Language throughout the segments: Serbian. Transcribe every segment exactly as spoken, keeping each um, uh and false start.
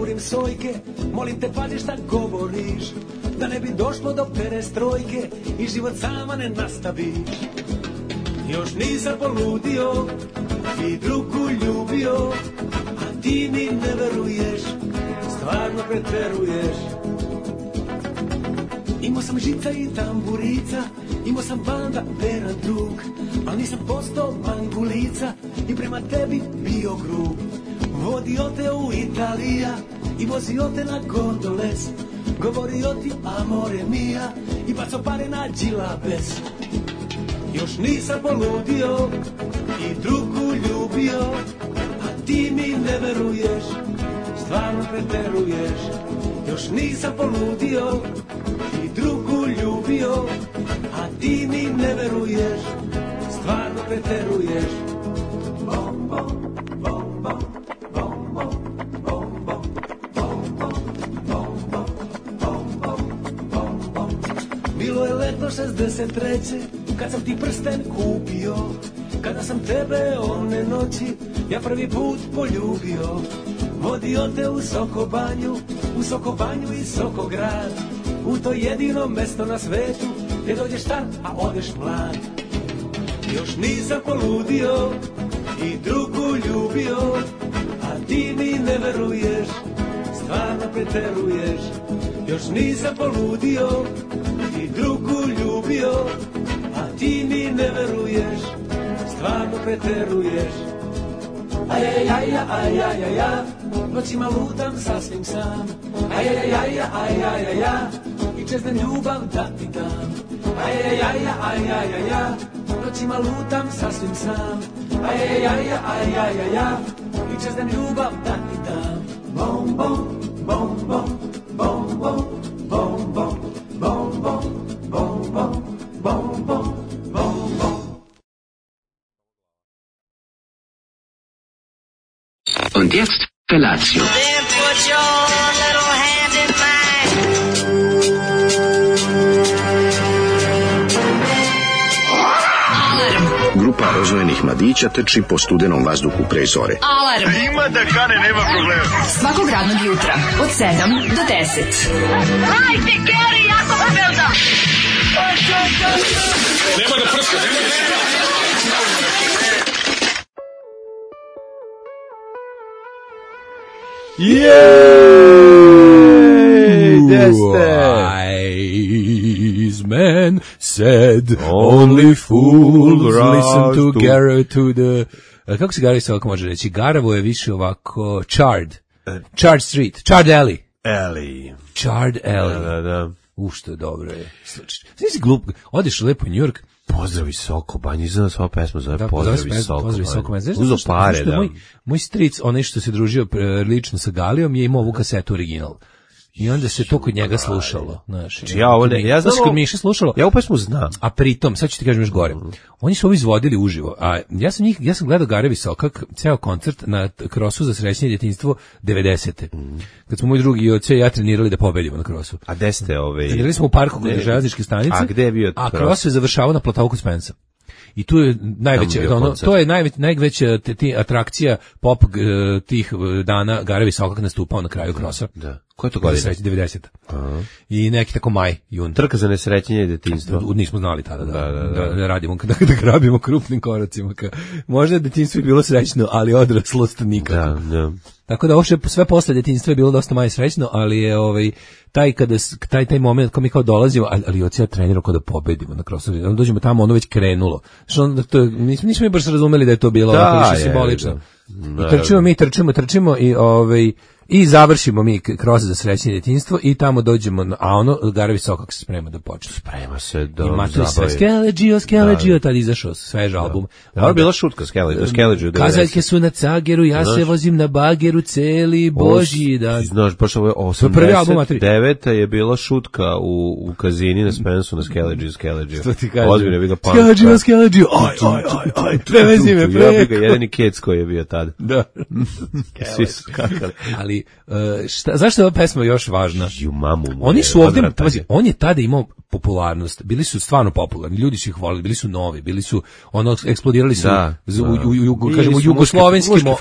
jurim sojke, molim te pazi šta govoriš, da ne bi došlo do perestrojke i život sama ne nastaviš. Još nisam poludio i drugu ljubio, a ti mi ne veruješ, stvarno preteruješ. Imao sam žica i tamburica, imao sam banda veran drug, ali nisam postao mangulica i prema tebi bio grub. Vodio te u Italija i vozio te na gondoles, govorio ti amore mia i bacio pare na džilabes. Još nisam poludio i drugu ljubio, a ti mi ne veruješ, stvarno preteruješ. Još nisam poludio i drugu ljubio, a ti mi ne veruješ, stvarno preteruješ. Bom, bom, bom, bom, bom, bom, bom, bom, bom, bom, bom, bom, bom, bom, bom. Bilo je leto šezdeset treće kad sam ti prsten kupio, kada sam tebe one noći ja prvi put poljubio. Vodio te u Sokobanju, u Sokobanju i Sokograd, u to jedino mesto na svetu gdje dođeš star, a odeš mlad. Još nisam poludio i drugu ljubio, a ti mi ne veruješ, stvarno preteruješ. Još nisam poludio i drugu ljubio, a ti mi ne veruješ, stvarno preteruješ. Ajajaja, ajajaja, noćima lutam sasvim sam. Ajajaja, ajajaja, i čeznem ljubav da ti dam. Ajajaja, ajajaja, noćima lutam sasvim sam. Ajajaja, ajajaja, i čeznem ljubav da ti dam. Bom, bom, bom, bom, bom, bom, bom, bom, bom, bom, bom, bom, bom, bom, bom, bom. Und jetzt Felatio. Then put your little hand in mine. Grupa rozvojenih mladića trči po studenom vazduhu pre zore. Alarm. Ima da kane, nema problema. Svakog radnog jutra od sedam do deset. Hajde, Geri, jako se velda. Nema da prska, nema da prska. Jej! Gde ste? Wise man said only fools listen to Gara to the... Uh, kako se Gara se ovako može reći? Garavo je više ovako Chard. Chard Street. Chard Alley. Alley. Chard Alley. Da, da, da. U, što je dobro je. Sve si glup. Odeš lepo u New York. Pozdravi Sokobanj, izgleda sva pesma zove Da, Pozdravi Sokobanj. Pozdravi Sokobanj. Uzo pare, da. Moj, moj stric, onaj što se družio pre, lično sa Galijom, je imao ovu kasetu original. I onda se to kod njega slušalo. Znaš, ja, ovo ne, ja znam, to se kod Miše slušalo. Ja ovu pesmu znam. A pritom, sad ću ti kažem još gore, oni su ovo izvodili uživo, a ja sam njih, ja sam gledao Gare Visokak, ceo koncert na krosu za srećnije djetinjstvo devedesete. Mm. Kad smo moj drugi i oce i ja trenirali da pobedimo na krosu. A gde ste ove... Trenirali smo u parku kod železničke stanice, a gde je bio a kros je završavao na platovu kod Spensa. I tu je najveća, ono, to je najveć, najveća te, ti, atrakcija pop g, tih dana. Gare Visokak nastupao na kraju krosa. Da. Ko je to godina? devedeseta. I neki tako maj, jun. Trka za nesrećenje djetinjstva. Nismo znali tada da, da, da, da. da, da radimo, da, da grabimo krupnim koracima. Ka. Možda je djetinjstvo je bilo srećno, ali odraslost nikako. Da, da. Tako da ovo sve posle djetinjstva je bilo dosta manje srećno, ali je ovaj taj kada taj taj moment kad mi kao dolazimo, ali, ali ocija trenirao kao da pobedimo na krosu. Onda dođemo tamo, ono već krenulo. Što onda to nismo nismo mi baš razumeli da je to bilo da, ovako više simbolično. I trčimo mi, trčimo, trčimo i ovaj i završimo mi kroz za srećnije djetinjstvo i tamo dođemo, na, a ono Gare Visokak se sprema da počne. Sprema se da zabavi. Sve Skeleđio, Skeleđio, tad izašao svež album. Da, je bila šutka Skeleđio. Kazaljke su na cageru, ja se vozim na bageru celi božji dan. Znaš, baš ovo je osamdeset deveta je bila šutka u, u Kazini na Spensu na Skeleđio, Skeleđio. Što ti kažem? Ozbiljno je bila panka. Skeleđio, Skeleđio, aj, aj, aj, aj, prevezi me preko. Jedini kec koji je bio tad. Da. Svi su kakali. Ali šta, zašto je ova pesma još važna? Ju mamu. Oni su ovdje, pazi, on je tada imao popularnost, bili su stvarno popularni, ljudi su ih volili, bili su novi, bili su, ono, eksplodirali su da, u, u, u, u, kažemo, u jugoslovenskim,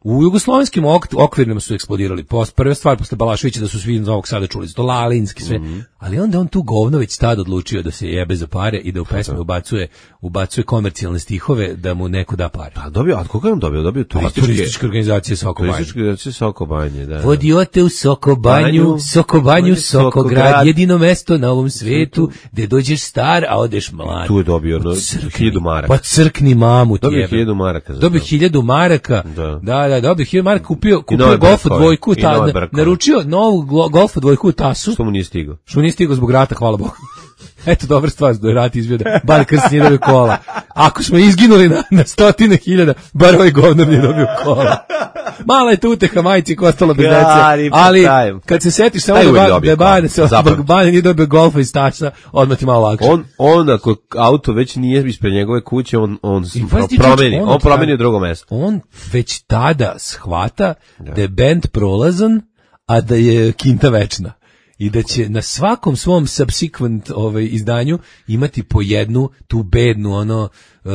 U jugoslovenskim ok, okvirima su eksplodirali. Post, prva stvar posle Balaševića da su svi iz Novog Sada čuli za to, Lalinski, sve. Mm-hmm. Ali onda on tu govno već tad odlučio da se jebe za pare i da u pesme ubacuje, ubacuje komercijalne stihove da mu neko da pare. A dobio, a koga je on dobio? Dobio turističke, turističke organizacije Soko Banje. Turističke organizacije Soko Banje, da. Vodio te u Soko Banju, Soko Banju, Soko grad, jedino mesto na ovom svetu gde dođeš star, a odeš mlad. Tu je dobio no, hiljadu maraka. Pa crkni mamu ti jebe. Dobio hiljadu maraka. Dobio hiljadu maraka. Da, da, da dobio hiljadu maraka, kupio, kupio golf dvojku, ta, naručio novu golf dvojku u tasu. Što mu nije stigao? Što mu nije stigao zbog rata, hvala Bogu. Eto, dobra stvar, da je rat izbio da bar krst nije dobio kola. Ako smo izginuli na, na stotine hiljada, bar ovaj govnar nije dobio kola. Mala je tu uteha majci ko ostalo bez dece, ali kad se setiš samo da, ba, da Bane se zbog Bane nije dobio golfa iz tasa, odmah ti malo lakše. On, on ako auto već nije ispred njegove kuće, on, on promeni, on, on promeni u drugo mesto. On već tada shvata da, da je bend prolazan, a da je kinta večna. I da će na svakom svom subsequent ovaj, izdanju imati po jednu tu bednu ono uh,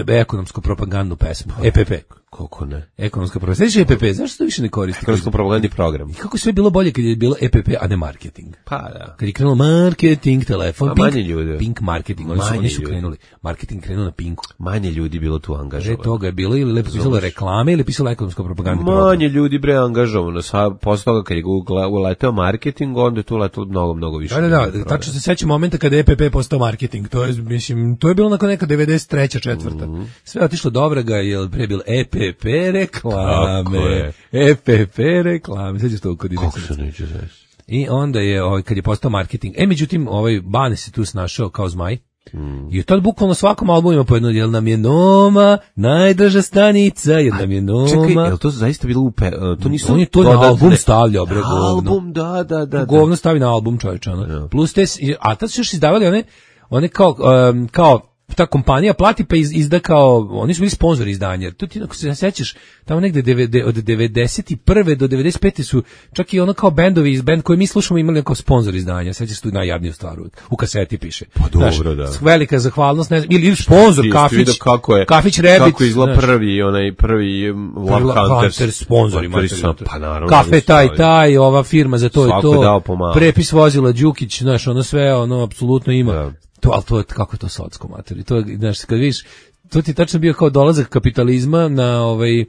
ekonomsku propagandnu pesmu. E P P. Koliko ne? Ekonomska propaganda. Sveći E P P, zašto to više ne koristi? Ekonomsko propagandni program. I kako sve bilo bolje kad je bilo E P P, a ne marketing. Pa da. Kad je krenulo marketing, telefon, a Pink, manje ljudi. Pink marketing, oni su, oni su krenuli. Marketing krenuo na Pinku. Manje ljudi bilo tu angažovano. Pre toga je bilo ili lepo pisalo reklame ili pisalo ekonomsko propagandni program. Manje ljudi bre angažovano. Posle toga kad je Google uleteo marketing, onda je tu letelo mnogo, mnogo više. Da, da, da. Tačno se sećam momenta kada je E P P postao marketing. To je, mislim, to je bilo nakon neka devedeset treća četvrta. Mm-hmm. Sve je otišlo do vraga, jer pre bilo E P P reklame, E P P reklame, sećaš to kod Kako se neće znaš? I onda je, ovaj, kad je postao marketing, e, međutim, ovaj Bane se tu snašao kao zmaj, mm. i tad bukvalno svakom albumu ima po jedno, jel nam je Noma najdrža stanica, jel nam je Noma. Čekaj, jel to zaista bilo upe, uh, to nisu... On je to na album stavljao, bre, govno. Album, da, da, da. Govno stavi na album, čovječ, ono. Ja. Plus te, a tad su još izdavali one, one kao, um, kao, ta kompanija plati pa iz, izda kao, oni su bili sponzori izdanja. Tu ti, ako se sećaš, tamo negde od devedeset prve do devedeset pete su čak i ono kao bendovi iz bend koje mi slušamo imali kao sponzor izdanja. Sećaš tu najjadniju stvar, u kaseti piše. Pa dobro, znaš, da. Velika zahvalnost, ne znam, ili, ili sponzor, Kafić, kako je, Kafić Rabbit. Kako izgleda prvi, onaj prvi Love Hunters sponzori. Pa naravno. Kafe taj, taj, ova firma za to i to. Prepis vozila Đukić, znaš, ono sve, ono, apsolutno ima. Da. To, ali to je, kako je to socko, materi. To je, znaš, kad vidiš, to ti tačno bio kao dolazak kapitalizma na, ovaj,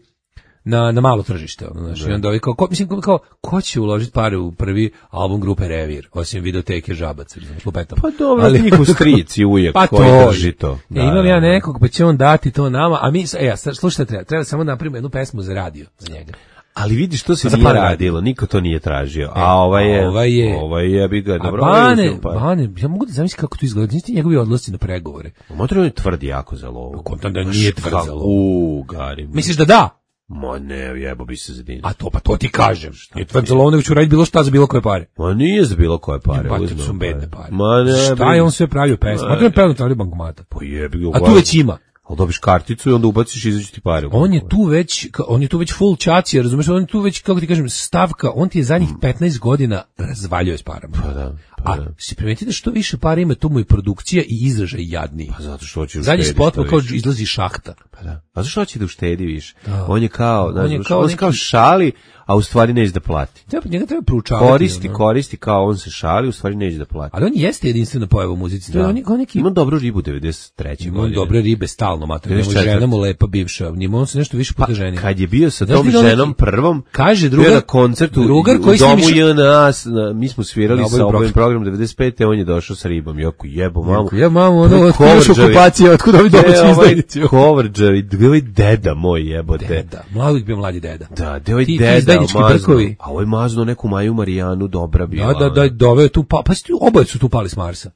na, na malo tržište, ono, znaš, i onda ovaj, kao, ko, mislim, kao, ko će uložiti pare u prvi album grupe Revir, osim videoteke Žabac, znaš, lupetam. Pa dobro, ali njihov stric i ujek pa koji to, drži to. Da, e, imam da, ja nekog, pa će on dati to nama, a mi, e, ja, slušajte, treba, treba samo napravimo jednu pesmu za radio, za njega. Ali vidiš, to se nije radilo, niko to nije tražio. A ovaj je, ovaj je, ovaj je, bi ga, dobro. A Bane, Bane, ja mogu da zamislim kako to izgleda, niste njegovi odlasci na pregovore. Motor on je tvrdi jako za lovu. Kontam da nije tvrd za lovu. U, Gari. Misliš da da? Ma ne, jebo bi se za dinje. A to, pa to ti kažem. Nije tvrd za lovu, nego ću raditi bilo šta za bilo koje pare. Ma nije za bilo koje pare. Pa to su bedne pare. Ma ne. Šta je on sve pravio pesma? Ma to je pevno tražio bankomata. Pa jebi ga. A tu već ima. Ali dobiš karticu i onda ubaciš i izađu ti pare. On je tu već, on je tu već full čacija, razumiješ, on je tu već, kako ti kažem, stavka, on ti je zadnjih petnaest godina razvaljuje s parama. Pa da, pa a da. si primetite da što više para ima, tu mu i produkcija i izražaj jadniji. Pa zato što hoće zadnji spot kao izlazi šahta. Pa da. A zašto hoće da uštedi više? Da. On je kao, on je kao, on neki... kao šali, a u stvari neće da plati. Treba, njega treba proučavati. Koristi, ono. koristi kao on se šali, u stvari neće da plati. Ali on jeste jedinstvena pojava u muzici. Da. On je, on neki... Ima dobru ribu devedeset treće godine. Ima dobre ribe stalno, mater. Njemu žena mu lepa bivša. Njemu on se nešto više puta ženio. Pa, kad je bio sa tom ženom prvom, kaže drugar, na koncertu drugar u koji domu snimiš... J N A, mi smo svirali sa ovim programom devedeset pete, on je došao sa ribom. Joku jebo mamu. Ja mamu, ono, otkuda još okupacija, otkuda ovi domaći izdajnici. Kovrđavi, ovaj deda moj jebote. Deda, mladog bio mladi deda. Da, deo je deda, mazno. A ovaj mazno neku Maju Marijanu, dobra bila. Da, da, da, doveo tu, pa, pa oboje su tu pali s Marsa.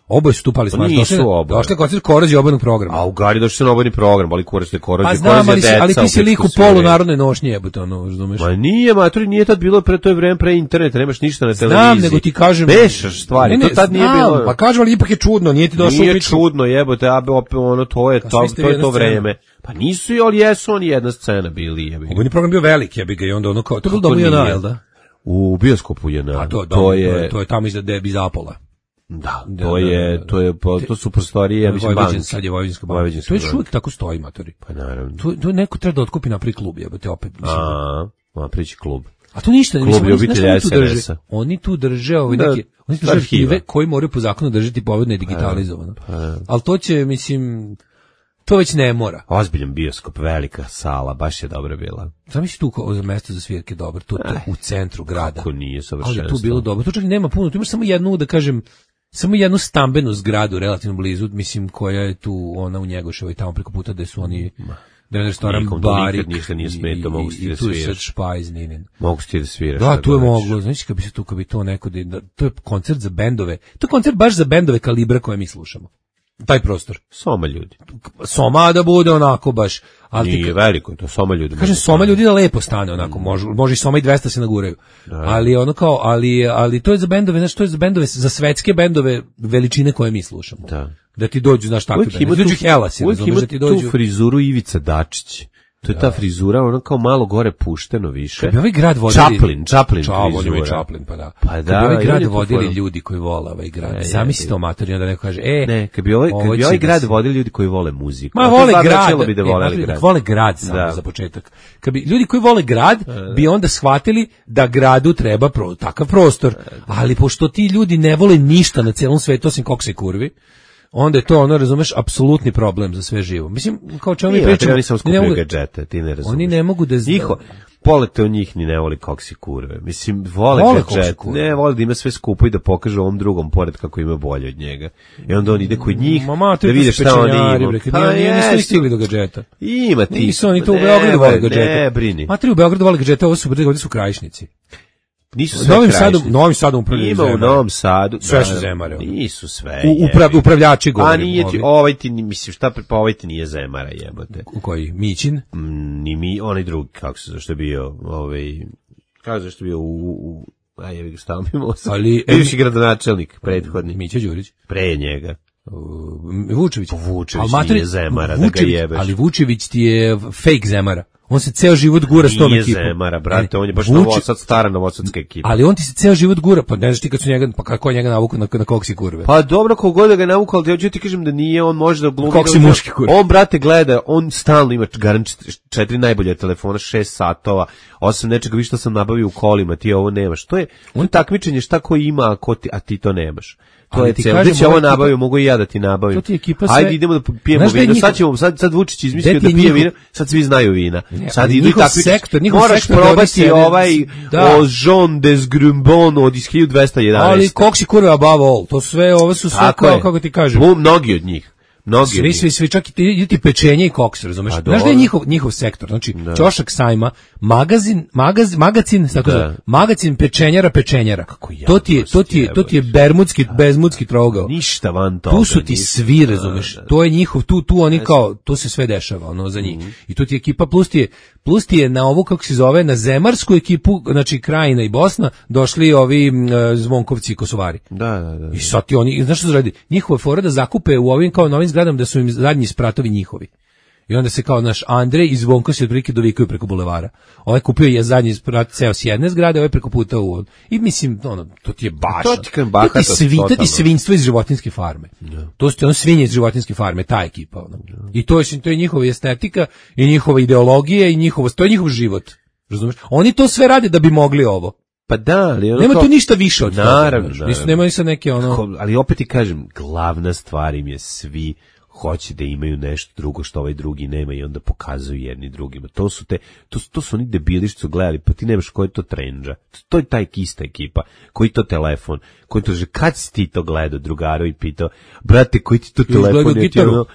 Oboje su tu pali s Marsa. Nisu oboje. Došli koncert Korođe obojnog programa. A u Gari došli se na obojni program, ali Korođe, Korođe, pa znam, ali, ali ti si lik u polu narodnoj nošnji, jebote, ono, razumeš? Ma nije, maturi, nije tad bilo pre to je vreme pre interneta, nemaš ništa na televiziji. Znam, nego ti kažem. Mešaš stvari, ne, ne, to tad nije znam, bilo. Pa kažem, ali ipak je čudno, nije ti došao u Nije čudno, jebote, a ono, to je to, to je to vreme. Pa nisu, ali jesu oni jedna scena bili, jebi. Obojni program bio veliki, jebi ga, i onda ono kao, to je bilo domu J N A, jel da? U bioskopu J N A. A to, to je to je tamo iza Debi Zapola. Da, to je, to je, to su prostorije, ja mislim, banke. Sad je Vojvodinska banka. To je uvijek tako stoji, matori. Pa naravno. To, to neko treba da otkupi napravi klub, jebote, opet. Mislim. A, napravići klub. A to ništa, klub mislim, ljubitelja oni tu drže. Oni tu drže ove neke, oni tu drže arhive koji moraju po zakonu držati povedno i digitalizovano. Ali to će, mislim, to već ne mora. Ozbiljan bioskop, velika sala, baš je dobra bila. Zamisli tu kao mesto za svirke dobro, to, to u centru grada. Kako nije savršenstvo. Ali tu bilo dobro. To čak nema puno, tu imaš samo jednu, da kažem, samo jednu stambenu zgradu relativno blizu, mislim, koja je tu, ona u Njegoševoj, tamo preko puta gde su oni, da je restoran Barik ništa nije smetao, mogu ti da sviraš. I tu je sad Špajz, Ninin. Mogu ti da sviraš. Da, tu je moglo, znači kad bi se tu, kad bi to neko, da, to je koncert za bendove, to je koncert baš za bendove kalibra koje mi slušamo. Taj prostor. Soma ljudi. Soma da bude onako baš. Ali nije veliko, je to Soma ljudi. Kažem, Soma ljudi da lepo stane onako, može, može i Soma i dvesta se naguraju. Da. Ali ono kao, ali, ali to je za bendove, znači to je za bendove, za svetske bendove veličine koje mi slušamo. Da. Da ti dođu, znaš, takve bendove. Dođu Hellas, razumeš, da ti dođu. Tu frizuru Ivica Dačić. To je ta frizura, ona kao malo gore pušteno više. Kad bi ovaj grad vodili... Chaplin, Chaplin frizura. Chaplin, pa da. Pa da, kad bi ovaj grad vodili ljudi koji vole ovaj grad. Zamisli to amatori, onda neko kaže, e... Ne, kad bi ovaj, kad bi ovaj grad vodili ljudi koji vole muziku. Ma vole grad, bi da vole grad. Vole grad samo za početak. Kad bi ljudi koji vole grad bi onda shvatili da gradu treba takav prostor. Ali pošto ti ljudi ne vole ništa na celom svetu osim koksa i kurvi, onda je to, ono, razumeš, apsolutni problem za sve živo. Mislim, kao čemu mi pričamo... Oni samo skupljaju gadžete, ti ne razumeš. Oni ne mogu da... Njiho, polete u njih ni ne voli koksi kurve. Mislim, vole, vole gadžet, ne, vole da ima sve skupo i da pokaže ovom drugom pored kako ima bolje od njega. I onda on ide kod njih, Mama, da vide šta oni ima. Pa nisu ni stigli do gadžeta. Ima ti. Nisu oni to u Beogradu vole gadžeta. Ne, brini. Matri u Beogradu vole gadžeta, ovo su, ovdje su Krajišnici. Nisu sve Novim Sadom, Novim Sadom upravljaju Ima u Novom Sadu. Sve su zemare. Nisu sve. U, uprav, upravljači govorim. A nije ti, ovaj ti, mislim, šta, pa ovaj ti nije zemara, jebote. U koji? Mićin? Mm, ni mi, onaj drugi, kako se, zašto je bio, ovaj, kako zašto je bio u, u a je ga stavio mi mosa. Ali, bivši gradonačelnik, prethodni. Mića Đurić? Pre njega. Vučević. Vučević nije zemara, da ga jebeš. Ali Vučević ti je fake zemara. On se ceo život gura s tom ekipom. Nije zemara, brate, on je baš Novosad, stara novosadska ekipa. Ali on ti se ceo život gura, pa ne znaš ti kad su njega, pa kako je njega navukao na, na koksi kurve. Pa dobro, kogod da ga navukao, ali ja ću ti kažem da nije, on može da glumi. Koksi muški kurve. On, brate, gleda, on stalno ima garant četiri najbolje telefona, šest satova, osam nečega, vi što sam nabavio u kolima, ti ovo nemaš. To je, on takmičenje šta ko ima, a, ko ti, a ti to nemaš. To ali je cijelo. Da će ovo nabavio, mogu i ja da ti nabavim. Ajde, idemo da pijemo vino. Njihov... Sad ćemo, sad, sad Vučić izmislio da pije njihov... vino, sad svi znaju vina. Sad idu i takvi. Sektor, moraš sektor probati ovaj da. O Jean des Grumbon od iz hiljadu dvesta jedanaest. Ali koksi kurve above all, to sve, ovo su sve kao, kako ti kažem. Mnogi od njih. Mnogi svi, svi, svi, čak i ti, ti pečenje i koks, razumeš? Znaš da je njihov, njihov sektor, znači da. Ćošak sajma, magazin, magaz, magazin, tako da. Da, magazin pečenjara, pečenjara. Kako ja, to ti je, to ti je, to ti je bermudski, bezmudski trogao. Ništa van toga. Tu su ti svi, razumeš? Da, da. To je njihov, tu, tu oni kao, tu se sve dešava, ono, za njih. Mm. I tu ti je ekipa, plus ti je, plus ti je na ovu, kako se zove, na zemarsku ekipu, znači Krajina i Bosna, došli ovi uh, Zvonkovci i Kosovari. Da, da, da. I sad ti oni, znaš što su radi? Njihova fora da zakupe u ovim kao novim zgradama da su im zadnji spratovi njihovi. I onda se kao naš Andrej i Zvonko se otprilike dovikaju preko bulevara. Ovaj kupio je zadnji sprat ceo s jedne zgrade, ovaj preko puta u i mislim ono to ti je baš. To ti kan baka, to ti svi, to ti svinjstvo iz životinjske farme. Yeah. To su ono svinje iz životinjske farme, ta ekipa ono. Yeah. I to je to je njihova estetika i njihova ideologija i njihovo to je njihov život. Razumeš? Oni to sve rade da bi mogli ovo. Pa da, ali ono nema to... tu ništa više od toga. Naravno, naravno. Nisu, nemaju sa neke ono... Ali opet ti kažem, glavna stvar im je svi hoće da imaju nešto drugo što ovaj drugi nema i onda pokazuju jedni drugima. To su te, to, to su oni debili što su gledali, pa ti nemaš ko je to trendža. To je taj ista ekipa, koji to telefon, koji to že, kad si ti to gledao drugaru i pitao, brate, koji ti to telefon je ti ono...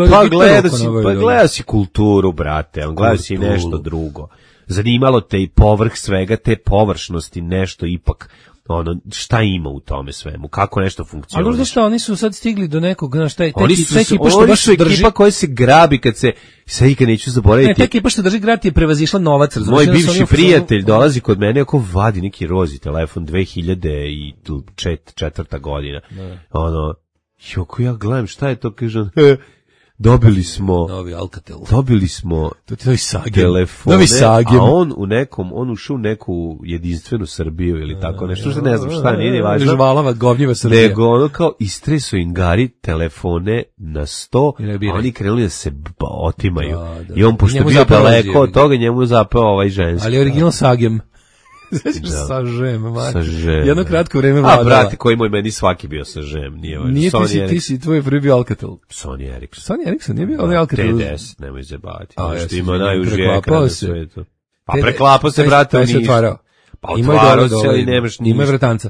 Pa gledao si, pa gledao si kulturu, brate, on gledao si nešto drugo. Zanimalo te i povrh svega te površnosti nešto ipak ono šta ima u tome svemu, kako nešto funkcionira. Ali šta, oni su sad stigli do nekog, znaš, taj oni su, taj ekipa što baš drži, ekipa koja se grabi kad se sve ikad neću zaboraviti. Ne, ta ekipa što drži grad je prevazišla novac, razumiješ. Moj bivši prijatelj dolazi kod mene ako vadi neki rozi telefon dve hiljade četvrta godina. Ne. Ono, joko ja gledam šta je to, kažem, dobili smo Novi Alcatel. dobili smo To ti novi Sagem. telefone, Novi Sagem. a on u nekom, on ušao u neku jedinstvenu Srbiju ili tako nešto, što ne znam šta, nije ni važno. Žvalava, govnjiva Srbija. Nego ono kao istresu ingari telefone na sto, I ne a biraj. oni krenuli da se b- otimaju. Da, da. I on, pošto je Njemu bio zapeo daleko od jebi. toga, njemu je zapeo ovaj ženski. Ali original Sagem. Znaš Da. sa žem, mati. Sa žem. Jedno kratko vreme A, vladala. brate, koji moj meni svaki bio sa žem, nije važno. Nije, ti Sony si, ti Ericsson. si, tvoj prvi bio Alcatel. Sony Ericsson. Sony Ericsson nije bio onaj Alcatel. T D S, nemoj zebati. A, A, ja što se ima izvinjam, najuži preklapao ekran na se. svetu. Pa Te- preklapao se, taj- brate, u taj se Nišu. otvarao. Pa Ima i otvarao dole, se, ali dole, nemaš Ima ništa. vratanca.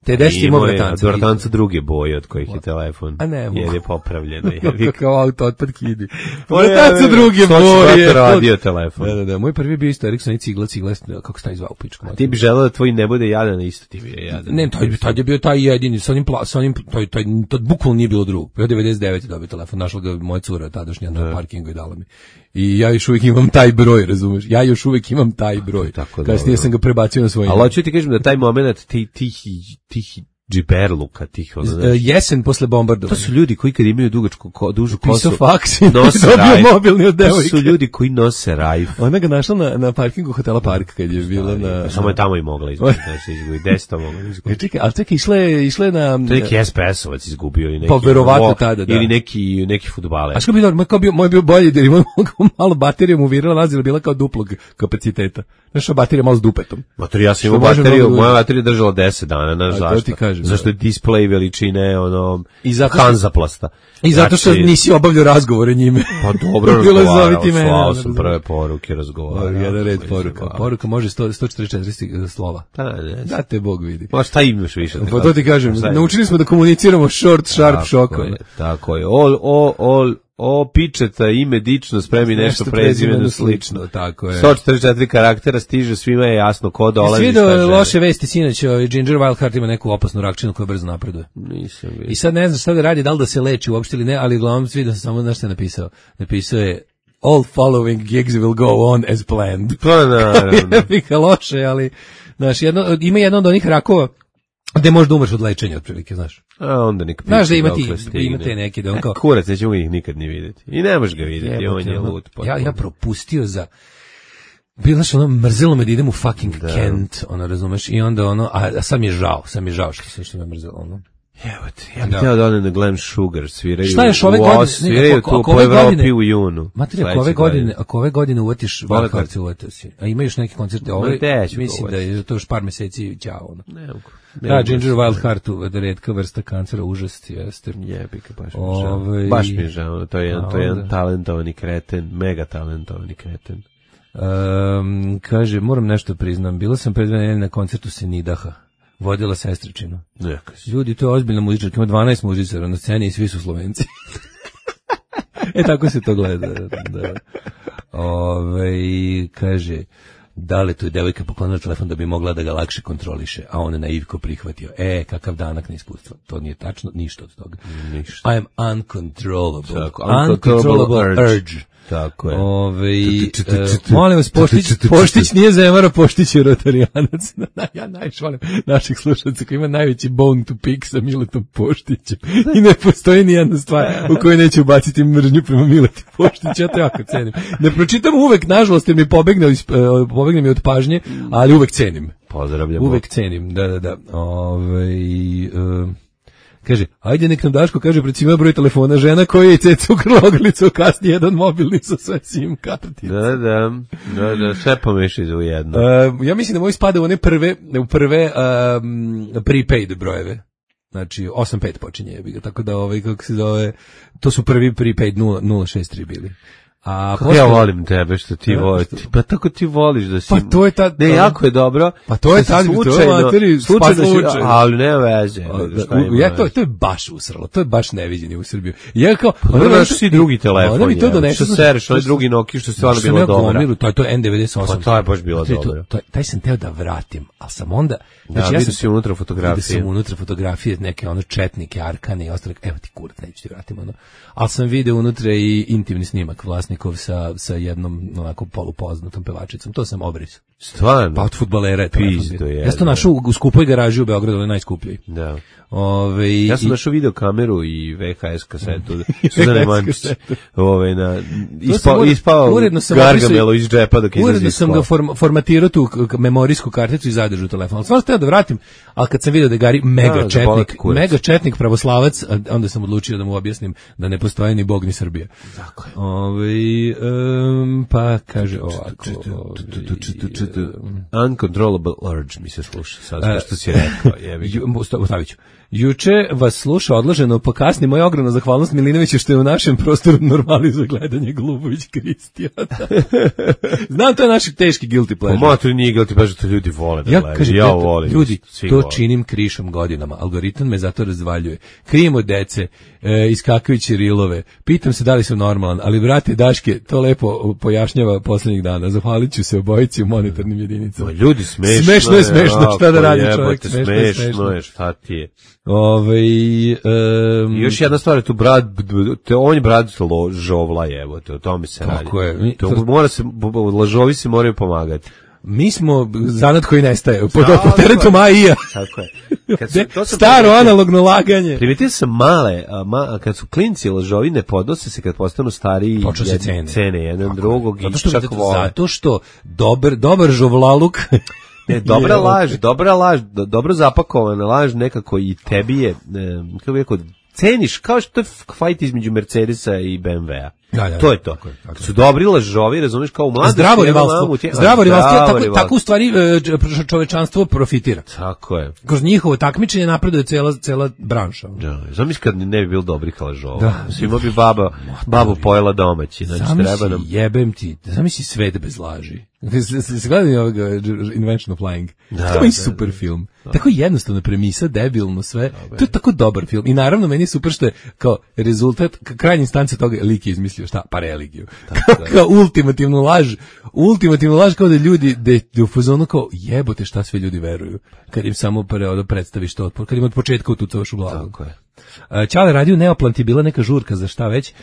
T deset ima vratanca. Od vratanca druge boje od kojih je telefon. A ne mogu. Jer je popravljeno. jebi. Kao auto otpad kidi. Pa je, Vratanca druge što će boje. brate radio telefon? Da, da, da. Moj prvi je bio isto Ericsson i cigla, cigla, kako se taj zvao u pičku. Ti bi želeo da tvoj ne bude jadan, isto ti bi je jadan. Ne, taj, taj je bio taj jedini, sa onim, pla, sa onim taj, taj, to bukvalno nije bilo drugo. Bio devedeset devete dobio telefon, našla ga moja cura tadašnja na parkingu i dala mi. I ja još uvijek imam taj broj, razumeš? Ja još uvijek imam taj broj. Tako Kasnije dobro. sam ga prebacio na svoj Ali ime. hoću ti kažem da taj moment ti, tih, tih džiberluka, tih, ono, Uh, znaš, jesen posle to bombardovanja. su ljudi koji kad imaju dugačku, ko, dužu kosu, Pisao faks i nose dobio rajf. mobilni od To devojke. su ljudi koji nose rajf. Ona ga našla na, na parkingu hotela Park kad je bila na... Samo je tamo i mogla izgubiti, znači izgubiti, deset mogla E, izgubiti. čekaj, ali čekaj, išla je, išla je na... To je neki S P S-ovac izgubio ili neki... Pa, verovatno Wo- tada, da. Ili neki, neki fudbaler. A što bi dobro, moj, kao bio, moj bio bolji, jer ima malo baterija mu virila, nazila bila kao duplog kapaciteta. Znaš, baterija malo s dupetom. Mater, ja sam Što imao može bateriju, mnogo da- moja baterija držala deset dana, znaš A, to zašto? ti kažem, da. Zašto je display veličine, ono, I zato što- Hanzaplasta. I zato što Znači, nisi obavljao razgovore njime. Pa dobro Bilo je razgovarao, zoviti mene, slao ono, sam razumeš. prve poruke, razgovarao. Jedan red sam, poruka. razgovarao. Poruka može sto, sto četrdeset četiri slova. Da, ne, Da te Bog vidi. Ma šta imaš više? Pa to ti kažem, Šta imaš? naučili smo da komuniciramo short, sharp, Tako šoko. je, Tako je. O, o, o, o, pičeta, ime dično, spremi nešto prezimeno slično. Tako je. sto četrdeset četiri karaktera stiže, svima je jasno ko dolazi. Svi šta do želi. loše vesti sinoć, ovaj Ginger Wildheart ima neku opasnu rakčinu koja brzo napreduje. Nisam vidio. I sad ne znam šta da radi, da li da se leči uopšte ili ne, ali uglavnom svi da sam samo znaš šta je napisao. Napisao je all following gigs will go on as planned. Pa naravno. Pika loše, ali znaš, jedno, ima jedan od onih rakova gde možda umreš od lečenja otprilike, znaš. A onda nek piše Znaš da ima ti- dokle stigne. ima te neke da on E, kao- Kurac, nećemo ih nikad ni vidjeti. I ne možeš ga vidjeti, Jebote, on je ono, lud. Ja, potpuno. ja propustio za... Bilo znaš, ono, mrzelo me da idem u fucking Da. Kent, ono, razumeš, i onda ono, a, a sad mi je žao, sad mi je žao što, što me mrzelo, ono. Evo ti, ja bih Da. htio da odem na Glen Sugar, sviraju Šta još ove u godine? Os, Ne, sviraju ako- tu ako po ove Evropi godine- u junu. Matri, ako Sledeće ove godine, ako ove godine uvatiš Vole Wildheart, karte. se uvatio si. A ima još neki koncerte, Ma, ove, gde ću mislim ga da je to još par meseci ćao, ono. Ne mogu. Ne Da, mogu Ginger se- Wildheart, da redka vrsta kancera, užas, jeste. Jebi ga, baš mi je žao. Ovaj- Baš mi je žao, to je jedan, A to je jedan onda? talentovani kreten, mega talentovani kreten. Um, kaže, moram nešto priznam, bila sam pred dve nedelje na koncertu Senidaha, vodila sestričinu. Neka si. Ljudi, to je ozbiljna muzičarka, ima dvanaest muzičara na sceni i svi su Slovenci. E, tako se to gleda. Da. Ove, kaže, da li tu je devojka poklonila telefon da bi mogla da ga lakše kontroliše, a on je naivko prihvatio. E, kakav danak neiskustva. To nije tačno, ništa od toga. Ništa. I am uncontrollable. Tako, uncontrollable uncontrollable urge. urge. Tako je. Ove, Tu, tu, tu, tu, e, tu, tu. molim vas, Poštić, Tu, tu, tu, tu, tu. Poštić nije Zemara, Poštić je Rotarijanac. Ja najviše volim naših slušalca koji ima najveći bone to pick sa Miletom Poštićem. I ne postoji ni jedna stvar u kojoj neće ubaciti mržnju prema Mileti Poštiću. Ja to jako cenim. Ne pročitam uvek, nažalost, jer mi pobegne, iz- e, pobegne mi od pažnje, ali uvek cenim. Pozdravljamo. Uvek cenim, da, da, da. Ove, e, kaže, ajde nek nam Daško kaže pred svima broj telefona, žena koja je ceca ukrala ogrlicu, kasnije jedan mobilni sa sve sim kartice. Da, da, da, da, sve pomeši u jedno. Uh, ja mislim da moj spada u one prve, u prve um, prepaid brojeve. Znači, osam pet počinje, jebi ga, tako da ovaj, kako se zove, to su prvi prepaid nula nula šest tri bili. A Kako ja volim tebe što ti Ja, voliš, što- ti- pa tako ti voliš da si... Pa to je ta- Ne, jako je dobro. Pa to je da si tad- to je slučajno, materi, slučajno spas si- slučaj. ali ne veze. Da, šta u- ima ja to, veze? to je baš usralo, to je baš neviđeni u Srbiju. Ja kao, Dobro, znaš si drugi telefon, ona mi to je, donese. što sereš, onaj drugi Nokia što je stvarno Što bilo sam ja dobro. gomilu, To je to je N devedeset osam. Pa to je baš bilo Znači, to- dobro. to- Taj sam teo da vratim, ali sam onda... Da, ja vidio sam si unutra Vidio fotografije. sam unutra fotografije, neke ono četnike, arkane i ostale. Evo ti kurac, neću ti vratim ono. Ali sam video unutra i intimni snimak vlasnikov sa, sa jednom onako polupoznatom pevačicom. To sam obrisao. Stvarno? Pa od fudbalera je Pizdo je. Ja sam to našao u skupoj garaži u Beogradu, je najskuplji. Da. Ove, ja sam našao video kameru i V H S kasetu. Suzane Mančić. Ove, na, ispao, ispao Gargamelo iz džepa dok izlazi. Uredno sam ga form, formatirao tu memorijsku karticu i zadržao telefon. Stvarno htio da vratim, ali kad sam vidio da je Gari mega da, četnik, mega četnik pravoslavac, onda sam odlučio da mu objasnim da ne postoji ni Bog ni Srbija. Tako je. Ove, um, pa kaže ovako. Uncontrollable urge mi se sluša sad, što si rekao. Ostavit ću. Juče vas sluša odloženo, pa kasni moja ogromna zahvalnost Milinoviću što je u našem prostoru normalizuje gledanje Glubović Kristijana. Znam, to je naš teški guilty pleasure. Pa to nije guilty pleasure, to ljudi vole da ja, gledaju. Kažem, ja volim. Ljudi, to vole. Činim krišom godinama. Algoritam me zato razdvaljuje. Krijem od dece, e, iskakajući rilove. Pitam se da li sam normalan, ali brate Daške, to lepo pojašnjava poslednjih dana. Zahvalit ću se obojici u monetarnim jedinicama. Ma ljudi, smešno, smešno je. Smešno je, šta da radi čovjek. Smešno, smešno, smešno je, šta ti je. Ove, um, I još jedna stvar je tu brat, te, on je brat žovla, evo, te, o tome se radi. Tako je. To mora se, lažovi se moraju pomagati. Mi smo zanat koji nestaje, pod, pod teretom A I A. Tako je. Kad su, to staro primetio, analogno laganje. Primetio sam male, a, ma, kad su klinci lažovi ne podnose se kad postanu stariji jed, cene. cene jedan tako, drugog zato i što, čak vole. Zato što dobar, dobar žovlaluk... Ne, dobra je, laž, dobra laž, do, dobro zapakovana laž nekako i tebi je, ne, kako bih rekao, ceniš, kao što je fajt između Mercedesa i B M W-a. Ja, ja, to je to. Tako je, tako su dobri lažovi, razumiješ, kao u mladosti. Zdravo rivalstvo. Tje, zdravo rivalstvo, tako, tako u stvari čovečanstvo profitira. Tako je. Kroz njihovo takmičenje napreduje cela, cela branša. Da, zamisli kad ne bi bilo dobrih lažova. Da. Svima bi baba, babu pojela domaći. Znači, zamisli, treba nam... jebem ti, zamisli svet bez laži. Se gledali ovoga Invention of Lying. Da, to je super film. Da. Tako jednostavna premisa, debilno sve. Da, to je tako dobar film. I naravno meni je super što je kao rezultat, krajnja instanca toga lik je izmislio šta? Pa religiju. Tako, kao ultimativnu laž. Ultimativnu laž kao da ljudi da u fazonu kao jebote šta sve ljudi veruju. Kad im samo pre, predstaviš to otpor. Kad im od početka utucavaš u glavu. Tako je. Čale radio Neoplant je bila neka žurka za šta već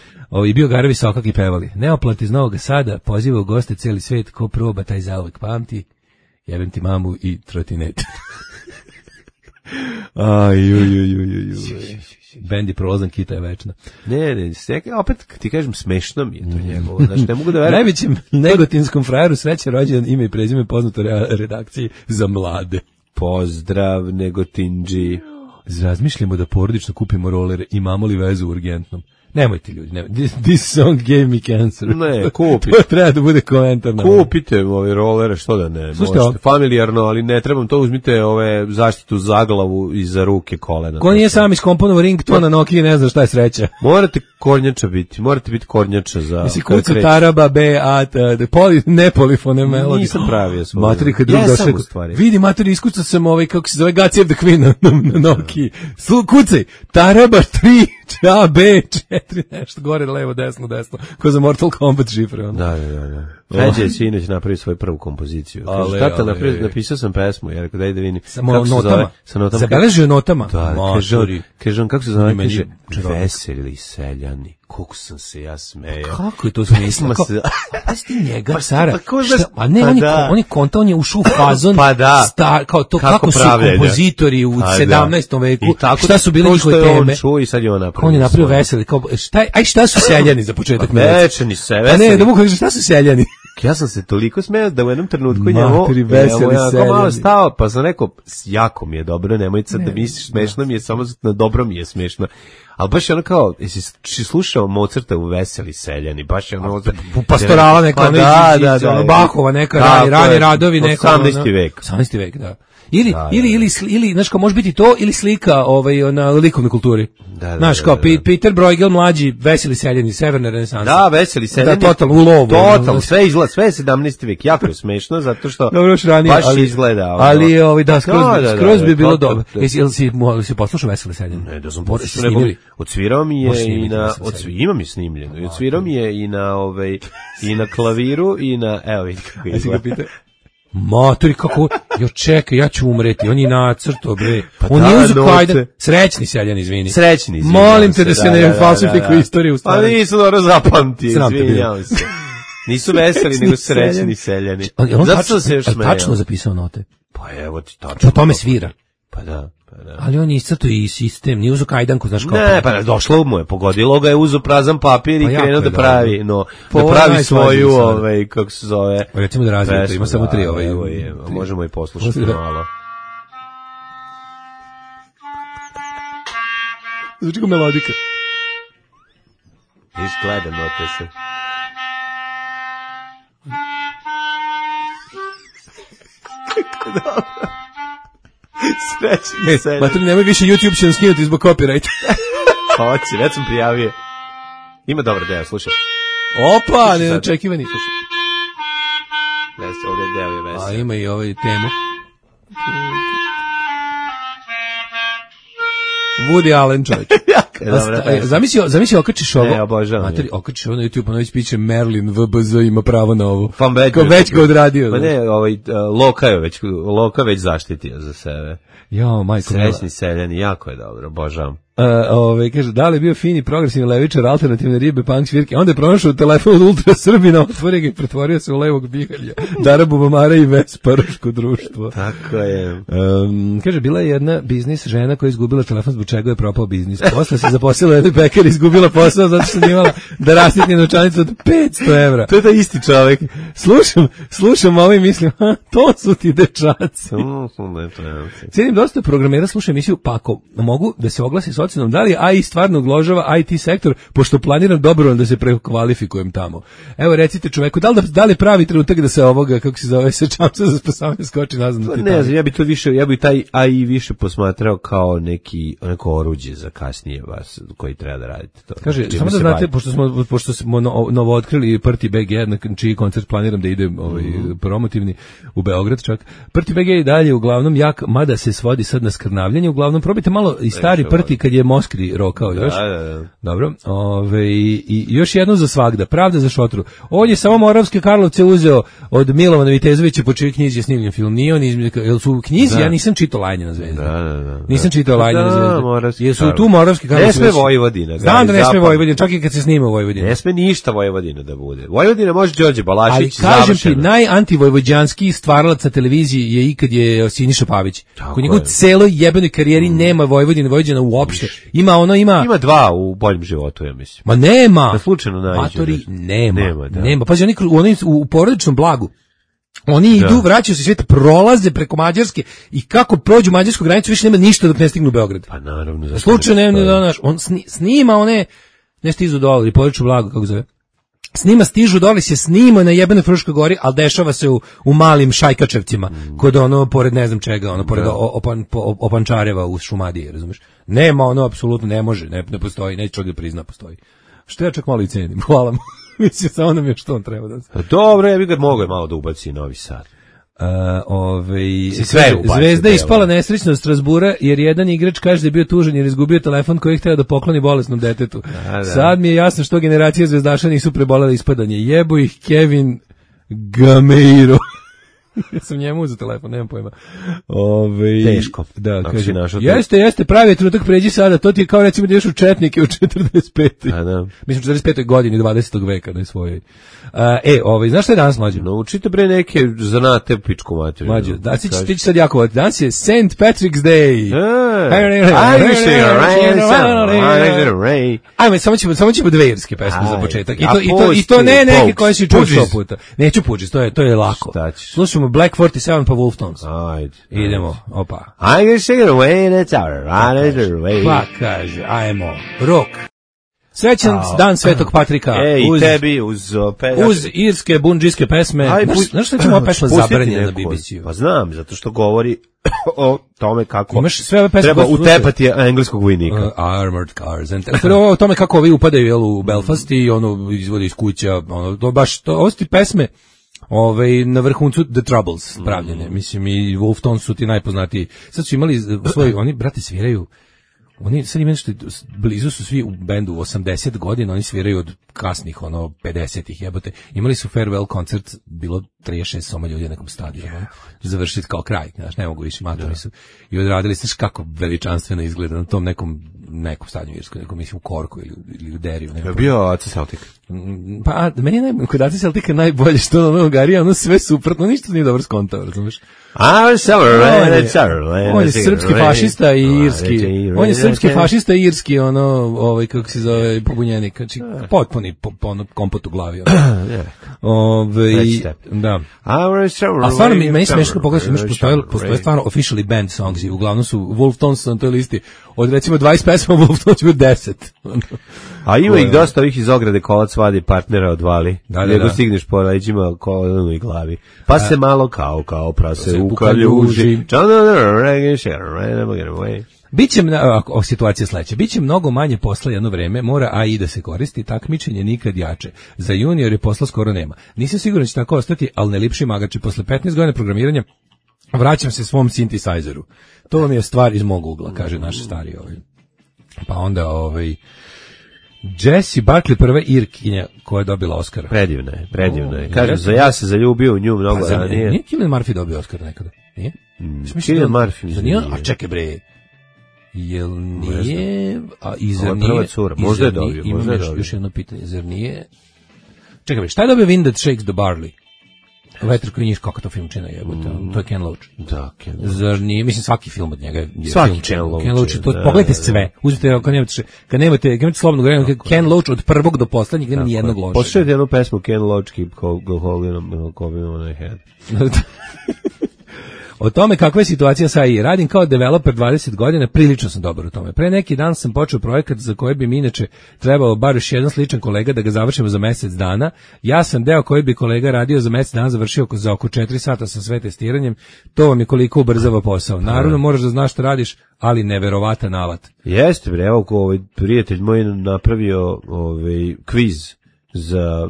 i bio Garevi Sokak i pevali. Neoplant iz Novog Sada poziva u goste cijeli svijet, ko proba taj zauvek pamti, jebem ti mamu i trotinet. Aj, ju, ju, ju, ju, ju. Bendi prolazan kita je večna. Ne, ne, opet ti kažem smešno mi je to njegovo. Znači, ne mogu da verujem. Najvećem negotinskom frajeru sreće rođendan, ime i prezime poznato redakciji za mlade. Pozdrav, Negotinđi. Razmišljamo da porodično kupimo rolere, imamo li vezu urgentnom? Nemojte ljudi, nemojte. This song gave me cancer. Ne, kupite. To treba da bude komentar. Kupite ove rolere, što da ne. Slušajte, možete, familijarno, ali ne trebam to, uzmite ove zaštitu za glavu i za ruke, kolena. Ko nije sam iskomponovao ringtone na Nokia, ne zna šta je sreća. Morate kornjača biti, morate biti kornjača za... Jesi kuca taraba, B, A, T, poli, ne polifone melodije. Nisam pravio svoj. Materi, kad drug došao. Vidi, materi, iskuca sam ovaj, kako se zove, Gacijev the Queen na, na Nokia. Kucaj, taraba tri, A, B, četiri, nešto, gore, levo, desno, desno, ko za Mortal Kombat šifre. Ono. Da, da, da. Feđa je sinoć napravio svoju prvu kompoziciju. Ale, tata, ale, napravio, napisao sam pesmu, jer ako daj da vidim. Samo notama. Zove, sa notama. Zabeležio notama. Da, kaže on, kaže on, kako se zove, kaže, veseli seljani. Koliko sam se ja smejao. Kako je to smisla? Pa sti njega, Sara. A ne, pa on je, da. on je konta, on je ušao u fazon. Pa da. Star, kao to, kako, kako su pravljenja. kompozitori u pa sedamnaestom da. veku, tako, šta su bile njihove teme. On čuo i sad je on napravio. On je napravio veseli. Kao, šta, aj šta su seljani za početak? Pa večeni se, veseli. Pa ne, da mogu kažem, šta su seljani? Ja sam se toliko smeo da u jednom trenutku njemu ja malo stao, pa sam rekao, jako mi je dobro, nemoj sad ne, da misliš smešno mi je, samo na dobro mi je smešno. Ali baš je ono kao, jesi slušao Mozarta u Veseli seljani, baš je ono... Pastorala neka, pa, ono da, iz, da, iz, da, ono Bahova neka, rani, rani radovi neka. osamnaesti vek. osamnaesti vek, da. Ili, da, ili, ili, ili, znaš kao, može biti to, ili slika ovaj, na likovnoj kulturi. Da, da, znaš kao, da, da. Peter Bruegel mlađi, Veseli seljani, severne renesanse. Da, Veseli seljani. Da, totalno, u lovu. Totalno, sve izgleda, sve je sedamnaesti vek, jako je smešno, zato što dobro, ranije, baš ali, izgleda. Ono. Ali, ovaj, da, skroz, da, da, da, skroz da, bi bilo to, dobro. Jesi, jel si, si poslušao Veseli seljani? Ne, da sam poslušao, nego odsvirao mi je i na, imam je snimljeno, i odsvirao mi je i na, ovaj, i na klaviru, i na, evo vidi kako izgleda. Matori, kako, jo čekaj, ja ću umreti, on je nacrto, bre. Pa on da, je uzeo kajdan, srećni seljan, izvini. Srećni, izvini. Molim te da se da, ne da, falsifikuje da, da. istoriju u stvari. Pa nisam dobro zapamtio, izvinjavam se. Nisu veseli, nego srećni seljani. Zato sam se još smejao. Tačno zapisao note. Pa evo ti tačno. Po tome svira. Pa da. Pa da. Ali on je iscrtao i sistem, nije uzo kajdanku, znaš kao. Ne, pa došlo mu je, pogodilo ga je, uzo prazan papir i pa krenuo da pravi, dobro. no, po da pravi svoju, ovaj, kako se zove. O, recimo da razvijete, ima samo tri, ovaj. Evo je, možemo i poslušati malo. Znači ko melodika. Izgleda note se. Kako dobro. Srećni seljani. Matri, nemoj više, YouTube će nam skinuti zbog copyright. Hoće, već sam prijavio. Ima dobar deo, slušaj. Opa, neočekivani. Vesi, ovdje deo je vesi. A ima i ovaj temu. Woody Allen, čovječ. Zamisli, zamisli okačiš ovo. Ne, obožavam. Materi, okačiš ovo na YouTube, ono već piće Merlin, V B Z ima pravo na ovo. Pa već, Kao već ga odradio. Pa ne, ovaj, Loka je već, Loka već zaštitio za sebe. Jo, majko. Srećni seljani, jako je dobro, obožavam. Uh, ove, kaže, da li je bio fini progresivni levičar, alternativne ribe, punk svirke, onda je pronašao telefon od Ultra Srbina, otvorio ga i pretvorio se u levog bihalja, Dara Bubamara i Vesparoško društvo. Tako je. Um, kaže, bila je jedna biznis žena koja je izgubila telefon zbog čega je propao biznis. Posle se zaposlila u jednoj pekari, izgubila posao zato što nije imala da rasitni novčanicu od petsto evra. To je da isti čovjek. Slušam, slušam ovo i mislim, ha, to su ti dečaci. Cijenim dosta programera, slušam emisiju, pa ako mogu da se oglasi s ocenom, da li A I stvarno ugrožava I T sektor, pošto planiram dobrovoljno da se prekvalifikujem tamo. Evo, recite čoveku, da li, da li pravi trenutak da se ovoga, kako se zove, se čamca za spasavanje skoči nazad na Titanic? Ne znam, ja bi to više, ja bi taj A I više posmatrao kao neki, neko oruđe za kasnije vas, koji treba da radite to. Kaže, samo da znate, pošto smo, pošto smo novo, novo otkrili Prti B G, na čiji koncert planiram da idem ovaj, mm. promotivni u Beograd čak. Prti B G je dalje uglavnom jak, mada se svodi sad na skrnavljanje, uglavnom probajte malo i stari Prti kad je Moskri rokao još. Da, da, da. Dobro. Ove, i, i još jedno za svagda. Pravda za šotru. On je samo Moravske Karlovce uzeo od Milovana Vitezovića, po čijoj knjizi je snimljen film. Nije on izme, jel su u knjizi, da. Ja nisam čitao Lajnjena zvezda. Da, da, da. Nisam čitao Lajnjena zvezda. Jesu Karlo. Tu Moravske Karlovce? Ne sme Vojvodina. Znam da ne sme Vojvodina, čak i kad se snima u Vojvodini. Ne sme ništa Vojvodina da bude. Vojvodina može Đorđe Balašić. Ali kažem ti, najantivojvođanski stvaralac na televiziji je ikad je Siniša Pavić. Ko njegov celoj jebenoj karijeri mm. nema Vojvodine, Vojvođana uopšte. Ima ono, ima... Ima dva u boljem životu, ja mislim. Ma nema! Da slučajno nađe. Matori, nema. Nema, da. Nema. Pazi, oni, oni u porodičnom blagu. Oni da. Idu, vraćaju se svijet, prolaze preko Mađarske i kako prođu mađarsku granicu, više nema ništa dok ne stignu u Beograd. Pa naravno. Da slučajno nema, da, naš, on sni, snima one, ne stižu dole, porodično blago, kako zove. Snima, stižu dole, se snima na jebenoj Fruškoj gori, ali dešava se u, u malim Šajkačevcima, mm. kod ono, pored ne znam čega, ono, pored opan, Opančareva u Šumadiji, razumeš? Nema ono, apsolutno ne može, ne, ne postoji, neće čovjek da prizna, postoji. Što ja čak malo i cenim, hvala mu. Mislim, samo nam je što on treba da se... Dobro, ja bih ga mogao malo da ubaci Novi Sad. Uh, ovaj, sve Zvezda je ispala nesrećna od Strasbura jer jedan igrač kaže da je bio tužan jer izgubio telefon koji je hteo da pokloni bolesnom detetu. Da, da. Sad mi je jasno što generacije zvezdaša nisu prebolele ispadanje. Jebo ih Kevin Gameiro. Ja sam njemu uzeo telefon, nemam pojma. Ove, Teško. Da, kaže, jeste, jeste, pravi trenutak, pređi sada, to ti je kao recimo da ješ u Četnike u četrdeset petoj A da. Mislim, u četrdeset petoj godini dvadesetog veka, ne svojoj. Uh, e, ovaj, znaš šta je danas, mlađe? Naučite bre neke zanate pičku materiju. Mlađe, da, ti ćeš sad jako voditi. Danas je Saint Patrick's Day. Ajme, samo ćemo, samo ćemo dve irske pesme za početak. I to, i to, i to ne neke koje si čuo sto puta. Neću puđis, to je, to je lako. Slušamo Black četrdeset sedam pa Wolftones. Ajde. Idemo, opa. I can sing it away, that's our right away. Pa kaže, ajmo, rock. Srećan oh. dan Svetog Patrika. Ej, uz, tebi, uz... Pe, uz irske, bundžijske pesme. Aj, znaš, znaš što ćemo ova pesma zabranjena na B B C-u? Pa znam, zato što govori o tome kako imaš sve ove pesme treba utepati engleskog vojnika. Uh, armored cars. And prvo o tome kako ovi upadaju jel, u Belfast i ono izvode iz kuća. Ono, to baš, to, ovo su ti pesme Ove, na vrhuncu The Troubles pravljene. Mm. Mislim, i Wolftones su ti najpoznatiji. Sad su imali svoj, oni, brate, sviraju, oni sad imaju što blizu su svi u bendu osamdeset godina, oni sviraju od kasnih, ono, pedesetih jebote. Imali su farewell koncert, bilo trideset šest soma ljudi na nekom stadionu. Yeah. Završiti kao kraj, znaš, ne mogu više, matori su. I odradili, znaš kako veličanstveno izgleda na tom nekom nekom stadionu Irskoj, nekom mislim u Korku ili, ili u Deriju. Je bio Aca Celtic? Pa, a, meni je naj, kod Aca Celtica najbolje što ono Garija, ono sve suprotno, ništa nije dobro skontao, razumiješ? A, on je srpski fašista i irski. On je srpski fašista i irski, ono, ovaj, kako se zove, pobunjenik. Znači, potpuni po, po, ono, kompot u glavi. Ove, da. A stvarno, mi, meni smešno pogledati, imaš postoje, postoje stvarno officially band songs i uglavnom su Wolf Tones na toj listi. Od recimo dvadeset pesama Wolf Tones ima deset. A ima ih dosta ovih iz ograde kolac vadi partnera odvali. Da, nego stigneš po leđima kolonu i glavi. Pa se malo kao, kao prase u kaljuži. Biće o situacija sledeća. Biće mnogo manje posla jedno vreme, mora A I da se koristi, takmičenje nikad jače. Za junior je posla skoro nema. Nisam siguran da će tako ostati, ali ne lipši magači. Posle petnaest godina programiranja vraćam se svom synthesizeru. To vam je stvar iz mog ugla, kaže naš stari ovaj. Pa onda ovaj Jessie Buckley, prva Irkinja koja je dobila Oscara. Predivna je, predivna je. Kažem, za ja se zaljubio u nju mnogo pa, ranije. Nije Cillian Murphy dobio Oscar nekada? Nije? Mm, Cillian Murphy. Nije? A čekaj bre. Jel nije? A i zar nije? Prva cura, možda je dobio. Imam još, još jedno pitanje, zar nije? Čekaj bre, šta je dobio Wind That Shakes the Barley? Vetar koji njiš, kako to film čina jebote, mm. to je Ken Loach. Da, Ken Loach. Zar nije, mislim svaki film od njega je svaki film Ken Loach. Ken Loach, to, da, pogledajte da, sve, uzmite, kad nemate, kad nemate, kad nemate slobodno vremena, Ken Loach od prvog do poslednjeg nema ni jednog lošeg. Poslušajte jednu pesmu Ken Loach, Keep Holding on my head. O tome kakva je situacija sa A I. Radim kao developer dvadeset godina, prilično sam dobar u tome. Pre neki dan sam počeo projekat za koji bi mi inače trebalo bar još jedan sličan kolega da ga završimo za mesec dana. Ja sam deo koji bi kolega radio za mesec dana, završio za oko četiri sata sa sve testiranjem. To vam je koliko ubrzava posao. Naravno, moraš da znaš šta radiš, ali neverovatan alat. Jeste, bre, evo ko ovaj prijatelj moj napravio ovaj kviz za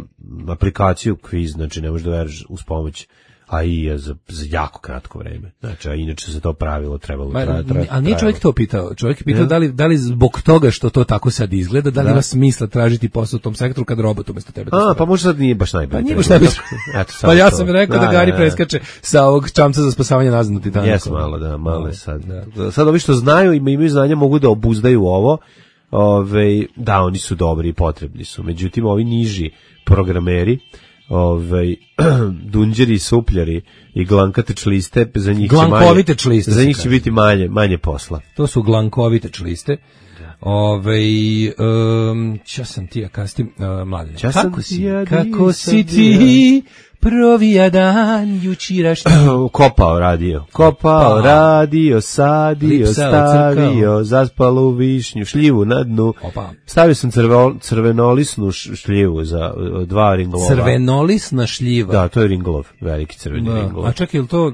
aplikaciju kviz, znači ne možeš da veriš uz pomoć A I je za, za jako kratko vreme. Znači, a inače se to pravilo trebalo trajati. Tra, tra, ali nije čovjek to pitao. Čovjek je pitao ja. da, li, da li zbog toga što to tako sad izgleda, da li da. ima smisla tražiti posao u tom sektoru kad robot umjesto tebe. A, da pa možda sad nije baš najbolje. Pa nije baš najbolje. Pa ja sam rekao da, da Gari da, preskače sa ovog čamca za spasavanje nazad na Titaniku. Jes malo, da, malo je sad. Da. Sad ovi što znaju i imaju znanja mogu da obuzdaju ovo. Ove, da, oni su dobri i potrebni su. Međutim, ovi niži programeri, ovaj dunđeri, supljari i glankate čliste, za njih će manje, čliste, za njih će biti manje, manje posla. To su glankovite čliste. Ovaj um, čas sam ti ja kastim uh, mladine. Kako si? Ja kako si ti? Provija dan jučerašnji. Kopao radio. Kopao radio, sadio, stavio, zaspalu višnju, šljivu na dnu. Opa. Stavio sam crvo, crvenolisnu šljivu za dva ringlova. Crvenolisna šljiva? Da, to je ringlov, veliki crveni da. ringlov. A čekaj, ili to...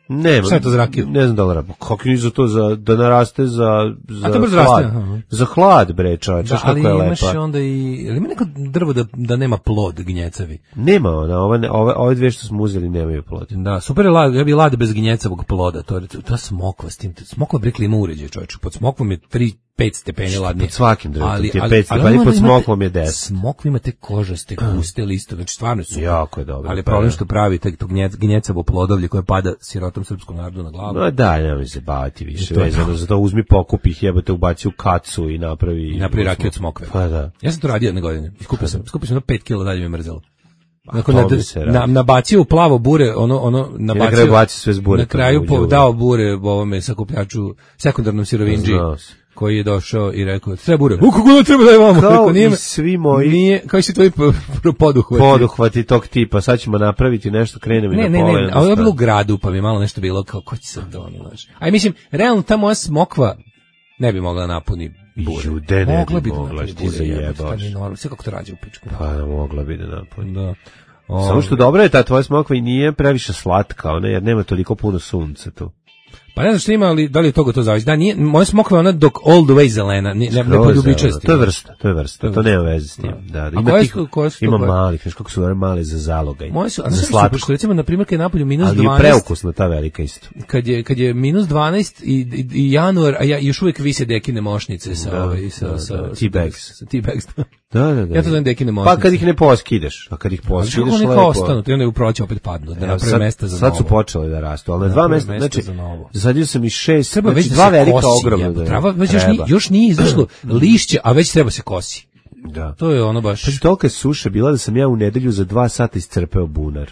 Ne, šta je to za rakiju? Ne znam da li raba. Kako ni za to, za, da naraste za, za hlad. Raste, za hlad, bre, čovječ, da, kako je lepa. Ali imaš onda i... Ali ima neko drvo da, da nema plod gnjecavi? Nema ona, ove, ove, ove dvije što smo uzeli nemaju plod. Da, super je lad, ja bi lad bez gnjecavog ploda. To je ta smokva s tim. Smokva bre klima uređaj, čovječ. Pod smokvom je tri pet stepeni ladnije. Pod svakim drvetom ti je pet stepeni, pod smokvom je deset. Smokva imate kožaste, guste liste, znači stvarno su. Jako je dobro. Ali problem što pravi to gnjecavo plodovlje koje pada sirotom srpskom narodu na glavu. No da, nemoj se baviti više vezano za to, uzmi pokup ih, jebote, ubaci u kacu i napravi... I napravi rakiju od smokve. Pa da. Ja sam to radio jedne godine. Skupio sam, skupio sam na pet kila, dalje mi je mrzelo. Nakon na, na, nabacio u plavo bure, ono, ono, nabacio... Na kraju baci sve s bure. Na kraju po, dao bure ovome sakupljaču, sekundarnom sirovinđi, koji je došao i rekao, treba bure. U, kako da treba da je vamo? Kao i svi moji... Nije, kao si tvoji poduhvati. Poduhvati tog tipa, sad ćemo napraviti nešto, krenemo i na pole. Ne, ne, ne, ali je bilo u gradu, pa bi malo nešto bilo kao, ko će sad to, ono, znaš. A mislim, realno ta moja smokva ne bi mogla napuni bure. Jude, ne mogla bi mogla, da ti zajebaš. Sve kako to rađe u pičku. Pa, mogla bi da napuni. Da. O, samo što dobro je ta tvoja smokva i nije previše slatka, ona, jer nema toliko puno sunca tu. Pa ne znam što ima, ali da li je toga to zavisi. Da, nije, moja smokva je ona dok all the way zelena, ne, ne, ne poljubičasti. To je vrsta, to je vrsta, to nema veze s tim. Da, da, ima, tih, su, su ima malih, znaš kako su one male za zalogaj. Moje su, a za slatko. Što recimo, na primjer, kad je napolju minus dvanaest. Ali je preukusna ta velika isto. Kad je, kad je minus dvanaest i, i, i januar, a ja još uvijek vise dekine mošnice sa, da, ovaj, sa, da, sa, da, T-bags. Sa T-bags. Da, da, da. Ja to zovem dekine mošnice. Pa kad ih ne poskideš, a kad ih poskideš lepo. Oni ostanu, ti onda u proći opet padnu, da naprave mesta za novo. Sad su počeli da rastu, ali na dva mesta, znači, Posadio sam i šest, Treba znači već da dva se velika kosi, ogromna. jebo, Da, trava već još, ni, još nije izašlo lišće, a već treba se kosi. da. To je ono baš... Znači, tolika je suša bila da sam ja u nedelju za dva sata iscrpeo bunar.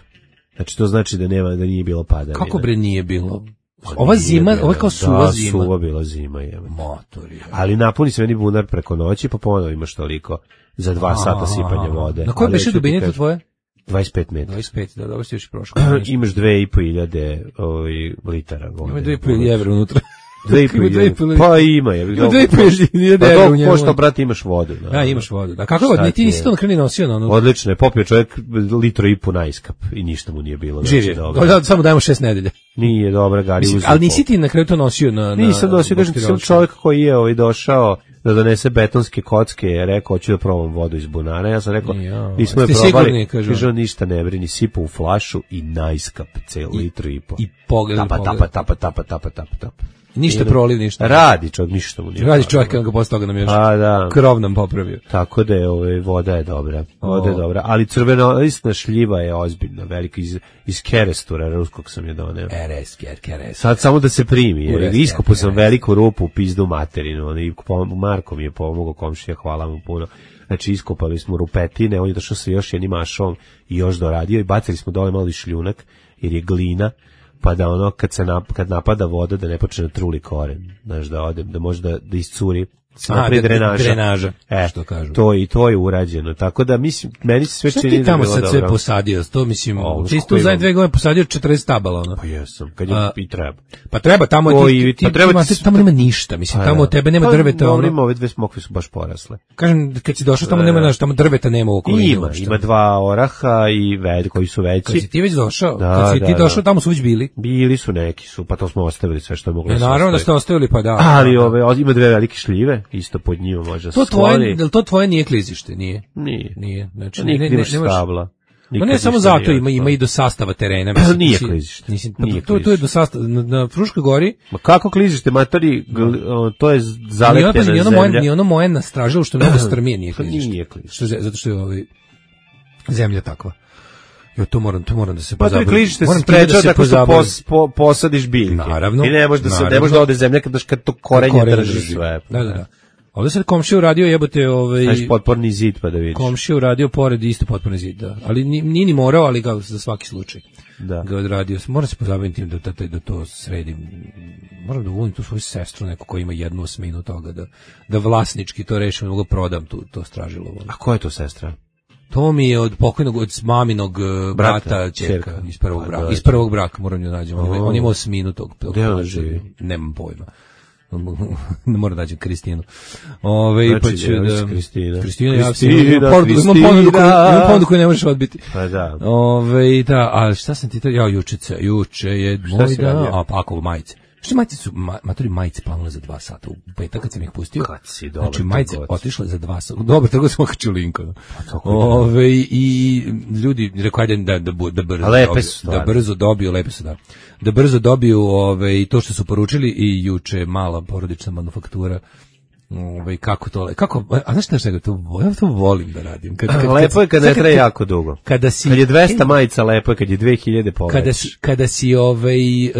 Znači, to znači da nema, da nije bilo padavina. Kako bre nije bilo? Pa Ova nije zima, bilo. ova je kao suva da, zima. suva bila zima, jebe. Motori. Ali napuni se meni bunar preko noći, pa ponovo imaš toliko za dva sata sipanja vode. Na kojoj Ali beše hoću ti dubine to kažem, tvoje? dvadeset pet metara. dvadeset pet, da, dobro si još i prošlo. Imaš dve i po hiljade ovaj, litara vode. Ima dve i po evra unutra. Dve i po Ima dve i po hiljade. Pa ima. Je, Ima dve i po hiljade pa evra u dok njemu. pošto, brate, imaš vodu. Da, Da, imaš vodu. Da, kako Šta god, ti ti nisi je? to na kraju nosio na ono. Odlično je, popio čovjek litro i po najskap i ništa mu nije bilo. Živ znači, je. dobro. Da, samo dajemo šest nedelja. Nije dobra, Gari Mislim, uzeo ali po- nisi ti na kraju to nosio na... na Nisam nosio, kažem ti, sam boštiročku. čovjek koji je ovaj došao da donese betonske kocke, je rekao, hoću da probam vodu iz bunara, ja sam rekao, Ja, nismo je ste probali, sigurni, kaže on. kaže on, ništa ne brini, sipa u flašu i najskap cel litru i po. I pogledaj, Tapa, pogledaj. tapa, tapa, tapa, tapa, tapa. Ništa Idem. proliv, ništa. Radi čovjek, ništa mu nije. Radi falilo. čovjek, on ga posle toga nam još A, da. krov nam popravio. Tako da je, ovaj, voda je dobra. Voda je O. dobra, ali crvenolistna šljiva je ozbiljna, velika, iz, iz Kerestura, ruskog sam je doneo. R S, Ker, Keres. Sad samo da se primi, jer Ureste, iskopao sam ureste. veliku rupu u pizdu materinu, on i pom- Marko mi je pomogao, komšija, hvala mu puno. Znači, iskopali smo rupetine, on je došao sa još jednim ašom i još doradio i bacili smo dole malo i šljunak, jer je glina, pa da ono, kad se nap, kad napada voda, da ne počne da truli koren, znaš, da ode, da može da, da iscuri, se A, napravi da- drenaža. drenaža, e, što kažu. To, i to je urađeno, tako da, mislim, meni se sve Šta čini ti da je tamo bilo sad sve dobro. posadio? To mislim, O, ti si kako tu za imam. dve godine posadio četrdeset tabala, ono. Pa jesam, kad je A, i treba. Pa treba, tamo O, ti, i- ti, pa treba ti, ti ti, s- tamo nema ništa, mislim, Pa tamo da. od tebe nema Pa, drveta, dobro, ono. ima, ove dve smokve su baš porasle. Kažem, kad si došao tamo nema, znaš, tamo drveta nema u okolini. Ima, uopšte. ima dva oraha i ved koji su Kad si veći. ti već došao, Da, kad si da, ti da. došao, tamo su već bili. Bili su neki su, pa to smo ostavili sve što je moglo E, da se naravno da ostavi. ste ostavili, pa da. Ali Da. ove, o- ima dve velike šljive, isto pod njima može da se To tvoje, skloni. jel to tvoje nije klizište, nije? Nije. Nije, znači, Nije ne, ne, klizište nemaš- stabla. Ma Nikad ne samo ništa zato, nije ima, ima ostalo. i do sastava terena. Mislim, Nije nisi- klizište. nisi- Nije to, to je do klizište. sastava, na, na Fruškoj gori, Ma kako klizište, matori, gl- o, to je ni ono, zalepljena pazi, ni ono zemlja. moje, ni ono moje nastražilo što je mnogo strmije nije Pa klizište. nije klizište. Što, je- zato što je ovaj, zemlja takva. Jo, to moram, to moram da se Pa to je pozabavim. klizište se Moram time sprečava se tako što pozabavim. pos, po, posadiš biljke. Naravno, I ne može da se, ne naravno. može da ode zemlja kad, kad to korenje Korenje drži sve. Da, da, da. Ovdje sad komšija uradio jebote ovaj... Znaš, potporni zid pa da vidiš. Komšija uradio pored isto potpuno zid, da. Ali ni- nije ni morao, ali ga za svaki slučaj. Da. Ga odradio. Moram se pozabaviti tim da, da, da to sredim. Moram da volim tu svoju sestru, neko ko ima jednu osminu toga, da, da vlasnički to rešim, da mogu prodam tu, to stražilo. A ko je to sestra? To mi je od pokojnog, od maminog uh, Brata, brata, ćerka, ćerka. iz prvog Pa, braka. da, Iz prvog braka moram nju nađem. On, ima- O. on ima osminu tog. tog Gde ona tog- živi? Nemam pojma. Ne moram da nađem Kristinu. Ove, Znači, pa ću djevica da... Kristina. Kristina, ja Kristina, imam ponudu, imam Kristina. ponudu koju, imam ponudu koju ne možeš odbiti. Pa da. Ove, da, a šta sam ti to, ja jučice, juče je moj si dan, radio? a pa ako majice. Što majice su, ma, matori majice planule za dva sata, u petak kad sam ih pustio. Kad si dobar Znači majice trgovac. otišle za dva sata, dobro, tako sam okačio link. ono. tako je. Ove, i ljudi, rekao ajde da, da, bu- da brzo A lepe dobiju, su da stvarno. brzo dobiju, lepe su da, da brzo dobiju ove, i to što su poručili i juče mala porodična manufaktura. Ove, kako to, le- kako, a znaš šta je to, ja to volim da radim. Kad, kad, Lepo je kad ne sad traje jako dugo. Kada si, Kad je dvesta majica lepo je, kad je dve hiljade poveć. kada si, kada si ovaj, e,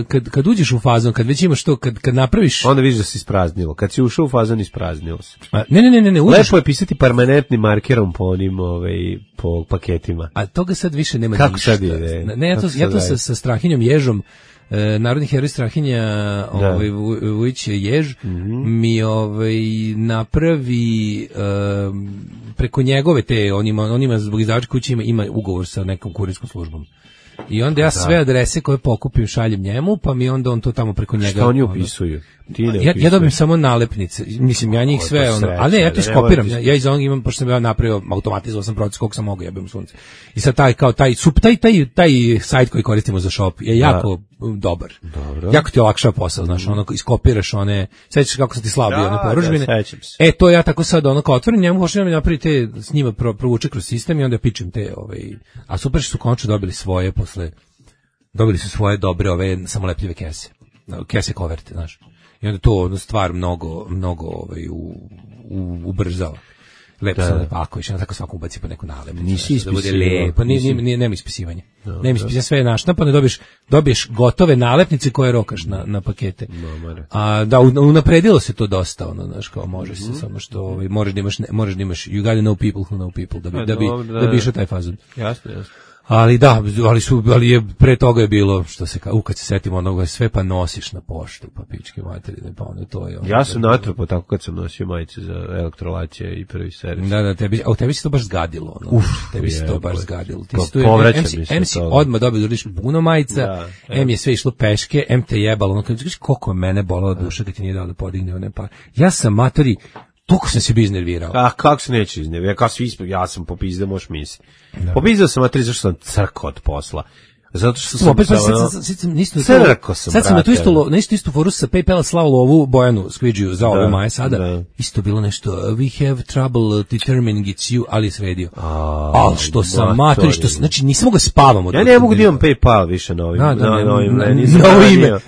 kad, kad uđeš u fazon, kad već imaš to, kad, kad napraviš, Onda vidiš da si ispraznilo. Kad si ušao u fazon, ispraznilo se. a, ne, ne, ne, ne, ne, uđeš, Lepo je pisati permanentnim markerom po onim, ovaj, po paketima. a toga sad više nema Kako ništa. sad ide? Ne, ja to, Kako ja sad to sa, radi? sa Strahinjom Ježom, e, narodni heroj Strahinja, ovaj, Vu- Vujić Jež, Mhm. mi ovaj, napravi e, preko njegove te, on ima, on ima zbog izdavačke kuće ima, ima ugovor sa nekom kurirskom službom. I onda ja sve adrese koje pokupim šaljem njemu, pa mi onda on to tamo preko njega... Šta oni ono- upisuju? Ti ne Ja, ja upisuješ. dobijem samo nalepnice, mislim, ja njih Kako je sve, to ono, sreća, ali ne, ja to da ne iskopiram, moraš- ja, ja iz onog imam, pošto sam ja napravio, automatizovao sam proces koliko sam mogao, jebem sunce. I sad taj, kao taj, sup, taj, taj, taj sajt koji koristimo za shop je jako um, dobar. Dobro. Jako ti olakšava posao, znaš, ono, iskopiraš one, sećaš kako sam ti slao bio, Da, one da, poružbine. sećam se. E, to ja tako sad, ono, kao otvorim njemu, hoću da napravi te, s njima pro, provuče kroz sistem i onda pičem te, ovaj, a super što su konačno dobili svoje posle, dobili su svoje dobre ove samolepljive kese, kese koverte, znaš. I onda to ono stvar mnogo, mnogo ovaj, u, u, ubrzava. lepo Da. se lepo, ako više, tako svako ubaci po neku nalepnicu. Nisi nešto, da bude ispisivao, lepo, nije, nisi- nije, nije, nema ispisivanja. Nema ispisivanja, sve je naštampano, dobiješ, dobiješ gotove nalepnice koje rokaš na, na pakete. A da, un- unapredilo se to dosta, ono, znaš, kao može se, samo što ovaj, moraš da imaš, ne, moraš da imaš, you gotta know people who know people, da bi, A, da bi, dobro, da, da bi da. išao taj fazon. Jasno, jasno. Ali da, ali su, ali je pre toga je bilo što se kao, u kad se setimo onoga sve pa nosiš na poštu, pa pičke materine, pa ono to je. Ono, Ja sam natrpao tako kad sam nosio majice za elektrolacije i prvi servis. Da, da, tebi, a u tebi se to baš zgadilo, ono. Uf, tebi se to jebote. baš zgadilo. Ti Kao si tu, povraća em mi si, se em si toga. odmah dobio da uradiš puno majica, Da, em je sve išlo peške, em te jebalo, ono, kad vidiš koliko je mene bolala duša kad ti nije dao da podigne one pa. Ja sam matori, toliko sam se bi iznervirao. A kako se neće iznevi? Ja, kao svi isp... ja sam popizda, možeš misliti. Popizdao sam, a tri, zašto sam crkao od posla. Zato što sam... Opet, pa sad ono- sam, sad sam, isto, Crko sam, sad sam na tu brate. istu, lo- na istu, istu foru sa PayPal slao lovu Bojanu Skvidžiju za ove Da, maje sada. da. Isto bilo nešto, we have trouble determining it's you, ali je sredio. A, Al što sam matori. matori, što, sam- znači nisam mogu da spavam od Ja ne mogu da imam PayPal više na ovim. Da, da, na, ne, na ovim, na- meni na ovo ime, zabranio.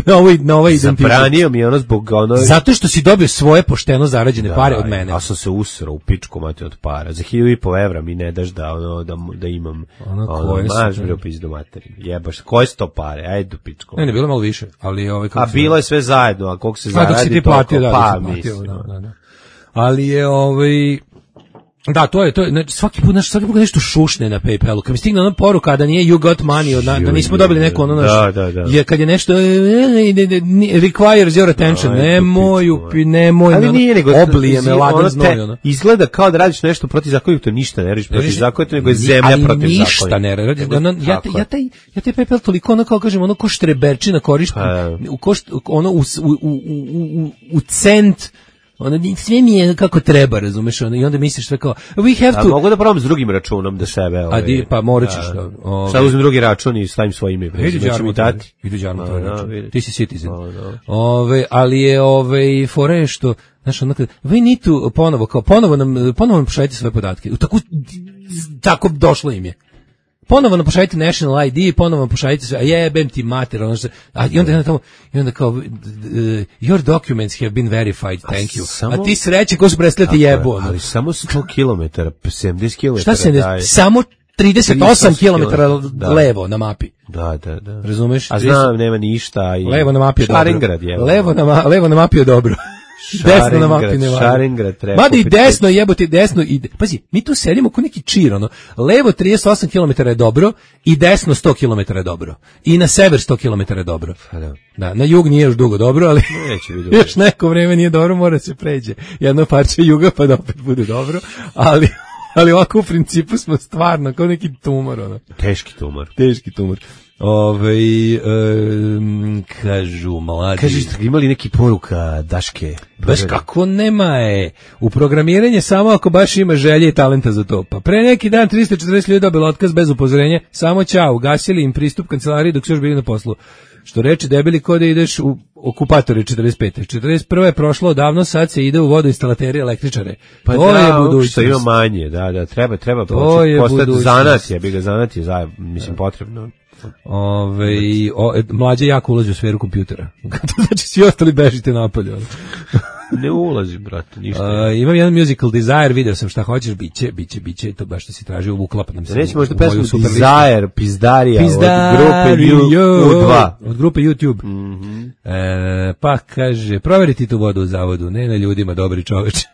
na ovaj, na ovaj identitet. Zabranio mi je ono zbog ono... Zato što si dobio svoje pošteno zarađene pare Da, od mene. A sam se usrao u pičku mati od para. Za hiljadu i po evra mi ne daš da, ono, da, da imam Ono, ono, koje su maš to? bre u pizdu materi. Jebaš, koje su to pare? Ajde u pičku. Ne, ne, bilo malo više, ali ovaj kako A se bilo zove? je sve zajedno, a koliko se A zaradi, dok si ti toliko, platio, da, pa dok si platio, mislim. da, da, da. Ali je ovaj da, to je, to je, znači, svaki put, znači, svaki put nešto šušne na PayPalu. Kad mi stigne ona poruka da nije you got money, od, na- da nismo dobili neko ono naš, Da, da, da. je kad je nešto, e, e, ne, ne, ne, requires your attention, Ajde, nemoj, pičku, upi, nemoj, Ali ono, nije nego oblije me ono ladan te znoj, ono. Izgleda kao da radiš nešto protivzakonito, ništa ne radiš protivzakonito, nego je zemlja ali protivzakonita. ništa ne radi. Ono, ja, Tako ja, je. taj, ja taj PayPal toliko ono kao kažem, ono ko štreberčina koristim, Pa. u ko št- ono u, u, u, u, u, u cent, ono, sve mi je kako treba, razumeš, ono, i onda misliš sve kao, we have A to, mogu da probam s drugim računom da sebe... a Ovaj, di, pa morat ćeš da. da, ovaj, Sad uzmem drugi račun i stavim svoje ime. Vidi Neće mi dati. Vidi Đarmo Da, tvoj da, račun. vidi. Ti si citizen. Da, da. Ove, ali je ove fora je što, znaš, ono kad, we need to ponovo, kao ponovo nam, ponovo nam pošaljite svoje podatke. U tako, tako došlo im je. Ponovo nam pošaljite National I D, ponovo nam pošaljite sve, a jebem ti mater, ono što, a i onda, i onda, tamo, i onda kao, uh, your documents have been verified, thank you. samo- A ti sreće ko su predstavljati jebu. ono. Ali samo sto kilometara, sedamdeset kilometara. Šta se ne, daje. samo trideset osam kilometara Da. levo na mapi. Da, da, da. Razumeš? A znam, nema ništa. I... Levo na mapi je dobro. Šarengrad je. Levo na, ma, levo na mapi je dobro. Desno na mapi ne valja. Šarengrad treba. Mada i kupiti. desno jebote, desno ide. Pazi, mi tu sedimo ko neki čir, ono. Levo trideset osam kilometara je dobro i desno sto kilometara je dobro. I na sever sto kilometara je dobro. Pa da. Da, na jug nije još dugo dobro, ali Neće biti još neko vreme nije dobro, mora se pređe. Jedno parče juga pa da opet bude dobro, ali ali ovako u principu smo stvarno kao neki tumor, ono. Teški tumor. Teški tumor. Ove, um, kažu mladi. Kaži, imali neki poruka Daške? Baš kako nema je. U programiranje samo ako baš ima želje i talenta za to. Pa pre neki dan trista četrdeset ljudi dobilo otkaz bez upozorenja. Samo ćao, ugasili im pristup kancelariji dok su još bili na poslu. Što reče debeli ko da ideš u okupatore četrdeset pete. četrdeset prve je prošlo odavno, sad se ide u vodoinstalatere električare. Pa to da, je ono budućnost. što ima manje, da, da, treba, treba To početi je postati budućnost. zanat, je, bi ga zanat je, za, mislim, potrebno. Ove, o, e, mlađe jako ulazi u sferu kompjutera. To znači svi ostali bežite napolje. ono. Ne ulazi, brate, ništa. A, imam jedan musical desire, video sam šta hoćeš, biće, biće, biće, to baš što si tražio, uklapa nam se. Neće u- možda u moju pesmu super listu. Desire, Pizdarija, Pizdario, od grupe U dva. od grupe YouTube. Mhm. E, pa kaže, proveriti tu vodu u zavodu, ne na ljudima, dobri čoveč.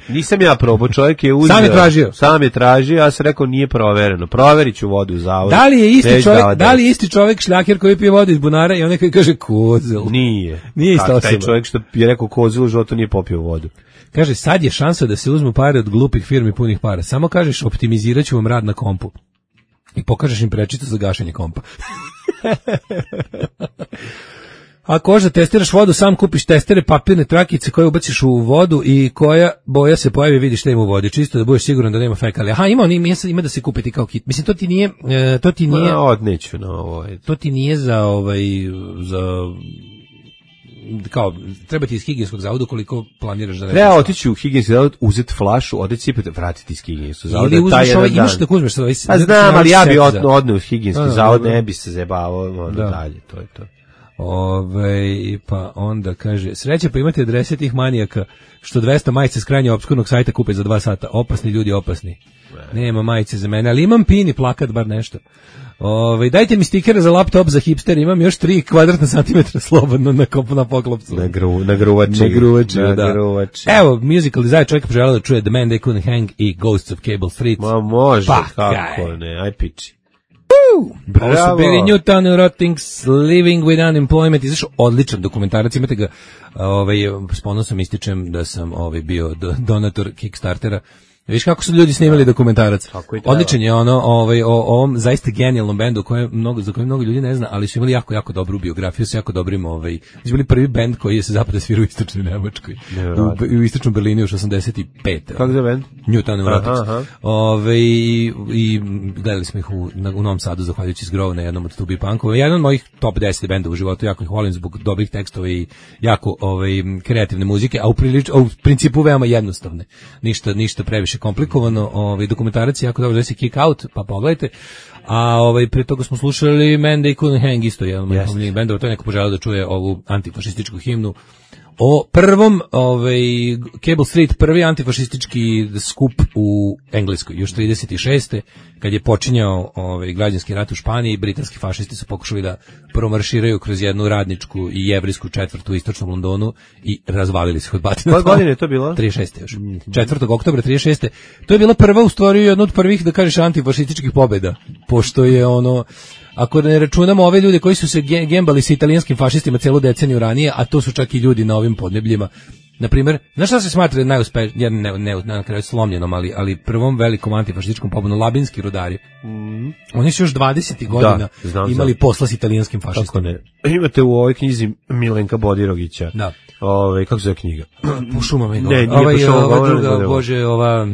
Nisam ja probao, čovjek je uzeo. Sam je tražio. Sam je tražio, ja sam rekao nije provereno. Proverit ću vodu u zavodu. Da li je isti Neću čovjek, davati. da li je isti čovjek šljaker koji pije vodu iz bunara i onaj koji kaže kozel? Nije. Nije ista Kako taj osoba. čovjek što je rekao kozilu, životu nije popio vodu. Kaže, sad je šansa da se uzmu pare od glupih firmi punih para. Samo kažeš, optimizirat ću vam rad na kompu. I pokažeš im prečicu za gašenje kompa. Ako hoćeš da testiraš vodu, sam kupiš testere, papirne trakice koje ubaciš u vodu i koja boja se pojavi, vidiš šta ima u vodi, čisto da budeš siguran da nema fekalija. Aha, ima, on ima, ima da se kupiti kao kit. Mislim, to ti nije, e, to ti nije, Ma, odneću na ovo. to ti nije za ovaj, za, kao, treba ti iz higijenskog zavoda koliko planiraš da ne. Treba otići u higijenski zavod, uzeti flašu, odeti cipete, vratiti iz higijenskog zavoda. Ili taj uzmeš jedan ovaj, dan. imaš da uzmeš sad ovaj. A znam, ali ja bi set od, za- odneo u higijenski Da, da, zavod, da. ne bi se zebavao, ono Da. dalje, to je to. Ove, pa onda kaže, sreća pa imate adrese tih manijaka što dvesta majice s krajnje opskurnog sajta kupe za dva sata. Opasni ljudi, opasni. Nema majice za mene, ali imam pin i plakat, bar nešto. Ove, dajte mi stikere za laptop za hipster, imam još tri kvadratna santimetra slobodno na kopu na poklopcu. Na, gru, na gruvači. Na gruvači, na da. Gruvači. Evo, musical design čovjek poželao da čuje The Man They Couldn't Hang i Ghosts of Cable Street. Ma može, pa, kako kaj. Ne, aj piči. Bravo. Ovo su bili Newtown Rottings, Living with Unemployment, izašao odličan dokumentarac, imate ga, ovaj, s ponosom ističem da sam ovaj, bio donator Kickstartera. Viš kako su ljudi snimali dokumentarac. Odličan je ono, ovaj, o ovom zaista genijalnom bendu koje mnogo, za koje mnogo ljudi ne zna, ali su imali jako, jako dobru biografiju, su jako dobrim, ovaj, su bili prvi bend koji je se zapravo svirao u istočnoj Nemačkoj. U, u istočnom Berlinu još osamdeset pet. Kako je bend? Newtown Rottings. Ovaj, i, i gledali smo ih u, na, u Novom Sadu, zahvaljujući Zgrov na jednom od Tubi Punkova. Jedan od mojih top deset benda u životu, jako ih volim zbog dobrih tekstova i jako ovaj, kreativne muzike, a u, prilič, a u principu veoma jednostavne. Ništa, ništa previše komplikovano, ovaj dokumentarac je jako dobro, zove se Kick Out, pa pogledajte. A ovaj pre toga smo slušali Man They Couldn't Hang, isto jedan od mojih omiljenih bendova, to je neko poželao da čuje ovu antifašističku himnu o prvom, ovaj, Cable Street, prvi antifašistički skup u Engleskoj, još trideset šeste kad je počinjao ovaj, građanski rat u Španiji, britanski fašisti su pokušali da promarširaju kroz jednu radničku i jevrijsku četvrtu u istočnom Londonu i razvalili se od batina. Koje godine je to bilo? trideset šeste još. četvrtog oktobra trideset šeste To je bila prva, u stvari, jedna od prvih, da kažeš, antifašističkih pobjeda, pošto je ono, ako ne računamo ove ljude koji su se gembali sa italijanskim fašistima celu deceniju ranije, a to su čak i ljudi na ovim podnebljima. Na primjer, znaš šta se smatra najuspešnije, ne, ne, ne na kraju slomljenom, ali, ali prvom velikom antifašističkom pobjedom, labinski rudari. Mm. Oni su još dvadesetih godina da, znam, imali znam. posla s italijanskim fašistima. Kako ne? Imate u ovoj knjizi Milenka Bodirogića. Da. Ove, kako se zove knjiga? Po šumama. Ne, nije ovaj, po šumama. Ova druga, bože, ova...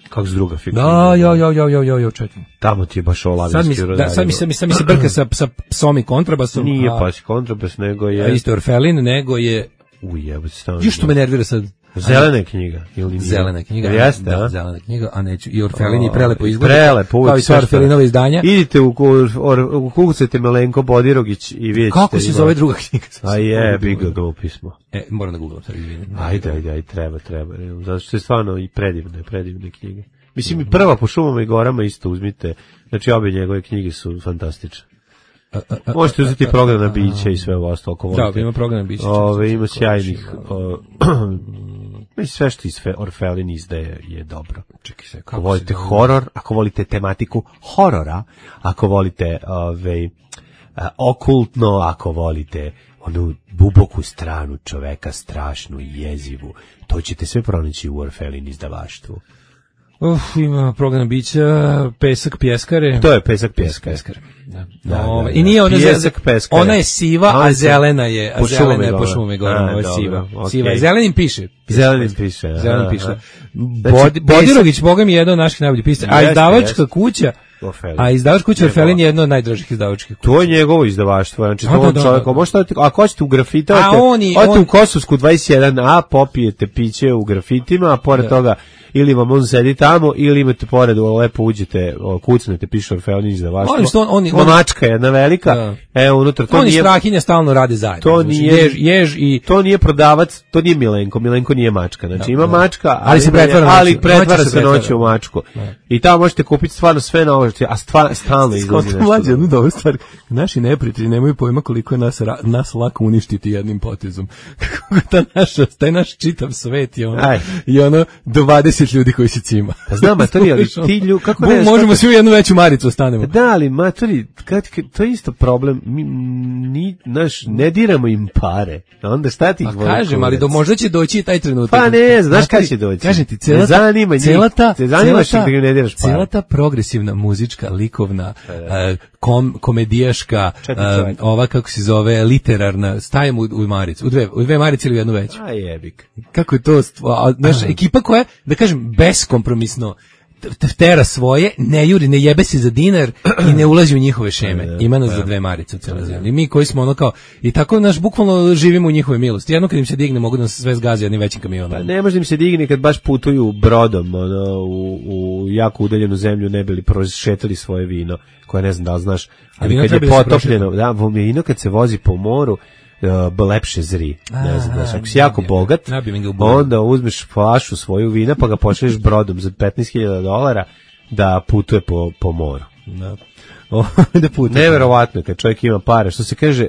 Kako se druga figura? Da, jo, jo, jo, jo, jo, jo, čekaj. Tamo ti je baš ovo labinski rudari. Da, sad mi se, mi, sad mi se brka sa, sa psom i kontrabasom. Nije a, pa kontrabas, nego je... A isto Orfelin, nego je... Uj, jebo se stavno. Još što me nervira sad. Zelena knjiga ili zelena knjiga. Jeste, da, a? zelena knjiga, a neću. I Orfelin je prelepo izgleda. Prelepo, kao i sva Orfelinova izdanja. Idite u u kukucate Milenko Bodirogić i vidite. Kako se zove druga knjiga? A je, bi ga glupi smo. E, moram da googlam sad, izvinim. Ajde, ajde, ajde, treba, treba. Zato što je stvarno i predivne, predivne knjige. Mislim, i prva po šumama i gorama isto uzmite. Znači, obje njegove knjige su fantastične. A, a, a, Možete uzeti program na biće i sve ovo ostalo. Ako volite. Da, ima program na biće. Ove, ima sjajnih... Mislim, sve što iz Orfelin izdaje je dobro. Čekaj se, ako volite horor, ako volite tematiku horora, ako volite ove, a, okultno, ako volite onu duboku stranu čoveka, strašnu i jezivu, to ćete sve pronaći u Orfelin izdavaštvu. Uf, ima program bića, Pesak pjeskare. To je Pesak pjeskare. pjeskare. Da. Da, no, da, I nije ona, Pjesak pjeskare. Ona je siva, a zelena je, a zelena je po šumi gore, ovo je siva. Okay. Siva je, zelenim piše. Zelenim piše. Aha, zelenim piše. Znači, Bod, Bodirogić, boga mi je jedan od naših najboljih pisaca. A izdavačka kuća, a izdavačka kuća Orfelin je jedna od najdražih izdavačkih kuća. To je njegovo izdavaštvo, znači to on čovjek, možete, ako hoćete u grafitavate, odete on... u Kosovsku dvadeset jedan a, popijete piće u grafitima, a pored da. toga ili vam on sedi tamo, ili imate pored, lepo uđete, kucnete, piše Orfelin izdavaštvo. On, on, on, mačka jedna velika, da. evo unutra, to on nije... Oni strahinja stalno rade zajedno. To nije, jež, jež i... To nije prodavac, to nije Milenko, Milenko nije mačka, znači da, ima da. mačka, ali, ali se pretvara, ali pretvara se noću u mačku. Da. I tamo možete kupiti stvarno sve na ovo, a stvar, stalno izlazi nešto. Mlađe, jednu dobru stvar, naši neprijatelji nemaju pojma koliko je nas, nas lako uništiti jednim potezom. Kako ta naša, taj naš čitav svet je ono, i ono dvadeset ljudi koji se cima. Pa znam, matori, ali ti ljudi, kako ne... Možemo svi u jednu veću maricu ostanemo. Da, ali matori, kad, kad, to je isto problem, mi ni, naš, ne diramo im pare, onda šta ti ih voli? Pa kažem, ali do, možda će doći i taj trenutak. Pa ne, znaš kada će doći? Kažem ti, cela ta, zanima cela ta, te zanimaš cela ta, da ne diraš pare. Cela ta progresivna, muzička, likovna, uh, kom, komedijaška, uh, ova, kako se zove, literarna, stajem u, u maricu, u dve, u dve marice ili u jednu veću. A jebik. Kako je to, naša ekipa koja, da kažem, beskompromisno tera svoje, ne juri, ne jebe se za dinar i ne ulazi u njihove šeme. Ima nas za dve marice u cijeloj zemlji. Mi koji smo ono kao, i tako naš bukvalno živimo u njihove milosti. Jedno kad im se digne, mogu da nas sve zgazi jednim većim kamionom. Pa ne može im se digne kad baš putuju brodom ono, u, u jako udaljenu zemlju, ne bili prošetali svoje vino, koje ne znam da li znaš, ali kad je potopljeno, da, vino kad se vozi po moru, Uh, lepše zri. Ne znam, znaš, ako si jako bogat, onda uzmeš flašu svoju vina pa ga pošalješ brodom za petnaest hiljada dolara da putuje po, po moru. Da. O, da putuje. Neverovatno kad čovjek ima pare, što se kaže,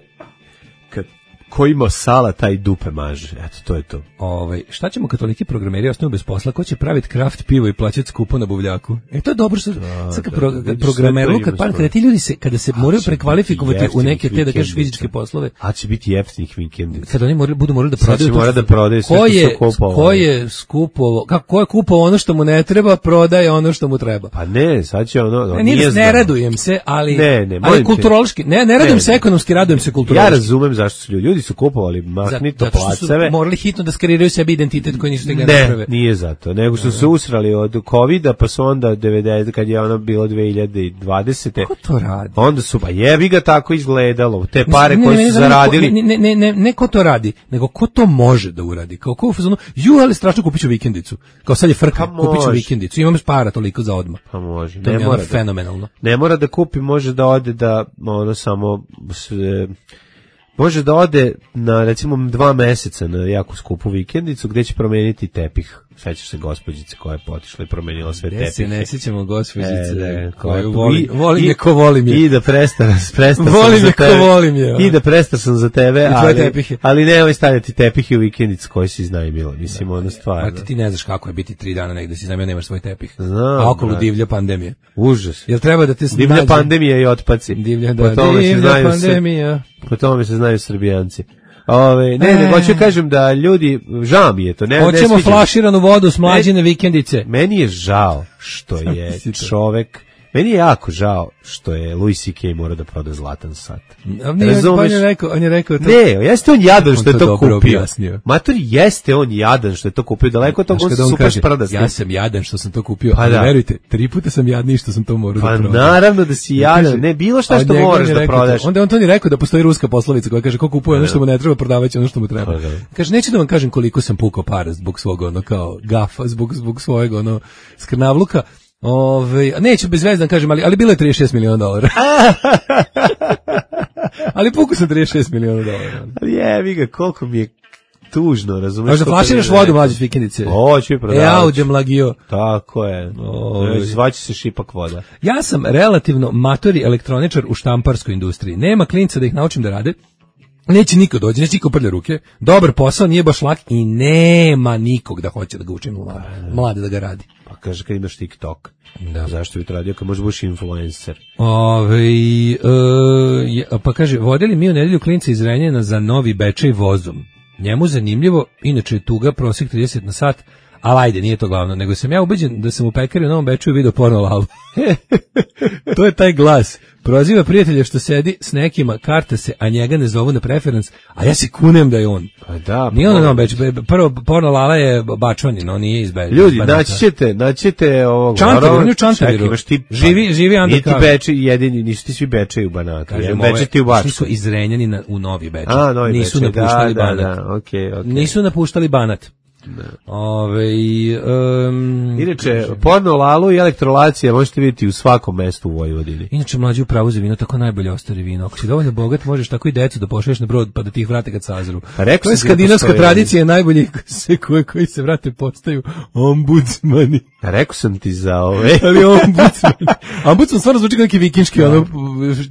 kad ko ima sala, taj dupe maže. Eto, to je to. Ovaj, šta ćemo kad toliki programeri ostanu bez posla? Ko će praviti kraft pivo i plaćati skupo na buvljaku? E, to je dobro što... Da, sad, kad pro, da, programeru, kad, pa, kada ti ljudi se, kada se moraju prekvalifikovati u neke te, da kažeš, fizičke poslove... A će biti jeftinih vikendica. Kad oni moraju, budu morali da prodaju... Sad će mora da prodaju sve ko što je, su kupovali. Ko je skupovo, kako, ko je kupovao ono što mu ne treba, prodaje ono što mu treba. Pa ne, sad će ono... ono ne, nije ne radujem se, ali... Ne, ne, ali kulturološki... Ne, ne radujem se ekonomski, radujem se kulturološki. Ja razumem zašto su ljudi. Ljudi su kupovali mahnito placeve. Morali hitno da skreiraju sebi identitet koji nisu ga naprave. Ne, nije zato, nego što su usrali od kovida, pa su onda devedeset kad je ono bilo dve hiljade dvadesete. Ko to radi? Onda su, pa jebi ga tako izgledalo. Te pare ne, koje ne, su ne, zaradili. Ne, ne, ne, ne, ne ko to radi, nego ko to može da uradi. Kao ko u fazonu, ju, ali strašno kupit ću vikendicu. Kao sad je frka, pa kupit ću vikendicu. Imam para toliko za odmah. Pa može. To ne je mora da, fenomenalno. Ne mora da kupi, može da ode da, ono samo... Sve, može da ode na recimo dva meseca na jako skupu vikendicu gdje će promijeniti tepih. Sećaš se gospođice koja je potišla i promijenila sve tepihe. Se ne sećamo gospođice e, koju volim, volim je ko volim je. I da prestar, prestar volim sam je za tebe. Volim je. I da prestar sam za tebe, ali, ali nemoj stavljati tepihe u vikendicu koji si iznajmila. Mislim, da, ono stvarno. A ti, ti ne znaš kako je biti tri dana negdje si iznajmio, nemaš svoj tepih. Znam. A okolo divlja pandemija. Užas. Jel treba da te divlja nađe? Pandemija i otpaci. Divlja, da, po tome divlja se pandemija. Se, po tome se znaju Srbijanci. Ove, ne, ne, hoću kažem da ljudi, žao mi je to. Ne, hoćemo ne flaširanu vodu s mlađine vikendice. Meni je žao što je čovek, meni je jako žao što je Louis C K mora da proda zlatan sat. Razumeš? On je rekao, on je rekao to. Ne, jeste on jadan što on je to, to kupio. Objasnio. Mator, jeste on jadan što je to kupio. Daleko od toga on se super sprda. Ja sam jadan što sam to kupio, pa da. Verujte, tri puta sam jadniji što sam to morao pa da prodam. Pa naravno da si jadan, ne bilo šta što moraš da prodaš. Onda on to ni rekao da postoji ruska poslovica koja kaže ko kupuje ono što mu ne treba, prodavaće ono što mu treba. Kaže, neću da vam kažem koliko sam pukao para zbog svog ono kao gafa, zbog, zbog svojeg ono skrnavluka. Ove, neću bezvezdan kažem, ali, ali bilo je trideset šest miliona dolara. Ali puku sam trideset šest miliona dolara. Jebi ga, koliko mi je tužno, razumiješ? Možda flaširaš vodu mlađe vikendice. Hoću i prodavač. E, auđe mlagio. Tako je. Zvaće se šipak voda. Ja sam relativno matori elektroničar u štamparskoj industriji. Nema klinca da ih naučim da rade. Neće niko dođe, neće niko prlja ruke. Dobar posao, nije baš lak i nema nikog da hoće da ga učim mlade, mlade da ga radi. Pa kaže kad imaš TikTok. Da. Zašto bi to radio kad možeš buš influencer? Ove, e, pa kaže, vodili mi u nedelju klinca iz Renjana za Novi Bečej vozom. Njemu zanimljivo, inače je tuga, prosjek trideset na sat, ali ajde, nije to glavno, nego sam ja ubeđen da sam u pekari u Novom Bečeju video porno lalu. To je taj glas. Proziva prijatelja što sedi s nekima, karta se, a njega ne zovu na preference, a ja se kunem da je on. Pa da. Nije on na Novom Bečeju. Prvo, porno lala je bačvanin, on nije iz Bečeja. Ljudi, naći ćete, naći ćete ovog... Čantaviru, on je u Čantaviru. Živi, živi undercover. Niti Bečej jedini, nisu ti svi Bečeji u Banatu. Kažem, Bečej ti u Bačku. Nisu izrenjani na, u Novi Bečej. A, Novi Bečej, nisu napuštali da, Banat. da, da, okej, okej. Nisu napuštali Banat. Ove, um, inače, porno lalu i elektrolacija možete vidjeti u svakom mestu u Vojvodini. Inače, mlađi u pravu za vino, tako najbolje ostari vino. Ako si dovoljno bogat, možeš tako i decu da pošalješ na brod pa da ti ih vrate kad sazru. Pa to je skandinavska da tradicija, najbolji se koji, koji se vrate postaju ombudsmani. A rekao sam ti za ove. Ali ombudsman. Ombudsman stvarno zvuči kao neki vikinški ono,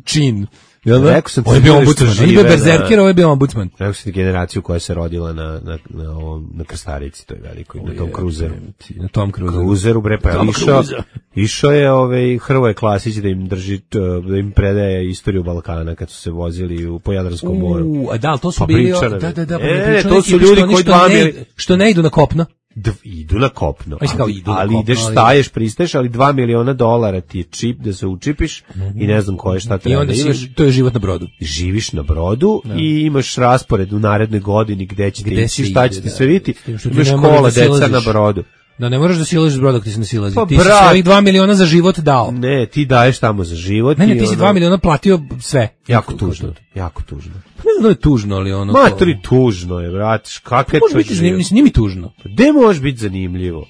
čin. Jel da? Rekao sam ti on je bio ombudsman, on je bio berzerker, ovo je bio ombudsman. Rekao sam ti generaciju koja se rodila na, na, na, ovom, na Krstarici, to je veliko, na tom kruzeru. Na tom kruzeru. Kruzeru, bre, pa je išao, išao je ovaj, Hrvoje Klasić da im drži, da im predaje istoriju Balkana kad su se vozili u, po Jadranskom moru. U, a da, ali to su pa bili, da, da, da, pa e, to su ljudi koji dva mili... Što ne idu na kopno. D, idu na kopno, kao idu ali, na ali kopno, ideš, ali... staješ, pristaješ, ali dva miliona dolara ti je čip da se učipiš mm-hmm. i ne znam koje šta treba. I onda si, si, to je život na brodu. Živiš na brodu da. I imaš raspored u narednoj godini gde ćete gde ići, šta ćete da, sve vidjeti, da, imaš škola, da deca na brodu. Da ne moraš da silaziš broda dok ti se ne silazi. Pa, ti si brat. svojih dva miliona za život dao. Ne, ti daješ tamo za život. Ne, ne, i ti si ono- dva miliona platio sve. Jako tužno, jako tužno. Pa ne znam da je tužno, ali ono... Maturi, tužno je, bratiš, kakve Može to biti zanimljivo, život? mislim, nije mi tužno. Gde može biti zanimljivo?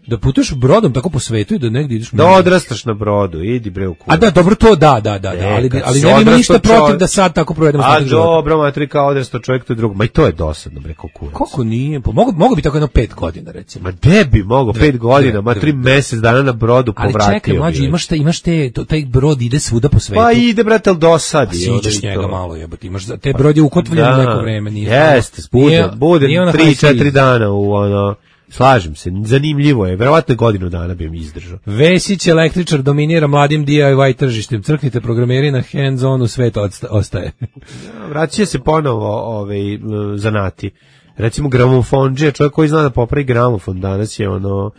Da putuješ brodom tako po svetu i da negdje ideš... Da odrastaš na brodu, idi bre u kurac. A da, dobro, to da, da, da, da, E, ali, kad ali si ne imam odrastao ništa protiv čovjek- da sad tako provedemo A ostatak života. dobro, maturi, kao odrastao čovjek, to je drugo. Ma i to je dosadno, bre, kao kurac. Kako nije? Pa mogu, mogu bi tako jedno pet godina, recimo. Ma gde bi mogo, pet godina, ma dve, tri dve. mesec dana na brodu Ali povratio. čekaj, bi mlađi, već. imaš, te, imaš te, to, taj brod ide svuda po svetu. Pa ide, brate, ali Pa dosadi. siđeš ono i njega to. malo, jebote, imaš, za- te brod je ukotvljen Da, neko vreme, nije. Jeste, bude, Nije- bude nije ona tri, high četiri seas. dana u ono, slažem se, zanimljivo je, verovatno godinu dana bi mi izdržao. Vesić električar dominira mladim D I Y tržištem. Crknite programeri na hands-on u svet odsta- ostaje. Vraća se ponovo ovaj, m, zanati. Recimo gramofonđija, čovjek koji zna da popravi gramofon, danas je ono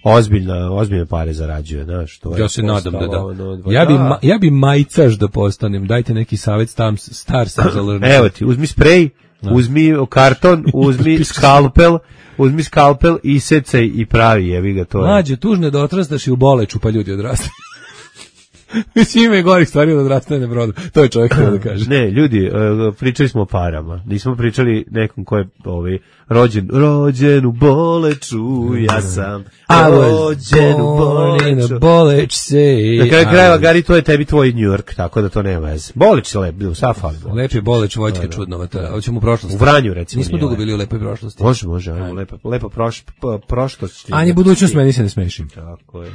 ozbiljna, ozbiljne pare zarađuje, znaš, to je Ja se nadam da da. postalo, ono, Ja bi, da. ma, ja bi majcaš da postanem. Dajte neki savjet, tam, star sam za lrnu. Evo ti, uzmi sprej, uzmi karton, uzmi skalpel, uzmi skalpel i secaj i pravi, jevi ga to. je. Mlađe, tužno je da odrastaš i u Boleču, pa ljudi odrastaju. Mislim, ima i gorih stvari od odrastanja na brodu. To je čovjek htio da kaže. Ne, ljudi, e, pričali smo o parama. Nismo pričali nekom ko je ovaj, rođen, rođen u Boleču, ja sam I was rođen u born in a Boleču. Boleć say. Na kraju I krajeva, was- Gari, to je tebi tvoj New York, tako da to nema veze. Boleč je lep, bio, sad fali. Lep je Boleć, Vojtke čudnovata. Hoćemo u prošlost. U Vranju, recimo. Nismo nije dugo lep. bili u lepoj prošlosti. Može, može, ajmo, lepa, lepa proš, p- prošlost. Anje, budućnost, meni se ne smeši. Tako je.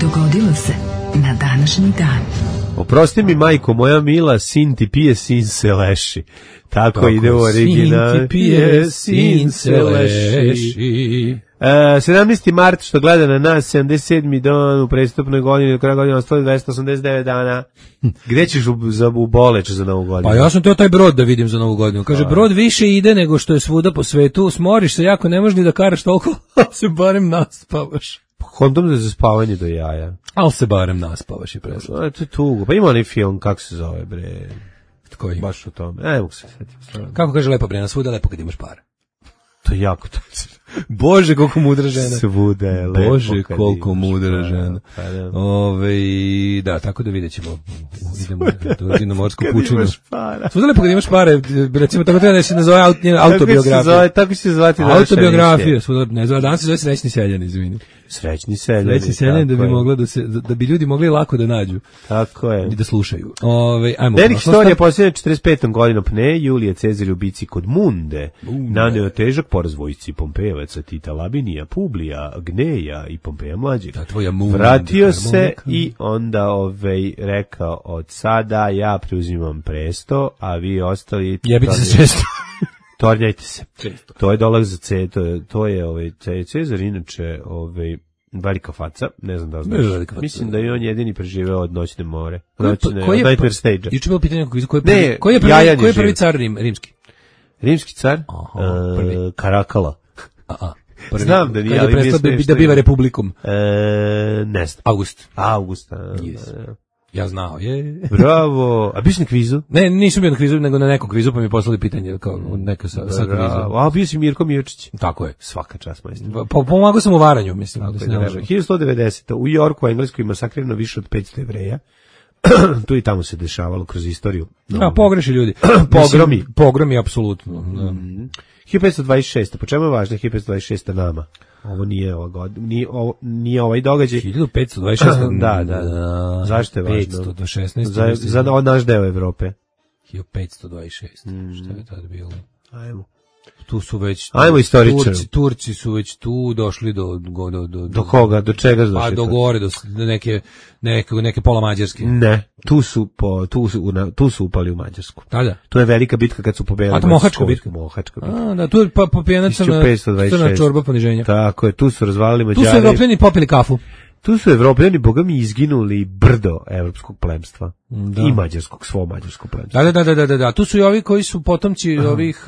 Dogodilo se na današnji dan. Oprosti mi, majko, moja mila, sin ti pije, sin se leši. Tako, Tako ide u original. Sin ti pije, sin se leši. E, sedamnaesti mart, što gleda na nas, sedamdeset sedmi dan u prestupnoj godini, do kraja godine ostalo dvesta osamdeset devet dana. Gde ćeš u, za, u Boleč za novu godinu? Pa ja sam teo taj brod da vidim za novu godinu. Kaže, brod više ide nego što je svuda po svetu, smoriš se jako, ne možeš ni da karaš toliko, ali se barem naspavaš. Kondom za spavanje do jaja. Ali se barem naspavaš i presla. A, to je tugo. Pa ima onaj film, kako se zove, bre? Koji? Baš o tome. E, mogu se setiti. Kako kaže lepa Brena, svuda lepo kad imaš para. To je jako to. Bože, koliko mudra žena. Svuda je lepo. Bože, kad koliko imaš mudra para. žena. Pa da. Ove, da, tako da vidjet ćemo. Idemo do na morsku Kad pučinu. imaš para. Svuda lepo kad imaš pare, recimo tako treba da se nazove aut, njena Tako će se autobiografija. zove- Tako će se zvati naša Autobiografija, emisija. svuda, ne znam, danas se zove Srećni seljani, izvini. Srećni seljani. Srećni seljani da tako bi je. mogla da se, da bi ljudi mogli lako da nađu Tako je. i da slušaju. Ove, ajmo. Velik prošlost. istorija posljednje četrdeset petom godinom pne, Julije Cezar u bici kod Munde, naneo težak poraz vojsci Pompejevaca, Tita Labinija, Publija, Gneja i Pompeja mlađeg. Da, tvoja Munda, Vratio se harmonika. i onda ovaj, rekao, od sada ja preuzimam presto, a vi ostali... Jebite se često. Tornjajte se. To je dolaz za C, to je, to je ovaj, C- Cezar, inače, ovaj, velika faca, ne znam da li Ne, znaš. velika faca. Mislim da je on jedini preživeo od noćne more. Koji je- Noćne, koji je- od Nightmare Stage-a. Juče je bilo pitanje nekog, koji je Ne, prvi, koji je prvi, Jajan koji je je prvi živ. car Rim, rimski? Rimski car? Aha, E, prvi. Karakala. A, a. Prvi, Znam da nije, kad je ali mi je prestao da, smešno da biva ime. republikom. E, ne znam. August. Augusta. Yes. Ja znao, je. Bravo. A bio si na kvizu? Ne, nisam bio na kvizu, nego na nekom kvizu, pa mi je poslali pitanje, kao neka sa, sa Bravo. kvizom. A bio si Mirko Mirčić. Tako je. Svaka čast, majstor. Pa pomagao sam u varanju, mislim. Da se ne lažem. hiljadu sto devedesete. U Jorku, u Engleskoj, masakrirano više od petsto Jevreja. Tu i tamo se dešavalo kroz istoriju. A, pogreši ljudi. Pogromi. Mislim, Pogromi, apsolutno. Da. hiljadu petsto dvadeset šeste. Po čemu je važno hiljadu petsto dvadeset šeste nama? Ovo nije ova godina, nije, ovo, nije ovaj događaj. hiljadu petsto dvadeset šeste. Da, da, da. Zašto je važno? petsto do šesnaeste. Za, mislim. za o- naš deo Evrope. hiljadu petsto dvadeset šest. Šta je tad bilo? Ajmo. Tu su već... Ajmo istoričaru. Turci, Turci su već tu došli do... Do, do, do, Do koga? Do čega su Pa došli? do to? gore, do, s- do neke, neke, neke pola mađarske. Ne, tu su, po, tu, su, una- tu su upali u Mađarsku. Tada? To je velika bitka kad su pobedili. A to Mohačka Mađarsku. bitka? Mohačka bitka. A, da, tu je pa, popijena crna, hiljadu petsto dvadeset šest. crna čorba poniženja. Tako je, tu su razvalili Tu Mađari. su Evropljani popili kafu. Tu su Evropljani, boga mi, izginuli brdo evropskog plemstva. Da. I mađarskog, svo mađarsko plemstvo. Da, da, da, da, da, da. Tu su i ovi koji su potomci ovih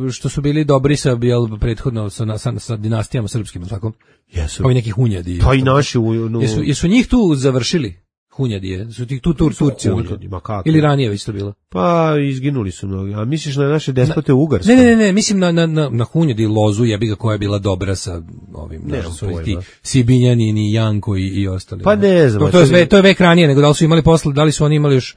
e, što su bili dobri sa jel, prethodno sa, sa, sa dinastijama srpskim, tako? Jesu. Ovi neki hunjadi. Pa i naši u... No, Jesu, jesu njih tu završili? Hunjadije, su ti tu tur, Turci. Hunjadi, ma kako? Ili ranije već to bilo? Pa izginuli su mnogi. A misliš na naše despote u Ugarskoj? Ne, ne, ne, mislim na, na, na, na Hunjadi lozu, jebi ga koja je bila dobra sa ovim, Ne, znaš, su pojma. ti Sibinjani i Janko i, i ostali. Pa ne znam. To, to, je, sve, to je vek ranije, nego da li su imali posle, da li su oni imali još...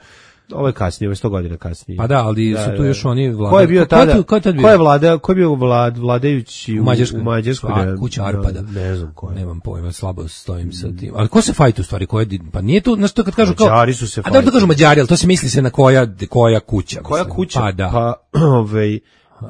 Ovo je kasnije, ovo je sto godina kasnije. Pa da, ali Da, su tu da. još oni vladali. Ko je bio Ko je tada? tu- ko je tad bio? Ko je vlada, ko je bio vlad, vladajući u, U Mađarskoj. U Mađarskoj A, ne- kuća Arpada. Ne, ne znam ko je. Nemam pojma, slabo stojim sa tim. Ali ko se fajtu u stvari? Ko je, pa nije tu, znaš to kad kažu kao... Mađari su se A da to kažu fajtali. Mađari, ali to se misli se na koja, koja kuća. Koja mislim. kuća? Pa da. Pa, ovaj,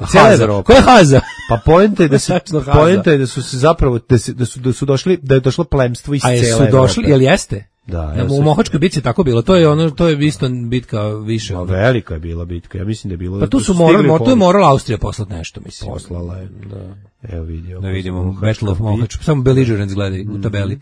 cijela Haza. Evropa. Koja je Haza? Pa poenta je da se Tačno Haza. poenta je da su se zapravo da, se, da su da su došli da je došlo plemstvo iz A cele jesu Evrope. došli, jel jeste? Da, Na, ja u sam- Mohačkoj bitci je tako bilo. To je ono, to je isto bitka više. Ma, velika je bila bitka. Ja mislim da je bilo. Pa tu da su stigli morali, u mor, tu je pomoć. morala Austrija poslati nešto, mislim. Poslala je. Da. Evo vidi. Da vidimo, Battle of Mohač. Samo belligerents gledaj u tabeli.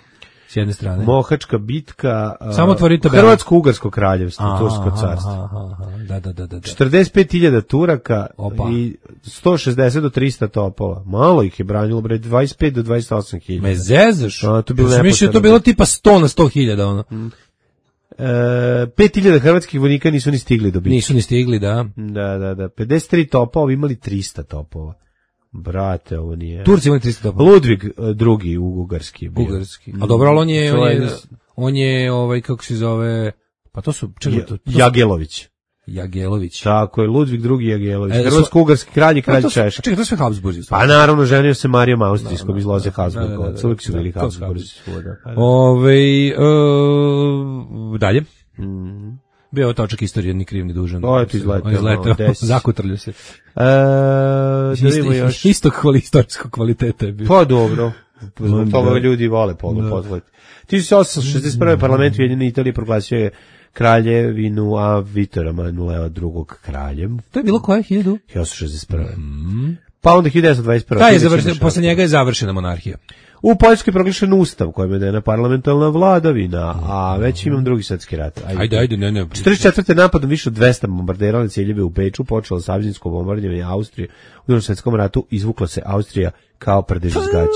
S jedne strane. Mohačka bitka. a, Samo otvori tabelu. Hrvatsko-ugarsko kraljevstvo, Aha, Tursko carstvo. aha, aha, da, da, da, da. da. četrdeset pet hiljada Turaka Opa. i sto šezdeset do trista topova. Malo ih je branilo, bre, dvadeset pet do dvadeset osam hiljada. Me zezaš? A, to je bilo Ja sam mislio da je to neposredno. bilo tipa sto na sto hiljada, ono. E, pet hiljada hrvatskih vojnika nisu ni stigli do bitke. Nisu ni stigli, da. Da, da, da. pedeset tri topa, ovi imali trista topova. Brate, ovo nije. Turci imali tristo topova. Ludvig e, drugi u Ugarski je bio. Bugarski. A dobro, ali on je, To on je, on je, ovaj, kako se zove, pa to su, čekaj, Ja- to, to su- Jagelović. Jagelović. Tako je, Ludvig drugi Jagelović. E, Hrvatsko-ugarski kralj i Pa kralj to su- Češka. Čekaj, to je sve Habsburzi. Pa naravno, ženio se Marijom Austrijskom iz loze da, da, Habsburga. da, Uvijek su da, bili to su Habsburzi. Habsburzi. svuda. Ove, e, dalje. Mhm. Bio je točak istorije, ni kriv ni dužan. O, eto, izleteo, On je izleteo, malo, desi. zakutrlio se. E, da vidimo Isto, još. istog kvali, istorijskog kvaliteta je bio. Pa dobro. Zbog Da. toga ljudi vole polu potvojiti. tisuće osamsto šezdeset prve. parlament Ujedinjene Italije proglasio je kraljevinu a Vitora Emanuela drugog kraljem. To je bilo koje, hiljadu? hiljadu osamsto šezdeset prve. Pa onda hiljadu devetsto dvadeset prve. Taj je završen, posle njega je završena monarhija. U Poljskoj je proglašen ustav kojim je dana parlamentarna vladavina, a već imam drugi svetski rat. Ajde, ajde, ne, ne. četrdeset četvrte. napadom više od dvesta bombardirali ciljeve u Beču, počelo savezinsko bombardovanje Austrije. U Drugom svetskom ratu izvukla se Austrija kao prdežizgač.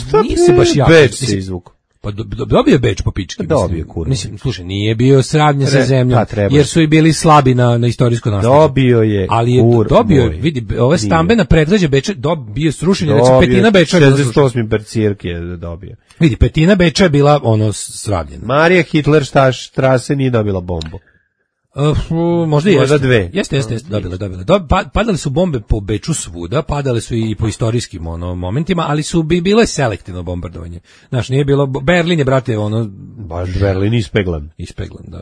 Šta nije se baš jako. Beč se Mislim, izvukao. Pa do, do, dobio je Beč po pički. Dobio, mislim. kurva. Mislim, slušaj, nije bio sravnjen sa Re- zemljom, pa, treba. jer su i bili slabi na, na istorijsko nasleđe. Dobio je, Ali je kur dobio, moj. vidi, ove Nije. stambena predgrađa Beča, dobio srušenje, znači Dobio, petina Beča je bila šezdeset srušena. osmi bercirke je dobio. Vidi, petina Beča je bila ono sravljena. Marija Hitler štaš trase nije dobila bombu. Uh, možda i Možda jeste. dve. Jeste, jeste, jeste, dobila, dobila. Dob, pa, padale su bombe po Beču svuda, padale su i po istorijskim ono, momentima, ali su bi bilo je selektivno bombardovanje. Znaš, nije bilo, Berlin je, brate, ono, Baš Berlin ispeglan. ispeglan, da.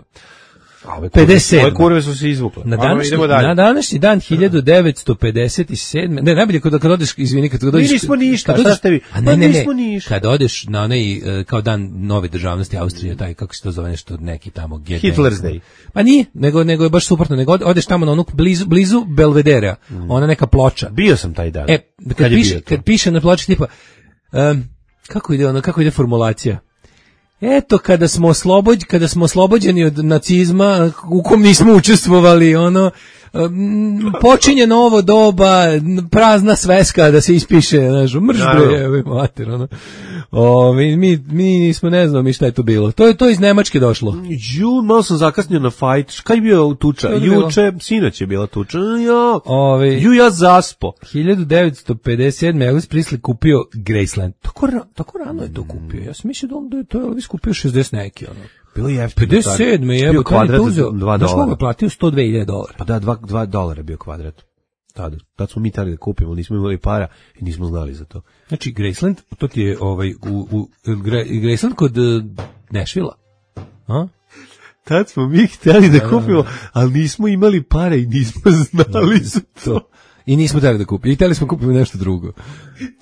A ove pedeset sedme. Ove kurve su se izvukle. Na Ajmo, današnji, idemo dalje. na današnji dan hiljadu devetsto pedeset sedme. Ne, najbolje kad, kad odeš, izvini, kad, kad odeš... nismo ništa, kad šta odeš- ste vi? A ne, Pa ne, ne, nismo ništa. kad odeš na onaj, e, kao dan nove državnosti Austrije, taj, kako se to zove, nešto, neki tamo... G D. Hitler's Day. Pa nije, nego, nego je baš suprotno, nego odeš tamo na onu blizu, blizu Belvedera, ona neka ploča. Bio sam taj dan. E, kad, Kad je piše, bio to? kad piše na ploči tipa, um, kako ide ono, kako ide formulacija? Eto, kada smo oslobođ, kada smo oslobođeni od nacizma, u kom nismo učestvovali, ono, um, počinje novo doba, prazna sveska da se ispiše, znaš, mrš Naravno. bre, evo, mater, ono. O, mi, mi, mi nismo, ne znam mi šta je to bilo. To je to iz Nemačke došlo. Ju, malo sam zakasnio na fajt. Kaj je bio tuča? Šta je bilo? Juče, sinoć je bila tuča. Ja. Ove, Ju, ja zaspo. hiljadu devetsto pedeset sedme. Elvis Presley kupio Graceland. Tako, ra, tako rano je to kupio. Ja sam mislio da on da je to Elvis kupio šezdeset neki, ono. Bilo je jeftino. pedeset sedme je, Bio evo, kad je kvadrat to za uzeo, dva znaš koga dolara. je platio sto dve hiljade dolara. Pa da, dva, dva dolara je bio kvadrat. Tada. Tad smo mi tali da kupimo, ali nismo imali para i nismo znali za to. Znači, Graceland, to ti je ovaj, u, u, Gra- Graceland kod uh, Nashvilla. A? Tad smo mi htjeli da kupimo, ali nismo imali pare i nismo znali za to. I nismo htjeli da kupimo. I htjeli smo kupiti nešto drugo.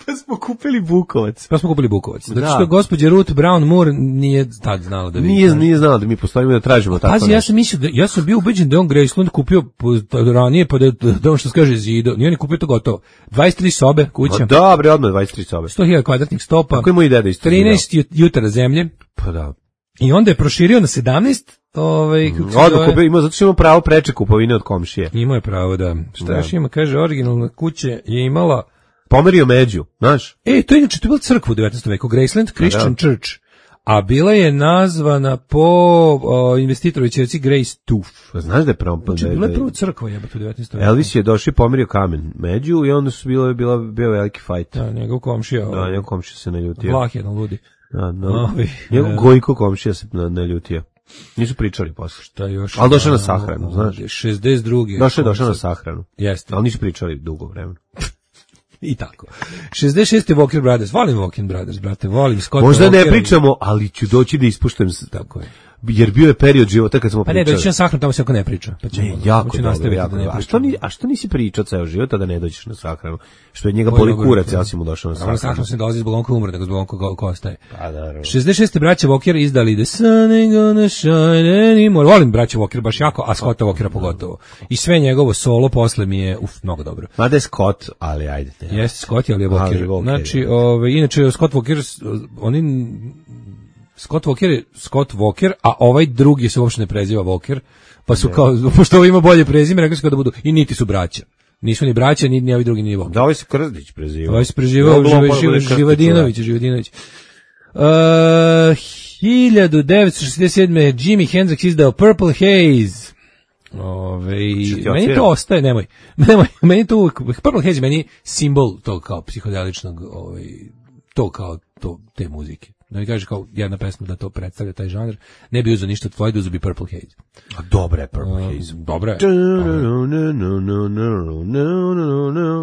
Pa smo kupili Bukovac. Pa smo kupili Bukovac. Zato Da. što gospođa Ruth Brown Moore nije tad znala da vidi. Nije, nije znao da mi postojimo da tražimo tako Pazi, ja nešto. sam mislio da, ja sam bio ubeđen da je on Graceland kupio po- ranije, pa da, da on što se kaže zido. Nije on je kupio to gotovo. dvadeset tri sobe, kuća, Pa dobre, odmah dvadeset tri sobe. sto hiljada kvadratnih stopa, Kako je moj deda isto trinaest ju- jutara zemlje. Pa da. I onda je proširio na sedamnaest, ovaj, kako se Odmah zove? kupio, ima, zato što ima pravo preče kupovine od komšije. Imao je pravo da. Šta Da. još ima, kaže, originalna kuća je imala... Pomerio među, znaš? E, to je inače, to je bila crkva u devetnaestom veku, Graceland Christian da. Church. a bila je nazvana po o, investitorovoj ćerci Grace Toof. Znaš da je pravo... Znači, bila je prvo crkva jebate u devetnaestom veku. Elvis je došao i pomirio kamen među i onda su bilo, bila, bio veliki fajt. Da, njegov komšija. Da, njegov komšija se naljutio. Vlah jedan ludi. Da, no. Ovi, Njegov e, Gojko komšija se naljutio. Nisu pričali posle. Šta još? Ali došao na sahranu, znaš. šezdeset druge Došao je došao na sahranu. Jeste. Ali nisu pričali dugo vremena. I tako. šezdeset šeste Walker Brothers. Volim Walker Brothers, brate. Volim Scott Možda Walker ne pričamo, ali ću doći da ispuštam. Tako je. Jer bio je period života kad smo Pa pričali. ne, doći na sahranu, tamo se ako ne priča. Pa ćemo, Ne, jako ću dobro, nastaviti jako da ne dobro. A pričam. što, ni, a što nisi pričao ceo život, a da ne dođeš na sahranu? Što je njega Ko je boli dobro kurac, rekao? ja si mu došao na Naravno, na sahranu. sahranu se ne dolazi zbog Blonka umre, nego zbog Blonka ko, ko ostaje. Pa da, šezdeset šeste braća Walker izdali The Sun Ain't Gonna Shine Anymore. Volim braća Walker baš jako, a Scotta Walkera pogotovo. I sve njegovo solo posle mi je, uf, mnogo dobro. Mada je Scott, ali ajde. Ne. Jeste Scott, ali je Ali Walker. je Walker, Znači, da. ove, inače, Scott Walker, oni... Scott Walker je Scott Walker, a ovaj drugi se uopšte ne preziva Walker, pa su kao, pošto ovo ima bolje prezime, rekli su kao da budu, i niti su braća. Nisu ni braća, ni, ni ovi drugi, ni Walker. Da, ovaj se Krstić prezivao. Ovaj se preživao Moglo Živa, pa da Živa, bude Krstić, Živadinović, Živadinović. Uh, hiljadu devetsto šezdeset sedme. Jimi Hendrix izdao Purple Haze. Ove, ti meni otvira? to ostaje, nemoj. Nemoj, meni to uvijek, Purple Haze meni je simbol tog kao psihodeličnog, ovaj, to kao to, te muzike. Da mi kaže kao jedna pesma da to predstavlja taj žanr, ne bi uzeo ništa od Floyda, uzeo bi Purple Haze. A dobra je Purple Haze. Dobro je.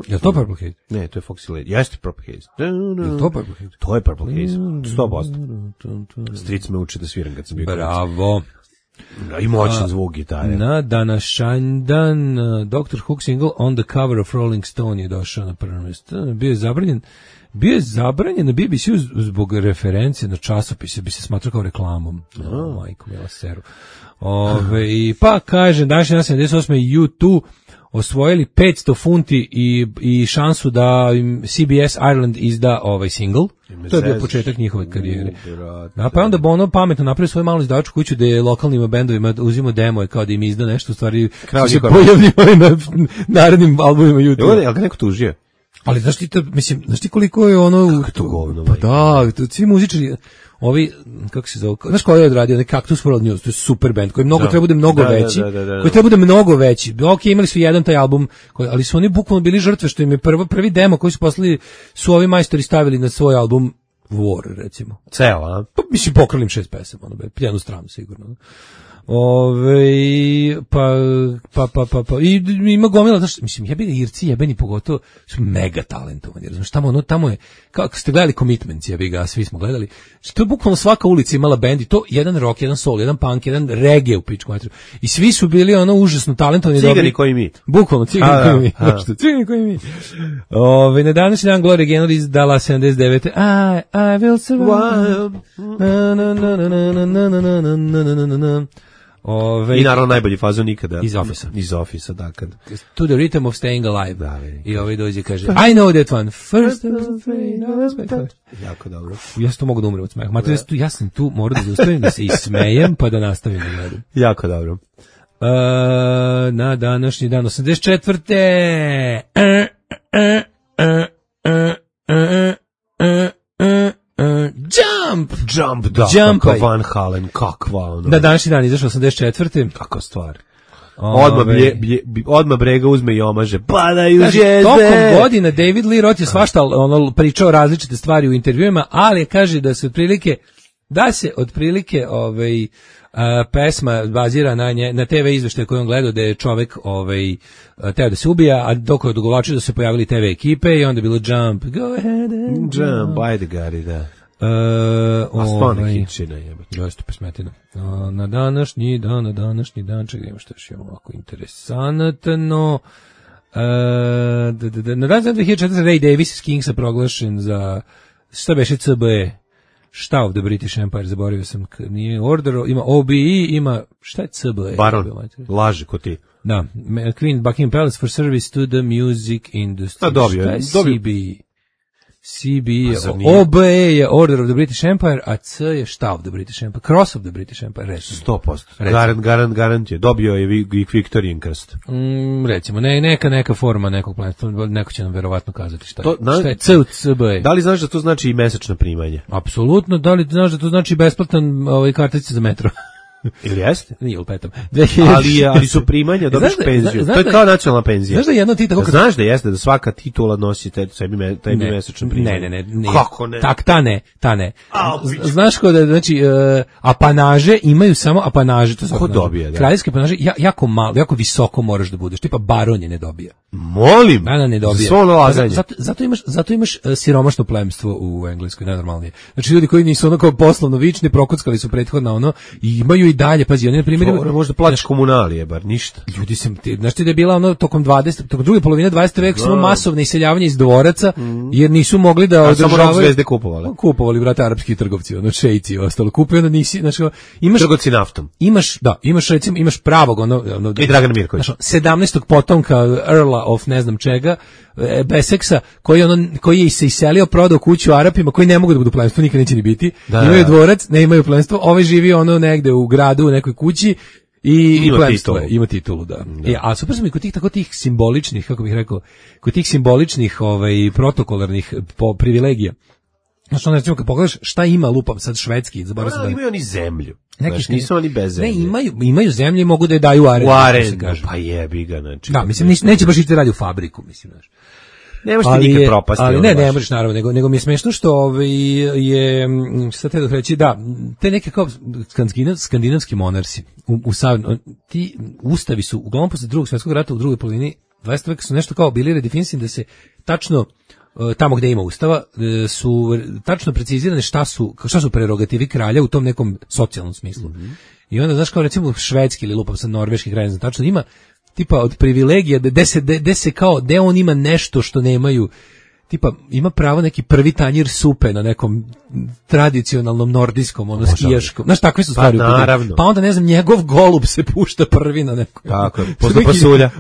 Je li to Purple Haze? Ne, to je Foxy Lady. Jeste Purple Haze. Je li to Purple Haze? To je Purple Haze. sto posto. Stric me uči da sviram kad sam bio. Bravo. I moćan zvuk gitare. Na današnji dan uh, doktor Hook single On the Cover of Rolling Stone je došao na prvo mjesto. Bio je zabranjen bio je zabranjen na B B C-u zbog referencije na časopise, bi se smatrao kao reklamom. Oh, majko, mila seru. Ove, i pa kažem, današnji dan sedamdeset osme U dva osvojili petsto funti i, i šansu da im C B S Ireland izda ovaj single. To je bio početak njihove karijere. Da, pa onda Bono pametno napravio svoju malu izdavačku kuću gde je lokalnim bendovima uzimo demo kao da im izda nešto, u stvari se pojavljivali na narednim albumima U dva. Evo, jel ga neko tužio? Ali znaš ti, to, mislim, znaš ti koliko je ono... Kako to govno, pa da, to, svi muzičari, ovi, kako se zove, znaš ko je odradio, ne Cactus World News, to je super band, koji mnogo da. treba bude mnogo da, veći, da, da, da, da. koji treba bude mnogo veći. Ok, imali su jedan taj album, koji, ali su oni bukvalno bili žrtve, što im je prvo, prvi demo koji su poslali, su ovi majstori stavili na svoj album War, recimo. Ceo, a? Pa, mislim, pokralim šest pesama, ono, jednu stranu sigurno. Ove, pa, pa, pa, pa, pa, i ima gomila, znaš, mislim, jebeni Irci, jebeni pogotovo, su mega talentovani, znaš, tamo, ono, tamo je, kako ste gledali Commitments, jebi ga, svi smo gledali, znači, to je bukvalno svaka ulica imala bend i to, jedan rock, jedan soul, jedan punk, jedan reggae u pičku materiju, i svi su bili, ono, užasno talentovani. Cigani dobri, koji mi. Bukvalno, cigani koji mi, znaš, cigani koji mi. Ove, na današnji dan Gloria Gaynor izdala sedamdeset devete. I, I will survive. Na, na, na, na, na, na, na, na, na, na, na, na. Ove, I naravno najbolji fazon nikada. Iz Office-a. Iz Office-a, da, kad... To the rhythm of staying alive. Da, vidi. I ovaj dođe i kaže, I know that one. First I was afraid, I was my first. Jako dobro. Ja sam tu mogu da umrem od smeha. Mater, ja sam tu, ja sam tu morao da zaustavim, da se ismejem, pa da nastavim da gledam. Jako dobro. Uh, na današnji dan, osamdeset četvrte. Uh, uh, uh, uh, uh, uh, uh. Uh, jump! Jump, da, Jump, kakva Van Halen, kakva ono. Da, današnji dan izašao osamdeset četvrte. Kakva stvar. Odmah, blje, blje, odmah Brega uzme i omaže. Padaju Kaže, žezde! tokom godina David Lee Roth je svašta ono, pričao različite stvari u intervjuima, ali kaže da se otprilike, da se otprilike ovaj, a, pesma bazira na, nje, na T V izveštaje koje on gledao, da je čovek ovaj, teo da se ubija, a dok je dogovočio da se pojavili T V ekipe i onda je bilo Jump, go ahead and Jump, ajde Gari, da. Uh, A stvarno ovaj, hitčina jebate. Dosta pesmetina. Uh, na današnji dan, na današnji dan, čekaj, ima što još imamo ovako interesantno. Uh, da, da, da, na dan za dve hiljade četvrte. Ray Davis iz Kingsa proglašen za, šta beše C B E? Šta of the British Empire, zaboravio sam, nije Order, ima O B E, ima, šta je C B E? Baron, laži ko ti. Da, Queen Buckingham Palace for service to the music industry. A dobio, šta je dobio. C B E? C B je, zar nije? O B E je Order of the British Empire, a C je šta of the British Empire? Cross of the British Empire, recimo. sto posto. Garant, garant, garant je. Dobio je i Victorian krst. Mm, recimo, ne, neka, neka forma nekog planeta, neko će nam verovatno kazati šta je. To, na, šta je C u C B E? Da li znaš da to znači i mesečno primanje? Apsolutno, da li znaš da to znači besplatan ovaj, kartice za metro? Ili jeste? Nije upetam. Ali, je, ali su primanja, dobiš Znaš da- penziju. znaš To je da- kao nacionalna penzija. Znaš da jedno ti tako kad... Znaš da jeste da svaka titula nosi te, tebi, me, tebi Ne, mesečno primanje? Ne, ne, ne, ne. Kako ne? Tak, ta ne, ta ne. A, Z- Znaš ko da, znači, uh, apanaže imaju samo apanaže. To su Ko apanaže. dobije, da? Kraljevske apanaže, ja, jako malo, jako visoko moraš da budeš. Tipa baron je ne dobija. Molim! Ana ne dobija. Za svo ono laganje. Zato, zato imaš, zato imaš uh, siromašno plemstvo u Engleskoj, najnormalnije. Znači ljudi koji nisu ono kao poslovno vični, prokuckali su prethodno ono i imaju i dalje, pazi, oni na primjer imaju- Dobro, možda plaćaš komunalije, bar ništa. ljudi se, ti, znaš ti da je bila ono tokom dvadesete tokom druge polovine dvadesetog veka samo masovne iseljavanje iz dvoraca, jer nisu mogli da A samo rok održavaju. zvezde kupovali. Kupovali, brate, arapski trgovci, ono, šejci i ostalo. Kupio, onda nisi, znači, imaš, Trgovci naftom. imaš, da, imaš, recimo, imaš pravog, ono, ono I Dragan Mirković. znaš, sedamnaestog potomka Earla of ne znam čega, e, Beseksa, koji, ono, koji je se iselio, prodao kuću Arapima, koji ne mogu da budu plemstvo, nikad neće ni biti. Da, Imaju da. dvorac, ne imaju plemstvo, ovaj živi ono negde u gradu, u nekoj kući, i Ima plemstvo je, titulu. ima titulu, da. E, a super su mi kod tih tako tih simboličnih, kako bih rekao, kod tih simboličnih, ovaj protokolarnih po privilegija. Znači, ono, recimo, kad pogledaš šta ima, lupam sad švedski, zaboravio sam Ali da... imaju oni zemlju. Neki Znaš, što- nisu oni bez zemlje. Ne, imaju, imaju zemlje i mogu da je daju u arendu. U kako se arendu, kaže. pa jebi ga, znači. Da, mislim, nis- neće baš ići radi u fabriku, mislim, znaš. Ne možeš ti nikad je- propasti. ali ono ne, baš. ne možeš naravno, nego, nego mi je smešno što ovaj, je, mm, šta te da reći, da, te neke kao skandinav, skandinavski monarsi, u, u sav- ti ustavi su, uglavnom posle drugog svjetskog rata u drugoj polovini dvadesetog veka su nešto kao bili redefinisani da se tačno e, tamo gde ima ustava e, su tačno precizirane šta su šta su prerogativi kralja u tom nekom socijalnom smislu. Mm-hmm. I onda znaš kao recimo švedski ili lupam sa norveški kralj, znači tačno ima tipa od privilegija da se da se kao da on ima nešto što nemaju, tipa ima pravo neki prvi tanjir supe na nekom tradicionalnom nordijskom ono skijaškom. Znaš, takve su stvari. Pa, u pitanju. naravno. Pa onda ne znam, njegov golub se pušta prvi na neko. Tako je, posle pasulja.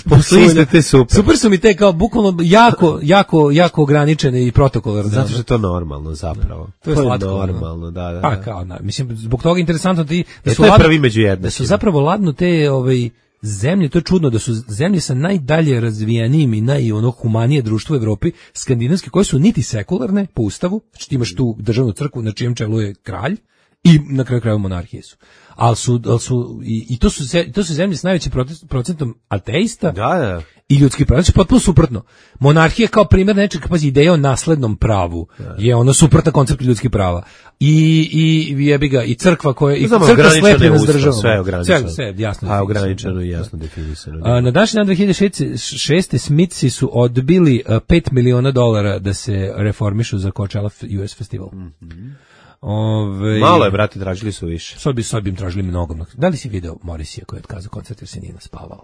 Posle iste te supe. Super su mi te kao bukvalno jako, jako, jako ograničene i protokolarne. Zato što je to normalno zapravo. To je slatko, ono. normalno, da, da. Pa da. kao, na, mislim, zbog toga je interesantno ti da E, su to je ladno- prvi među jednakima. da su zapravo ladno te ovaj zemlje, to je čudno da su zemlje sa najdalje razvijenijim i naj ono humanije društvo u Evropi, skandinavske, koje su niti sekularne po ustavu, znači ti imaš tu državnu crkvu na čijem čelu je kralj i na kraju krajeva monarhije su. Ali su, ali su i, i to su ze- to su zemlje s najvećim prote- procentom ateista. Da, da. I ljudski prava, znači potpuno suprotno. Monarhija kao primjer nečeg, pazi, ideja o naslednom pravu je ono suprotna konceptu ljudskih prava. I i jebi ga i crkva koja i Znamo, crkva ograničeno je slepljena s ustav, državom. sve je ograničeno. Sve, sve jasno. A definisano. ograničeno i jasno definisano. A, na današnji dan dve hiljade šeste. Smithsi su odbili a, pet miliona dolara da se reformišu za Coachella U S festival. Mm-hmm. Ove, Malo je, brati, tražili su više. Sad bi, sad bi im tražili mnogo. Da li si video Morrisija koji je otkazao koncert jer se nije naspavao?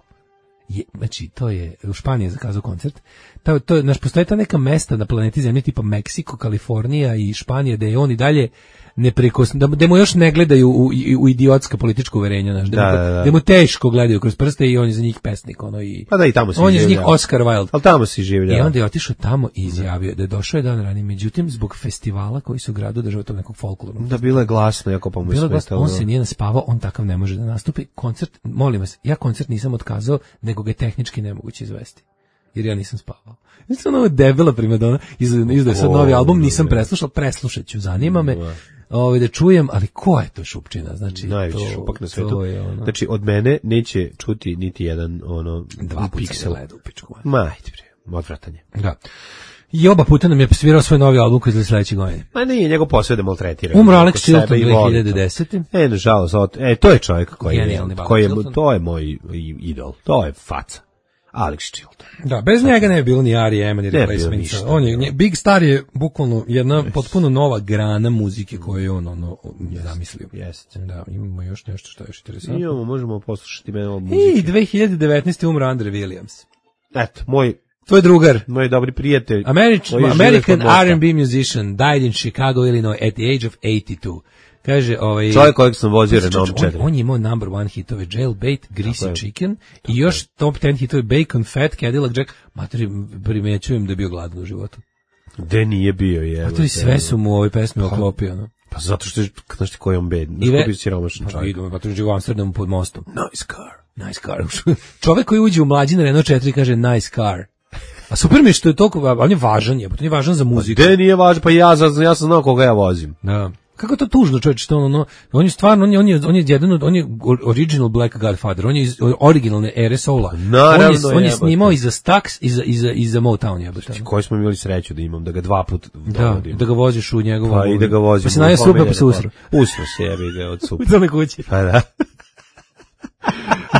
Je, znači, to je, u Španiji je zakazao koncert. To, to je, znaš, postoje ta neka mesta na planeti Zemlje, tipa Meksiko, Kalifornija i Španija, da je on i dalje neprikosno, da, da mu još ne gledaju u, u idiotska politička uverenja, znaš, da, Da, mu, da, da. da mu teško gledaju kroz prste i on je za njih pesnik, ono, i Pa da, i tamo si on je za njih življao. Oscar Wilde. Ali tamo si življao. I onda je otišao tamo i izjavio da je došao je dan ranije, međutim, zbog festivala koji su u gradu država tog nekog folklornog. Da, bilo je glasno, jako pa mu je Bilo je glasno, smetalo. on se nije naspavao, on takav ne može da nastupi. Koncert, molim vas, ja koncert nisam otkazao, nego ga je tehnički nemoguće izvesti. Jer ja nisam spavao. Ja sam ovo debela primadona, izdaje sad novi album, nisam preslušao, preslušat ću, zanima me ovaj, da čujem, ali ko je to šupčina? Znači, Najveći to, šupak na to svetu. je ono, Znači, od mene neće čuti niti jedan ono dva puta piksel. se gleda u pičku. Ma, ajde bre, odvratanje. Da. I oba puta nam je svirao svoj novi album koji izgleda sledeće godine. Ma nije, njegov posao je da maltretira. Umro Oko Alex sebe Chilton i voli to. dve hiljade desete. E, nažalost, od- e, to je čovjek koji je, Genijalni Alex koji je, Chilton. to je moj i- idol, to je faca. Alex Chilton. Da, bez njega ne bi bilo ni R E M, ni Ne bi bilo Replacements. ništa. On je, nje- Big Star je bukvalno jedna potpuno nova grana muzike koju je on ono, je zamislio. Jeste. Da, imamo još nešto što je još interesantno. Imamo, možemo poslušati mene od I muzike. dve hiljade devetnaeste. umro Andre Williams. Eto, moj, Tvoj drugar. moj dobri prijatelj. American, koji žive American kod mosta. R and B musician died in Chicago, Illinois at the age of eighty-two. Kaže, ovaj... Čovjek kojeg sam vozio Renault on, četiri. on je imao number one hitove Jailbait, Greasy Tako je. Chicken i još top ten hitove Bacon, Fat, Cadillac Jack. Materi, primećujem da je bio gladan u životu. Gde nije bio, je. A to i sve su mu u ovoj pesmi oklopio, no. Pa zato što je, znaš ti koji on bed, znaš I ve- ko bio siromašan Pa čovjek. idemo, pa to je u Amsterdamu pod mostom. Nice car, nice car. Čovek koji uđe u mlađi na Renault četiri kaže nice car. A super mi je što je toliko, a on je važan je, on je važan za muziku. Gde nije važno, pa ja, za- ja sam znao koga ja vozim. Da. Kako je to tužno, čovječe, što ono, on je stvarno, on je, on je, on je jedan od, on je original Black Godfather, on je iz originalne ere soula. Naravno, on je, on je jebote. snimao i za Stax i za, i za, i za Motown, jebote. Koji smo imali sreću da imam, da ga dva put Da, dovodim. da ga voziš u njegovu... Pa i da ga vozim. Pa se naje supe, pa se usro. Usro se, jebi ga od supe. U tome kući. Pa da.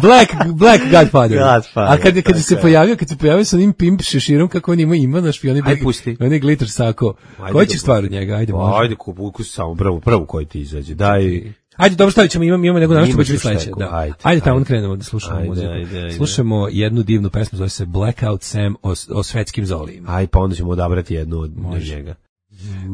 Black, Black Godfather. Godfather, A kad, kad tako se je. pojavio, kad se pojavio sa onim pimp šeširom, kako on ima, ima na špioni, Aj, pusti. onaj glitter sako. Ajde Koji ga će stvar od njega? Ajde, može. Ajde, kup, ukusi samo prvu, prvu koji ti izađe. Daj. Ajde, dobro, stavit ćemo, imamo, imamo nego našto Imaš će biti još sledeće. neku, Da. ajde, Ajde, tamo ajde. krenemo da slušamo Ajde, muziku. ajde, ajde. Slušamo jednu divnu pesmu, zove se Blackout Sam o, o svetskim zolijima. Aj, pa onda ćemo odabrati jednu od Može. njega.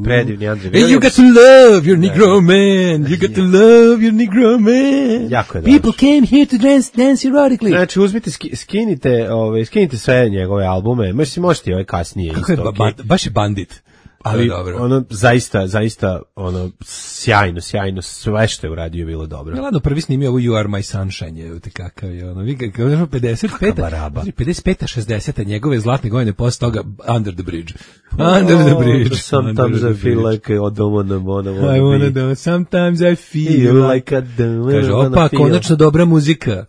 Predivni Andrej Hey, you got to love your Negro man. You got to love your Negro man. Jako je People dobro. came here to dance, dance erotically. Znači, uzmite, ski- skinite, ovaj, skinite sve njegove albume. Možete, možete i ovaj kasnije Kako je, isto. ba, okej. ba, baš je bandit. Ali, dobro. ono, zaista, zaista, ono, sjajno, sjajno, sve što je uradio je bilo dobro. Ja ladno prvi snimio ovo You Are My Sunshine, je te kakav je ono, vi kako je pedeset peta, baraba. pedeset peta, šezdeseta njegove zlatne godine posle toga Under the Bridge. Under the Bridge. Sometimes Under I the feel bridge. like I don't wanna, wanna, wanna I wanna be. do, sometimes I feel Feel like... like I don't Kaže, wanna opa, feel. konačno dobra muzika.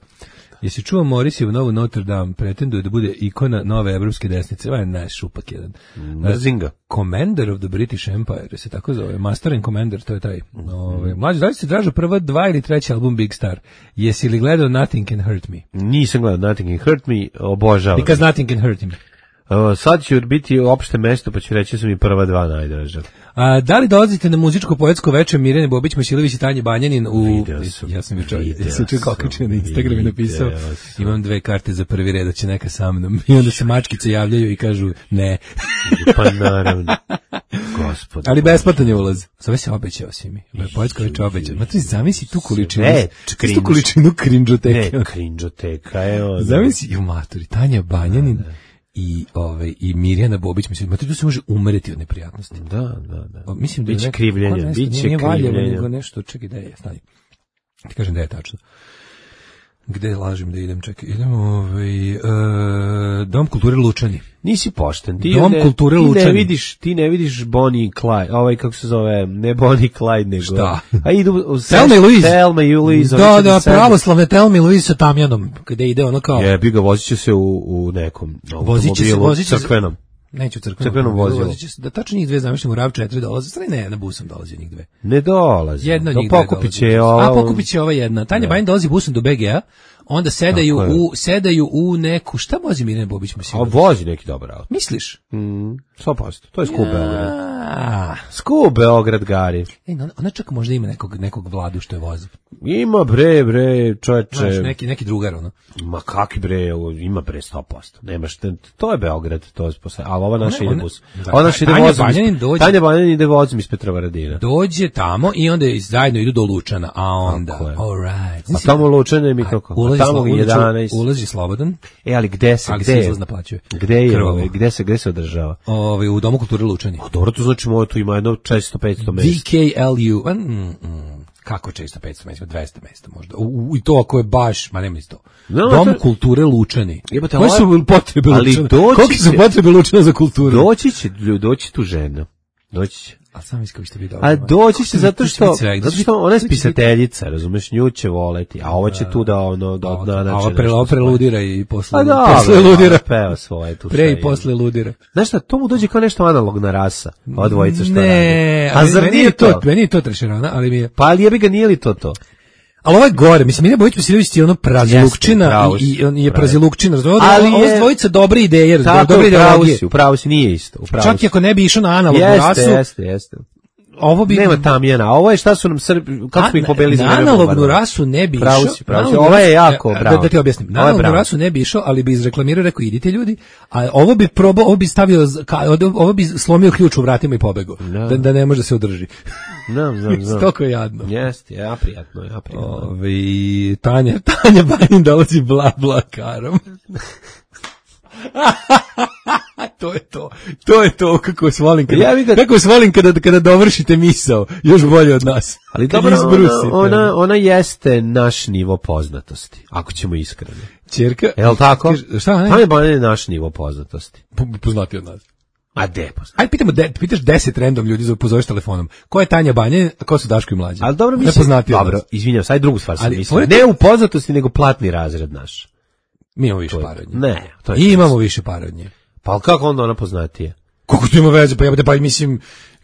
Jesi čuo Morrisiju novu Notre Dame, pretenduje da bude ikona nove evropske desnice, ovaj je najšupak jedan. Mrzim Commander of the British Empire, se tako zove, Master and Commander, to je taj. Ove, mlađe, da li si tražio prva dva ili treći album Big Star? Jesi li gledao Nothing Can Hurt Me? Nisam gledao Nothing Can Hurt Me, obožavam. Because Nothing Can Hurt Me. Uh, sad ću biti opšte mesto, pa ću reći da su mi prva dva najdraža. A, da li dolazite na muzičko poetsko večer Mirjane Bobić, Masilović i Tanje Banjanin u... Video sam. Ja sam jučer, Video ja sam jučer sam. okačio na Instagram i napisao, Video sam. imam dve karte za prvi red, da će neka sa mnom. I onda se mačkice javljaju i kažu ne. Pa naravno. Gospod. Ali besplatan je ulaz. Zove se obećao si mi. Poetsko večer obećao. Ma ti zamisli tu količinu. Sve Tu cringe. količinu krinđoteke. Ne, krinđoteka je ono. Zamisli, ju maturi, Tanja Banjanin i ovaj i Mirjana Bobić, mislim, maturi, tu se može umreti od neprijatnosti. Da, da, da. O, mislim da je Biće neko- krivljenja, ko nešto, biće nije Valjevo, krivljenja. nego nešto, čekaj, da je, stani. Ti kažem da je tačno. Gde lažem da idem, čekaj, idemo, ovaj, e, Dom kulture Lučani. Nisi pošten. Ti Dom ne, kulture ti ne Lučani. vidiš, ti ne vidiš Bonnie i Clyde, ovaj kako se zove, ne Bonnie i Clyde, nego. Šta? A idu u Thelma i Louise. Thelma i Louise. Da, oni će da, sede. pravoslavne Thelma i Louise sa Tamjanom, gde ide ono kao... Jebi ga, vozit će se u, u nekom Vozit će se, automobilu vozit će se- crkvenom. Neću crkvenom, Crkvenom vozilu. Vozit će se- Da tačno njih dve zamišljamo u RAV četiri dolaze, stvari ne, na busom dolazi njih dve. Ne dolazi. Jedna od To njih dve pokupit dolazi. će ova. A pokupit će ova jedna. Tanja Bajin dolazi busom do B G A, onda sedaju Tako je. u sedaju u neku, šta vozi Mirjana Bobić, A mislim? vozi neki dobar auto. Misliš? Mm, sto posto. To je skup Beograd. A, Skup Beograd, Gari. ej, ona, ona čak možda ima nekog, nekog vladu što je vozi. Ima bre, bre, čoveče. Znaš, neki, neki drugar, ono. Ma kakvi bre, ovo, ima bre sto posto. Nemaš, te- to je Beograd, to je posle. Ali ova naša Ona- ide ona- bus. da, Ova naša ide Tanja vozom. iz- Banjanin dođe- Tanja Banjanin ide vozom iz Petrovaradina. Dođe tamo i onda zajedno idu do Lučana, a onda, Tako je. all right. A tamo Lučane mi kako? A Ulazi, tamo ulazi, jedanaest. ulazi slobodan, E, ali gde se, ali gde se je? izlaz naplaćuje. Gde je, Krvavo. ovaj, gde se, gde se održava? Ovaj, u Domu kulture Lučani. A dobro, to znači moje tu ima jedno četiristo petsto V mesta. K L U, mm, mm, kako često petsto mesta, dvesta mesta možda. U, u, I to ako je baš, ma nema isto. No, Dom to- kulture Lučani. Jebote, Koje ova- su potrebe ali Lučana? doći Kolike su će- potrebe Lučana za kulturu? Doći će, doći tu žena. Doći će. A sam mislim kako ćete biti dobro. A doći će zato što, zato što ona je to će biti- spisateljica, razumeš, nju će voleti, a ovo će tu da ono, da A odnanače ova nešto pre, ova svoje. preludira i posle, A da, posle ludira. peva svoje tu. Pre šta i je. posle ludira. Znaš šta, to mu dođe kao nešto analogna rasa, ova dvojica šta Ne, radi. A ali zar meni nije je to? Meni je to trešerana, ali mi je... Pa ali jebi ga, nije li to to? Ali ovo je gore, mislim, Mirjana Bojić Vasilović je ono prazilukčina pravo i, si, i on je pravo. prazilukčina. Ovo, Ali ovo je- je dvojica dobre ideje, razumiješ, Tako, dobre upravo ideologije. si, upravo si, nije isto. Upravo Čak si. i ako ne bi išao na analognu Jeste, rasu, jeste, jeste. ovo bi... Nema Tamjana, a ovo je šta su nam Srbi, kako smo ih pobedili za na vreme analognu bombardovanja? rasu ne bi Pravo išao. si, pravo si. na analognu Ovo je rasu- jako da, bravo. da ti objasnim. Na Ovo je analognu bravo. rasu ne bi išao, ali bi izreklamirao, rekao idite ljudi, a ovo bi probao, ovo bi stavio, z- ka- ovo bi slomio ključ u vratima i pobegao. Da. Da, da ne može da se održi. Znam, znam, znam. Stoko je jadno. Jeste, ja prijatno, ja prijatno. Ove, Tanja, Tanja Bajin dolazi bla bla karom. To je to. To je to kako vas volim kada, Ja vidim- kako vas volim kada, kada dovršite misao. Još bolje od nas. Ali Kad dobro, izbrusite. ona, ona, ona jeste naš nivo poznatosti, ako ćemo iskreno. Ćerka, Jel tako? Kaže, šta, ne? Tanja Banja je naš nivo poznatosti. Po- Poznati od nas. A de poznati? Ajde pitamo, de, pitaš deset random ljudi, za pozoveš telefonom. Ko je Tanja Banja, a ko su Daško i Mlađe? Ali dobro, Ne mislim, poznati od dobro, nas. izvinjam, sad drugu stvar sam Ali, mislio. pored- Ne u poznatosti, nego platni razred naš. Mi imamo više To je- para od nje. Ne, to je I imamo više para od nje. Pa ali kako onda ona poznatije? Koliko tu ima veze, pa jebate, pa mislim,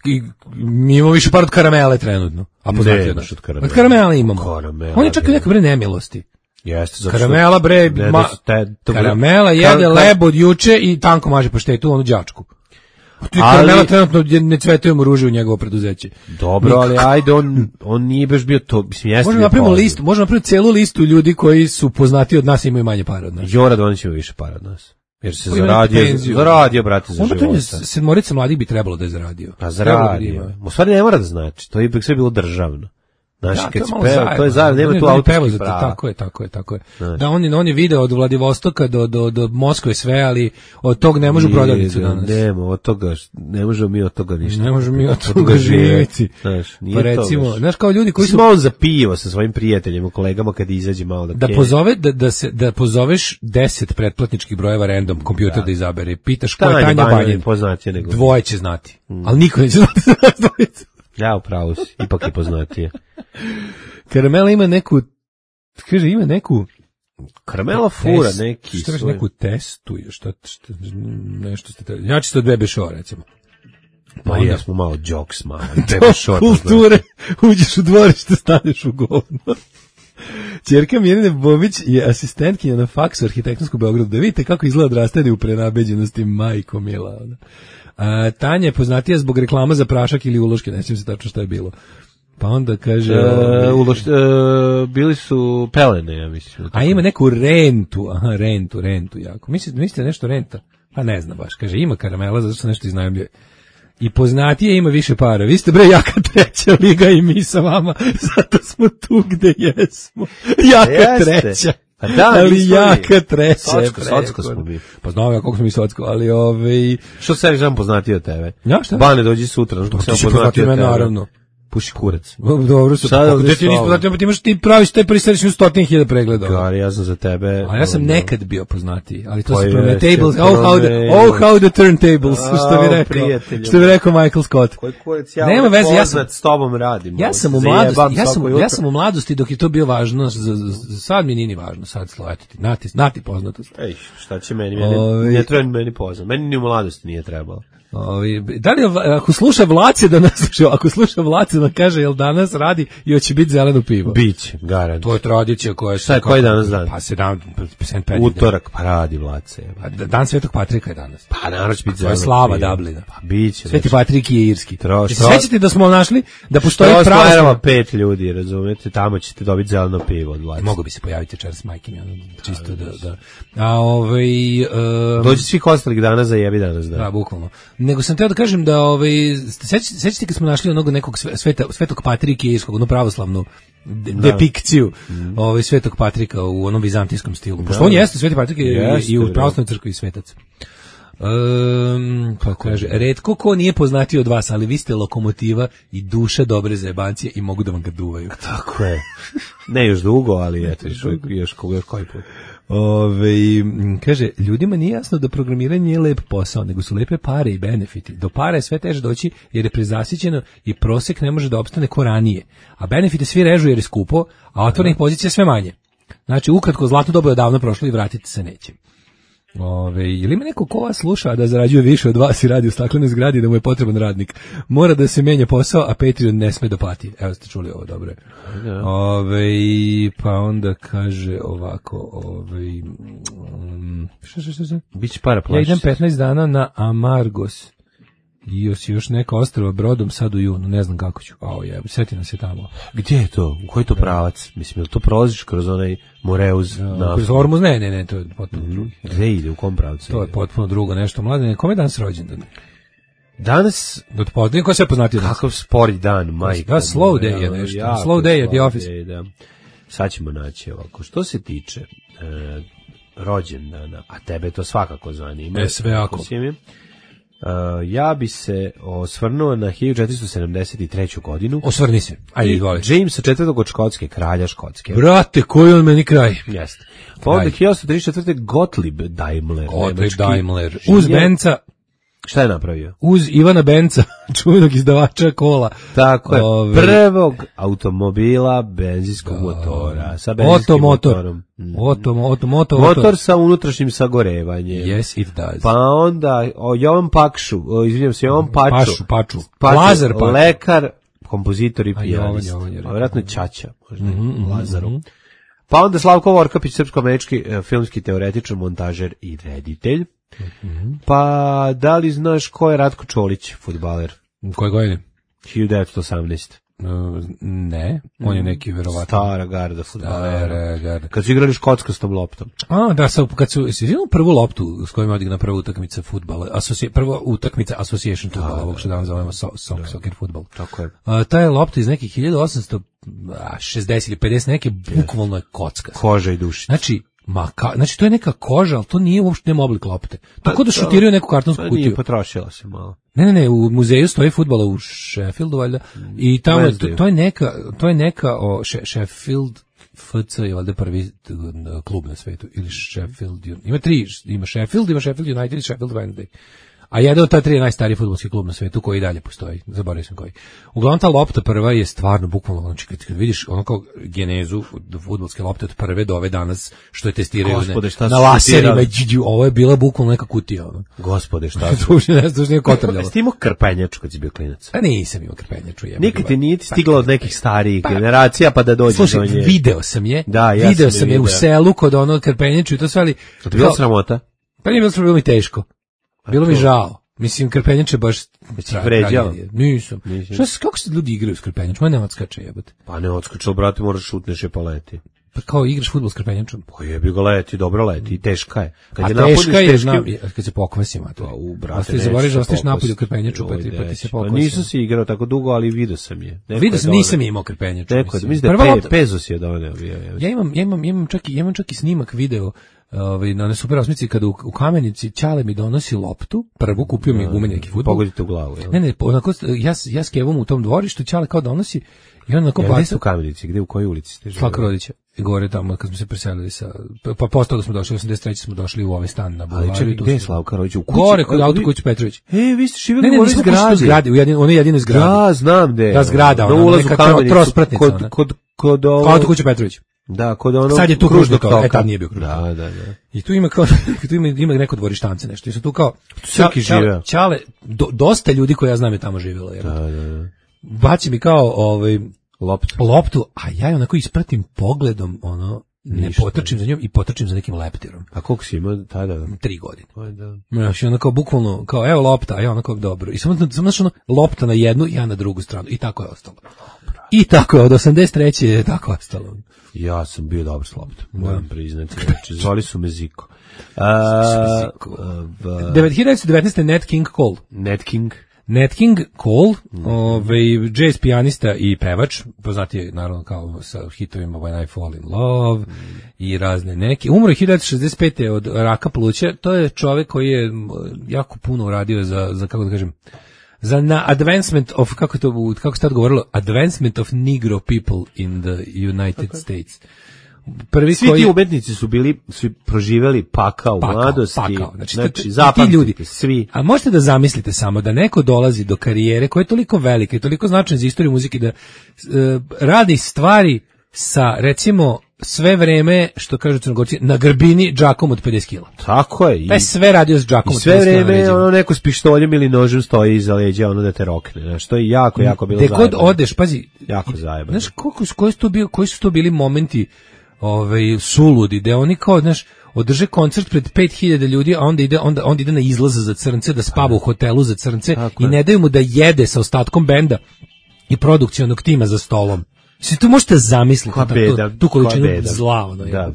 i, mi imamo više para od Karamele trenutno. A poznati Ne, od nas. baš od Karamele. Od Karamele imamo. Karamela, On je čak i bre. neka bre nemilosti. Jeste, zato što- Karamela bre, Ne, ma, da su te- to bre- Karamela Kar- jede kar- lebo od juče i tanko maže paštetu, onu đačku. Ti Ali- Karamela trenutno ne cvetujemo ruže u njegovo preduzeće. Dobro, ali ajde, on, on nije baš bio to, mislim, jeste Možemo bio napravimo poznat. listu, možemo napraviti celu listu ljudi koji su poznati od nas i imaju manje para od nas. Jora Donić ima više para od nas. Jer se Koji ima zaradio, neku penziju. zaradio, brate, za Onda to je života. sedmorica mladih bi trebalo da je zaradio. Pa Trebalo bi da zaradio. ima. U stvari ne mora da znači, to je ipak sve bilo državno. Znaš, Da, kad to je si malo peva, zajebano. to je zajedno, nema On je- tu on je autorskih pevao za to, prava. Tako je, tako je, tako je. Znaš. Da, on je, on je video od Vladivostoka do, do, do Moskve sve, ali od tog ne može u prodavnicu Nije, danas. Nema, od toga, ne možemo mi od toga ništa. Ne možemo mi od toga živjeti. Znaš, nije Pa to recimo, baš. znaš kao ljudi koji su Smo on za pivo sa svojim prijateljima, kolegama kad izađe malo da da kenja. pozove da da se da pozoveš deset pretplatničkih brojeva random kompjuter da, izabere. Pitaš ko je Tanja Tanja Banja Banjin. poznatije nego- Dvoje će znati. Ali niko neće znati za nas dvojicu. Ja, upravo si, ipak je poznatije. Karamela ima neku kaže ima neku Karamela fura test- neki šta svoj. neku testu šta, šta nešto ste trebali. Ja čisto Bebe Show recimo. Pa onda- ja smo malo jokes, malo. To kulture, uđeš u dvorište, staneš u govno. Ćerka Mirjane Bobić je asistentkinja na faksu arhitektonsku Beogradu. Da vidite kako izgleda odrastanje u prenabeđenosti, majko mila. Ona. A, Tanja je poznatija zbog reklama za prašak ili uloške, ne sjećam se tačno šta je bilo. Pa onda kaže... E, uloš, e, bili su pelene, ja mislim. A ima neku rentu, aha, rentu, rentu jako. Mislite, mislite nešto renta? Pa ne znam baš. Kaže, ima Karamela, zato što nešto iznajmljuje. I poznatije ima više para. Vi ste bre jaka treća liga i mi sa vama, zato smo tu gde jesmo. Jaka Jeste. treća. Pa da, mi ali smo jaka mi. treća. Socko, je socko preko. smo mi. Pa znam ja koliko smo mi socko, ali ovaj... Što sebi znam poznatiji od tebe? Ja, šta? Bane, dođi sutra. Znaš kako Ti sam si poznatiji poznatiji od od mene, tebe? naravno. Puši kurac. Dobro su, Sad kako ovdje da ti s nisi tobom. poznatiji, pa ti imaš ti praviš taj prisrediš u stotine hiljada pregleda. Gari, ja sam za tebe. A ja sam ono, nekad bio poznatiji, ali to Pa su jeste, turntables. Oh how the promeni. oh how the turntables, što bi Au, rekao. prijatelju. Što bi rekao Michael Scott. Koji kurac, ja Nema Nema veze, ja poznat sam s tobom radim. ja ono, sam u zajebam mladosti, ja svako sam jutro. ja sam u mladosti dok je to bio važno, za, za, za sad mi nije ni važno, sad slo, eto ti, nati, nati poznatost. Ej, šta će meni? meni Ovi- ne treba ni meni poznat. Meni ni u mladosti nije trebalo. Ovi, da li, je- ako sluša Vlace da nas, ako sluša Vlace da kaže jel danas radi i hoće biti zeleno pivo. Biće, garant. To je tradicija koja Šta je, koji danas dan? Pa sedam, sedam pet. Utorak, pa radi Vlace. Pa Dan Svetog Patrika je danas. Pa naravno će biti To je zeleno slava pivo. Dublina. Pa biće. Sveti Patrik je irski. Tro- Jel se tro- sećate da smo našli da postoji To pravoslavno... stvarava pet ljudi, razumete? Tamo ćete dobiti zeleno pivo od Vlace. Mogu bi se pojaviti večeras s majkim, ja, čisto da... da. A ovaj... Um, Dođi svih ostalih dana za jebi danas dan. Da, bukvalno. Nego sam teo da kažem da ovaj sećate sećate kad smo našli onog nekog sve- sveta Svetog Patrika irskog, onu pravoslavnu de, depikciju Mm. ovaj Svetog Patrika u onom vizantijskom stilu. Pošto on jeste Sveti Patrik je Jeste, i u da. pravoslavnoj crkvi svetac. Um, pa kaže, retko ko nije poznatiji od vas, ali vi ste lokomotiva i duša dobre zajebancije i mogu da vam ga duvaju. Tako je. Ne još dugo, ali eto, još, još, koga, još koji put. Ove, m, kaže, ljudima nije jasno da programiranje nije lep posao, nego su lepe pare i benefiti. Do para je sve teže doći jer je prezasićeno i prosek ne može da opstane ko ranije. A benefite svi režu jer je skupo, a otvorenih pozicija sve manje. Znači, ukratko, zlatno doba je odavno prošlo i vratiti se neće. Ove, ili ima neko ko vas sluša a da zarađuje više od vas i radi u staklenoj zgradi da mu je potreban radnik? Mora da se menja posao, a Patreon ne sme da plati. Evo ste čuli ovo, dobro je. Ove, pa onda kaže ovako, ove, um, šta, šta, šta, šta? Biće para Ja plašiš. idem petnaest dana na Amargos. I još, još neka ostrava brodom sad u junu, ne znam kako ću. Ao jebe, seti nas je tamo. Gdje je to? U koji je to pravac? Mislim, jel to prolaziš kroz onaj Moreuz? na... Kroz Hormuz, ne, ne, ne, to je potpuno drugo. Gde ide? U kom pravcu? To je ide? potpuno drugo nešto. Mladene, kome je danas rođendan? Danas, Da te pozdravim, ko je sve poznatio danas? kakav spori dan, majko. Da, slow moja, day je nešto. jako Slow day at the slow office. day, da. Sad ćemo naći ovako. Što se tiče, e, rođendana, a tebe to svakako zanima. E, sve ako. Uh, ja bi se osvrnuo na hiljadu četiristo sedamdeset treću godinu. Osvrni se. Ajde, izvoli. Jamesa četvrtog od Škotske, kralja Škotske. Brate, koji on meni kraj? Jeste. Pa onda hiljadu osamsto trideset četvrte. Gottlieb Daimler. Gottlieb Daimler. Uz Benca. Šta je napravio? Uz Ivana Benca, čuvenog izdavača kola. Tako je. Ove... Prvog automobila benzinskog motora. Sa benzinskim motorom. Oto, moto, moto, motor sa unutrašnjim sagorevanjem. Yes, it does. Pa onda o, Jovan Pakšu, o, izvinjam se, Jovan Paču. Pašu, Paču. Paču, Lazar Paču. Lekar, kompozitor i A pijanist. Jovan, Jovan, A vjerojatno Ćaća, možda mm -hmm, Lazaru. Mm -hmm. Pa onda Slavko Vorkapić, srpsko-američki e, filmski teoretičar, montažer i reditelj. Mm -hmm. Pa da li znaš ko je Ratko Čolić, fudbaler? Koje godine? hiljadu devetsto osamnaeste. Uh, ne, on je neki verovatno. Stara garda fudbalera. Stara garda. Kad su igrali škotskom loptom. A, da, sa, kad su, si vidio prvu loptu s kojom je odigrana prva utakmica fudbala, asoci, prva utakmica Association fudbala, ovog što danas zovemo so, so, da. Soccer fudbal. Tako je. A, ta je lopta iz nekih hiljadu osamsto šezdeset ili pedeset, neke bukvalno je kocka. Koža i dušica. Znači, ma ka, znači to je neka koža, ali to nije uopšte nema oblik lopte. Tako da šutiraju neku kartonsku kutiju. Nije, potrošila se malo. Ne, ne, ne, u muzeju stoji fudbala u Sheffieldu valjda i tamo je, to, to je neka, to je neka o Sheffield F C je valjda prvi klub na svetu ili Sheffield. Ima tri, ima Sheffield, ima Sheffield United i Sheffield Wednesday. A jedan od ta tri je najstariji fudbalski klub na svetu koji i dalje postoji. Zaboravio sam koji. Uglavnom ta lopta prva je stvarno bukvalno, znači kad, kad vidiš ono kao genezu fudbalske lopte od prve do ove danas što je testiraju Gospode, ne, na laserima, džiđu, ovo je bila bukvalno neka kutija. Ono. Gospode, šta su? Duže ne znam, nije kotrljalo. Jesi ti imao krpenjaču kad si bio klinac? A nisam imao krpenjaču. Nikad ti nije stiglo od nekih starijih pa, generacija pa da dođeš slušaj, do nje. Video sam je, da, ja video sam, sam je u selu kod onog krpenjaču i to sve, ali... To ti bilo sramota? Pa nije bilo sramota, bilo mi teško. Bilo mi žao. Mislim, krpenjače baš... Vređao? Nisam. Šta se, kako se ljudi igraju s krpenjačom? Ma ne odskače jebate. Pa ne odskače, brate, moraš šutneš je pa leti. Pa kao igraš fudbal s krpenjačom? Pa jebi ga leti, dobro leti, i teška je. Kad A je teška je, teški... znam, kad se pokvasi, mater. Pa u, brate, Ostaje, zaboriš da ostaješ napolju u krpenjaču, pa ti, pa ti se pokvasi. Pa nisam si igrao tako dugo, ali vidio sam je. Vidio sam, nisam imao krpenjaču. Neko je, mislim da je pe, Pezo si je doneo. Ja imam, ja imam, imam čak, imam čak i snimak video ovaj na ne super osmici kada u, u Kamenici Ćale mi donosi loptu, prvu kupio mi gumen neki fudbal. Pogodite u glavu, jel? Ne, ne, onako ja ja s Kevom u tom dvorištu Ćale kao donosi i on onako ja, baca u Kamenici, gde u kojoj ulici ste živeli? Slavka Rodića. I gore tamo kad smo se preselili sa pa posle smo došli osamdeset treće smo došli u ovaj stan na Bulevaru. Ali čekaj, gde je Slavka Rodić? U kući? Gore kod autokuće Petrović. E, vi ste živeli ne, ne, u ovoj zgradi. zgradi, u jedin, onoj jedinoj zgradi. Da, znam gde. Da, zgrada, ona neka trospratnica. Kod kod kod ovo autokuće Petrović. Da, kod ono. Sad je tu kružno to, e tad nije bio kružno. Da, da, da. I tu ima kao tu ima ima neko dvorištance nešto. I su tu kao Srki žive. Ćale, do, dosta ljudi koji ja znam je tamo živelo, jer. Da, da, da. Baci mi kao ovaj loptu. Loptu, a ja je onako ispratim pogledom, ono ne Ništa, potrčim za njom i potrčim za nekim leptirom. A koliko si imao tada? Tri godine. Aj da. Znači onako bukvalno kao evo lopta, a ja onako dobro. I samo samo ono, lopta na jednu, ja na drugu stranu i tako je ostalo. I tako je od osamdeset treće je tako ostalo. Ja sam bio dobar s loptom, moram priznati. Znači, zvali su me Ziko. hiljadu devetsto devetnaeste. Nat King Cole. Nat King. Nat King Cole, mm. ovaj, jazz pijanista i pevač, poznati je naravno kao sa hitovima When I Fall in Love mm. i razne neke. Umro je hiljadu devetsto šezdeset pete od raka pluća, to je čovjek koji je jako puno uradio za, za kako da kažem, za na advancement of, kako to, kako se tad govorilo, advancement of Negro people in the United okay. States. Prvi svi koji... ti umetnici su bili, su proživjeli pakao u mladosti, pakao. Znači, znači ti zapamtite svi. A možete da zamislite samo da neko dolazi do karijere koja je toliko velika i toliko značajna za istoriju muzike da uh, radi stvari sa, recimo, sve vreme, što kažu Crnogorci, na grbini džakom od pedeset kila. Tako je. I, pa sve radio s džakom od pedeset kila. I sve vreme ono neko s pištoljem ili nožem stoji iza leđa, ono da te rokne. Znači, to je jako, jako bilo zajebano. Gde god odeš, pazi. Jako zajebano. Znaš, koliko, koji, su to bili, koji su to bili momenti ovaj, suludi, gde oni kao, znaš, održe koncert pred pet hiljada ljudi, a onda ide, onda, onda ide na izlaz za crnce, da spava u hotelu za crnce tako i ne daju mu da jede sa ostatkom benda i produkcionog tima za stolom. Sve to možete zamisliti, beda, tu, tu količinu zla. Ono, da.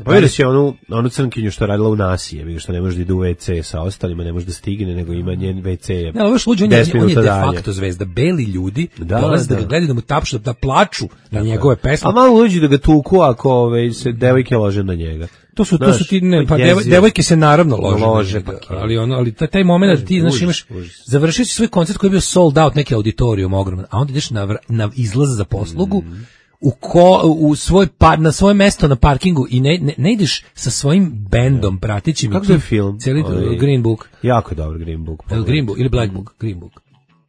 Pa vidiš je onu, onu crnkinju što je radila u Nasije, što ne može da ide u ve ce sa ostalima, ne može da stigne, nego ima njen ve ce je. Ne, ali luđi, on, je, on je de facto zvezda. Beli ljudi da, dolaze da, da ga gledaju, da mu tapšu, da plaču na njegove pesme. A malo luđi da ga tuku ako ove, se devojke lože na njega. To su, to su ti, ne, pa devoj, devojke se naravno lože, lože pa, ali ono, ali taj, taj moment da ti, znaš, imaš, završio si svoj koncert koji je bio sold out, neki auditorijum ogroman, a onda ideš na, na izlaz za poslugu, mm. u, ko, u svoj par, na svoje mesto na parkingu i ne, ne, ne ideš sa svojim bendom ja. Pratićim. Kako je film? Cijeli ovaj, Green Book. Jako je dobar Green Book. El Green Book ili Black Book? Green Book.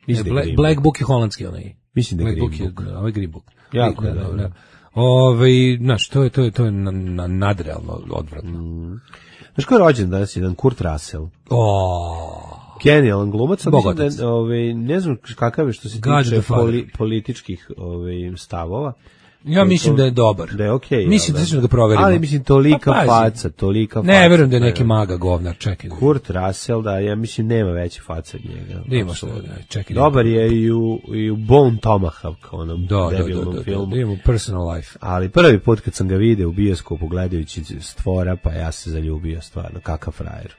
Black, Green Black Book. Book je holandski onaj. Mislim da je Green Book. Book. Je, ovaj Green Book. Jako je da, dobro. Da. Ove, znaš, to je, to je, to je na, na, nadrealno odvratno. Mm. Znaš ko je rođen danas jedan Kurt Russell? Oh. Genijalan glumac, ali da, ove, ne znam kakav je što se tiče poli, političkih ove, stavova. Ja mislim to, da je dobar. Da je okej. Okay, mislim da ćemo da ga proverimo. Ali mislim tolika pa, faca, tolika faca. Ne, verujem da je neki maga govnar, čekaj. Kurt Russell, da, ja mislim nema veće faca od njega. Da ima što, da, čekaj. Dobar je i u, i u Bone Tomahawk, onom da, debilnom da, da, filmu. Da, da, ima Personal Life. Ali prvi put kad sam ga video u bioskopu gledajući Stvora, pa ja se zaljubio stvarno, kakav frajer.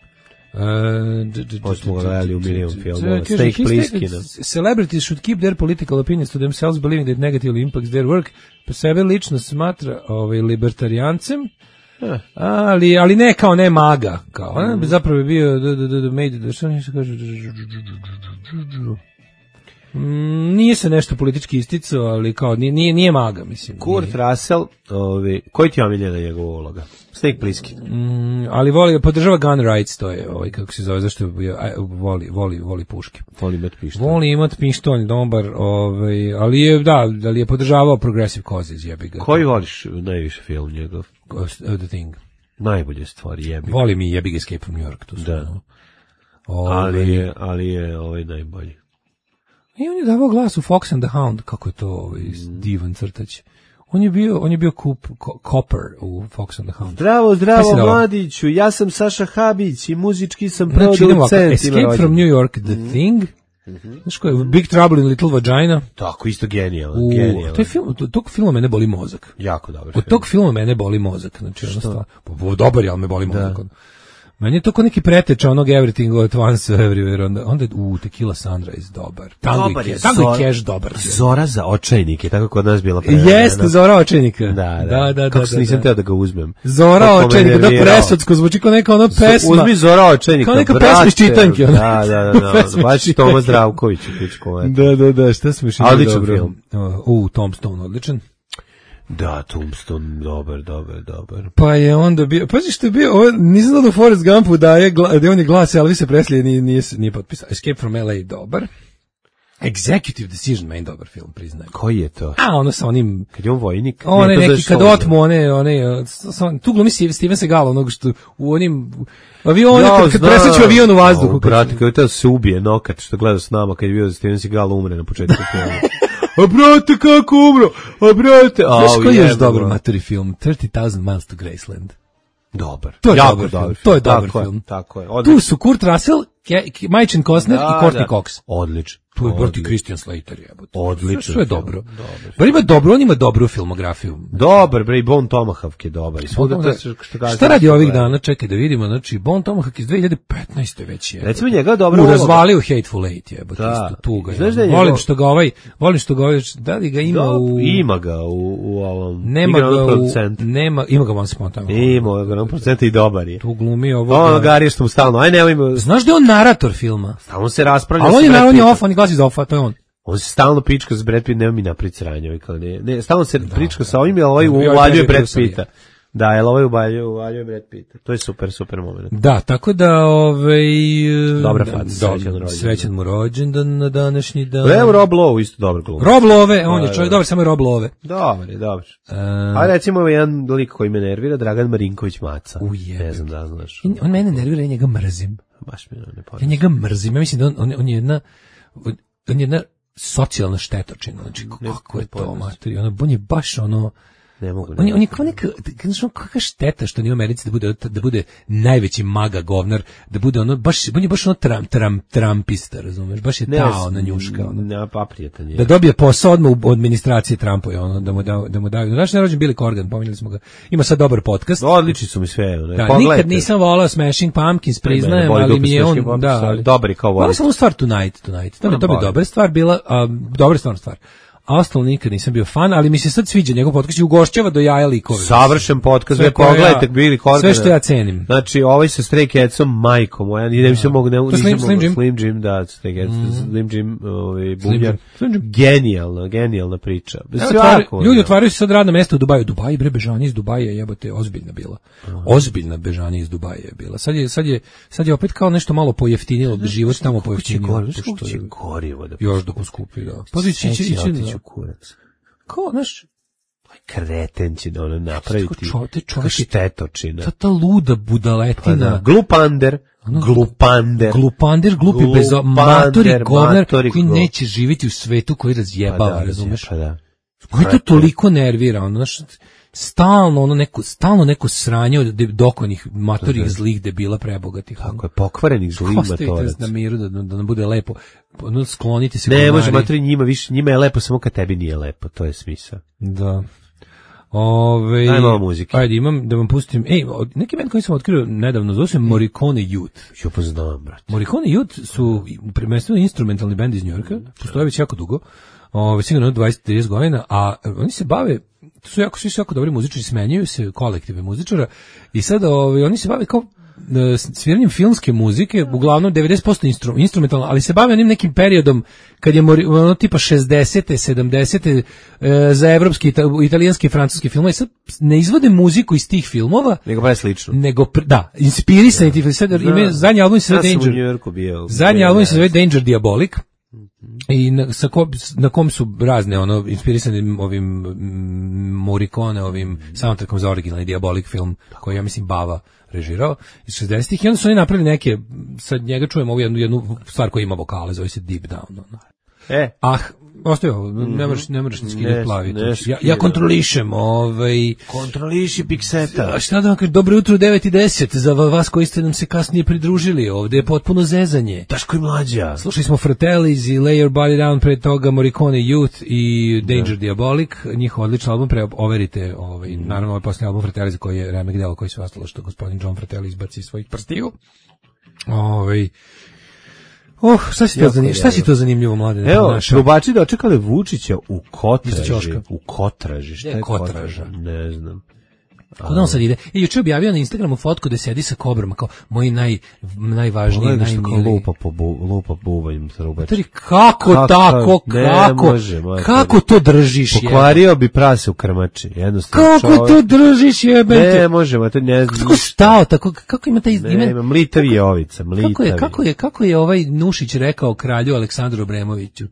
Uh, smo ga gledali u milion filmova. Steak Plissken. Celebrities should keep their political opinions to themselves, believing that negatively impacts their work. Pa sebe lično smatra ovaj, libertarijancem, eh. ali, ali ne kao ne maga. Kao, mm. ne, zapravo je bio da, da, da, da, made, da, što nije se kaže... Mm, nije se nešto politički isticao, ali kao nije, nije, nije maga, mislim. Kurt nije. Russell, ovi, koji ti je omiljena njegova uloga? Steak Plissken. Mm, ali voli, podržava gun rights, to je, ovaj, kako se zove, zašto je, aj, voli, voli, voli puške. Voli imat pištolj. Voli imat pištolj, dobar, ovaj, ali je, da, ali je podržavao progressive causes, jebi ga. Koji voliš najviše film njegov? The Thing. Najbolje stvari, jebi ga. Voli mi jebi ga Escape from New York, to su. Da. No. Ove, ali je, ali je ovaj najbolji. I on je davao glas u Fox and the Hound, kako je to ovaj, divan crtač. On je bio, on je bio kup, ko, Copper u Fox and the Hound. Zdravo, zdravo, mladiću, ja sam Saša Habić i muzički sam znači, producent. Escape from New York, The mm. Thing, mm-hmm. Znaš ko je, Big Trouble in Little Vagina. Tako, isto genijalan, genijalan. To je film, to, tog filma mene boli mozak. Jako dobar Od tog filma mene boli mozak, znači ono stvar. Dobar je, ali me boli mozak. Da. Meni je to kao neki preteča onog Everything at Once Everywhere, onda, onda u Tequila Sunrise dobar. Tango dobar i Tango i Cash dobar. Zora za očajnike, tako kod nas bila prevedena. Jeste, Zora očajnika. Da, da, da. da kako da, se nisam da. Teo da ga uzmem. Zora očajnika, da presodsko zvuči kao neka ona pesma. Uzmi Zora očajnika, kao neka pesma iz čitanke. Da, da, da, da. Baš Toma Zdravković u pičku. Da, da, da, šta smo išli dobro. Odličan film. U, Tombstone, odličan. Da, Tombstone, dobar, dobar, dobar. Pa je onda bio, pazi što je bio, ovo, nisam znao da Forrest Gumpu da je, da on je glas, ali se Presley nije, nije, nije potpisao. Escape from L A, dobar. Executive Decision, meni dobar film, priznajem. Koji je to? A, ono sa onim... Kad je on vojnik? One ne, neki, kad otmu, one, one, tu glumi Steven Seagal, onog što u onim... Avion, ja, kad, kad presreću avion u vazduhu. O, brate, kad je se ubije nokat, što gleda s nama, kad je bio Steven Seagal umre na početku filma. A brate, kako umro? A brate... Znaš koji je još dobar materi film? thirty thousand Miles to Graceland. Dobar. To je jako dobar, dobar film. To je dobar tako film. Je, tako je. Odlično. Tu su Kurt Russell, Majčin Costner da, i Courtney da. Cox. Odlično. Tu je Bertie Christian Slater, jebote. Odlično. Sve je dobro. Bar ima dobro, on ima dobru filmografiju. Dobar, bre, i Bone Tomahawk je dobar. I svuda to što kaže. Šta radi ovih dana? Čekaj da vidimo, znači Bone Tomahawk iz dve hiljade petnaeste već je. Recimo njega dobro. U razvalio Hateful Eight, jebote, da. isto tuga. Znaš da je volim što ga ovaj, volim što ga ovaj, da li ga ima da, u ima ga u u ovom. Nema ga u nema, ima ga Once Upon a Time. Ima ga na procent i dobar je. Tu glumi ovo. Ono Gari što mu stalno. Aj nemojmo. Znaš da je on narator filma? Stalno se raspravlja. Ali on je naravno off, on glasi za off, to je on. On se stalno prička s Brad Pitt, nema mi napred sranje, kao ne. Ne, stalno se da, prička da. Sa ovim, ali ovaj uvaljuje Brad Pitta. Da, jel ovaj uvaljuje, uvaljuje Brad Pitta. To je super, super moment. Da, tako da, ovaj... Dobra faca, srećan rođendan. Srećan mu rođendan na današnji dan. Evo Rob Lowe, isto dobar glum. Rob Lowe, on je čovjek, dobar, samo je Rob Lowe. Dobar je, dobar. Uh, A recimo jedan lik koji me nervira, Dragan Marinković Maca. Uje. Ne znam da znaš. On mene nervira, ja njega mrzim. Baš mi ne pođe. Ja njega mrzim, ja mislim da on, on, on je jedna... On je jedna socijalna štetočina, znači kako je to materi, ono, on je baš ono, ne mogu, ne on je, on je kao neka, znači kakva šteta što nije u Americi da bude, da bude najveći maga govnar, da bude ono, baš, on je baš ono tram, tram, trampista, razumeš, baš je ne, ta ona njuška, ono, ne, pa prijatan je. Da dobije posao odmah u administraciji Trumpove, ono, da mu da, da mu daju, naš nerođen Billy Corgan, pominjali smo ga, ima sad dobar podcast. Odlični su mi sve, ne, da, nikad nisam volao Smashing Pumpkins, priznajem, ali mi je on, da, ali dobri kao voli. Samo stvar Tonight, Tonight, to je dobra stvar bila, a, dobra stvarna stvar. a ostalo nikad nisam bio fan, ali mi se sad sviđa njegov podcast i ugošćava do jaja likove. Savršen podcast, Sve ve koje pogledajte ja- Billy Corgana. sve što ja cenim. Znači, ovaj sa Stray Catsom, majkom moja, ni ne bi se mogu, ne, To nisam Slim- mogu- Slim Jim? Slim Jim, da, Stray Cats, Slim Jim, ovaj, bubnjar. Jim. Slim Jim. Genijalna, genijalna priča. Evo, Svako, otvaraju- ljudi ono. otvaraju se sad radna mesta u Dubaju. Dubai, bre, bežanje iz Dubaja, jebote, ozbiljna bila. Ozbiljna bežanje iz Dubaja je bila. Sad je, sad je, sad je opet kao nešto malo pojeftinilo, život tamo Će pojeftinio. gorivo, pošto koliko će je- gorivo da Još dok uskupi, da. Pa ići, ići, ići, otići u kurac. kao, znaš, Kreten će da ono napraviti. Kako čov- te Kako čovjek je- štetočina. ta, ta luda Pa budaletina. da, glupander, glupander. Glupander, glupi Glupander, bezo, matori govnar matori koji go- neće živjeti u svetu koji Pa razjebava, da, razumeš? Pa da. Koji to toliko nervira, ono, znaš, stalno ono neko, stalno neko sranje od de- dokonih matorih zlih debila prebogatih. Kako je pokvarenih zlih Ostavite matorac. na miru da, da nam bude lepo. Ono, sklonite se. Ne, govnari. može matori njima više, njima je lepo samo kad tebi nije lepo, to je smisao. Da. Ove, Daj malo muzike. Ajde, imam da vam pustim. Ej, od- neki band koji sam otkrio nedavno, zove se Morricone Youth. Jo pa znam, brat. Morricone Youth su prvenstveno instrumentalni bend iz Njujorka, postoje već jako dugo, ove, sigurno dvadeset do trideset godina, a oni se bave, to su jako, svi su jako dobri muzičari, smenjuju se kolektive muzičara i sad ove, oni se bave kao e, sviranjem filmske muzike, uglavnom devedeset posto instru, instrumentalno, ali se bave onim nekim periodom kad je mori, ono tipa šezdesete, sedamdesete e, za evropski, ita- italijanski i francuski film, i sad ne izvode muziku iz tih filmova, Nego baš slično. nego, pr- da, inspirisani ti, sad imaju, zadnji album se zove Ja sam u Danger, Njujorku bio. zadnji album se zove Danger Diabolic, i na, sa ko, na kom su razne ono inspirisani ovim mm, Morricone ovim soundtrackom za originalni Diabolic film koji ja mislim Bava režirao iz šezdesetih i onda su oni napravili neke, sad njega čujemo ovu jednu, jednu stvar koja ima vokale, zove se Deep Down. Ono. E, Ah, ostaje ovo, ne moraš, ne moraš ni skidati Ne, plavi. ne to- ja, skidam. ja kontrolišem, ovaj... kontroliši pikseta. A šta da vam kažem, dobro jutro u devet i deset, za vas koji ste nam se kasnije pridružili, ovdje je potpuno zezanje. Daško i mlađa. Slušali smo Fratellis i Lay Your Body Down, pre toga Morricone Youth i Danger Diabolic, njihov odličan album, pre overite, ovaj, naravno ovaj posljednji album Fratellis koji je remek delo koji su ostalo što gospodin John Fratelli izbaci iz svojih prstiju. Ovaj, oh, šta si to, Jako zanimljivo, šta si to zanimljivo, mlade? Evo, našao? trubači dočekali Vučića u Iza Kotraži. ćoška. U Kotraži, šta Gde je je Kotraža? Kotraža? Ne znam. Kuda on sad ide? I juče objavio na Instagramu fotku da sedi sa kobrom, kao moji naj, najvažniji, Pogledaj što kao najmiliji. lupa po bu, lupa bubanjem trubač. Tari, kako, Kako? tako, Ne kako, može, majko. kako to držiš? jebote? Pokvario bi prase u krmači, jednostavno. Kako čovek- to držiš, jebate? Ne možemo, to ne znam. Kako stao, tako, kako ima taj Ne, ime? ima mlitavi je ovica, mlitavi. Kako je, kako je, kako je ovaj Nušić rekao kralju Aleksandru Obremoviću?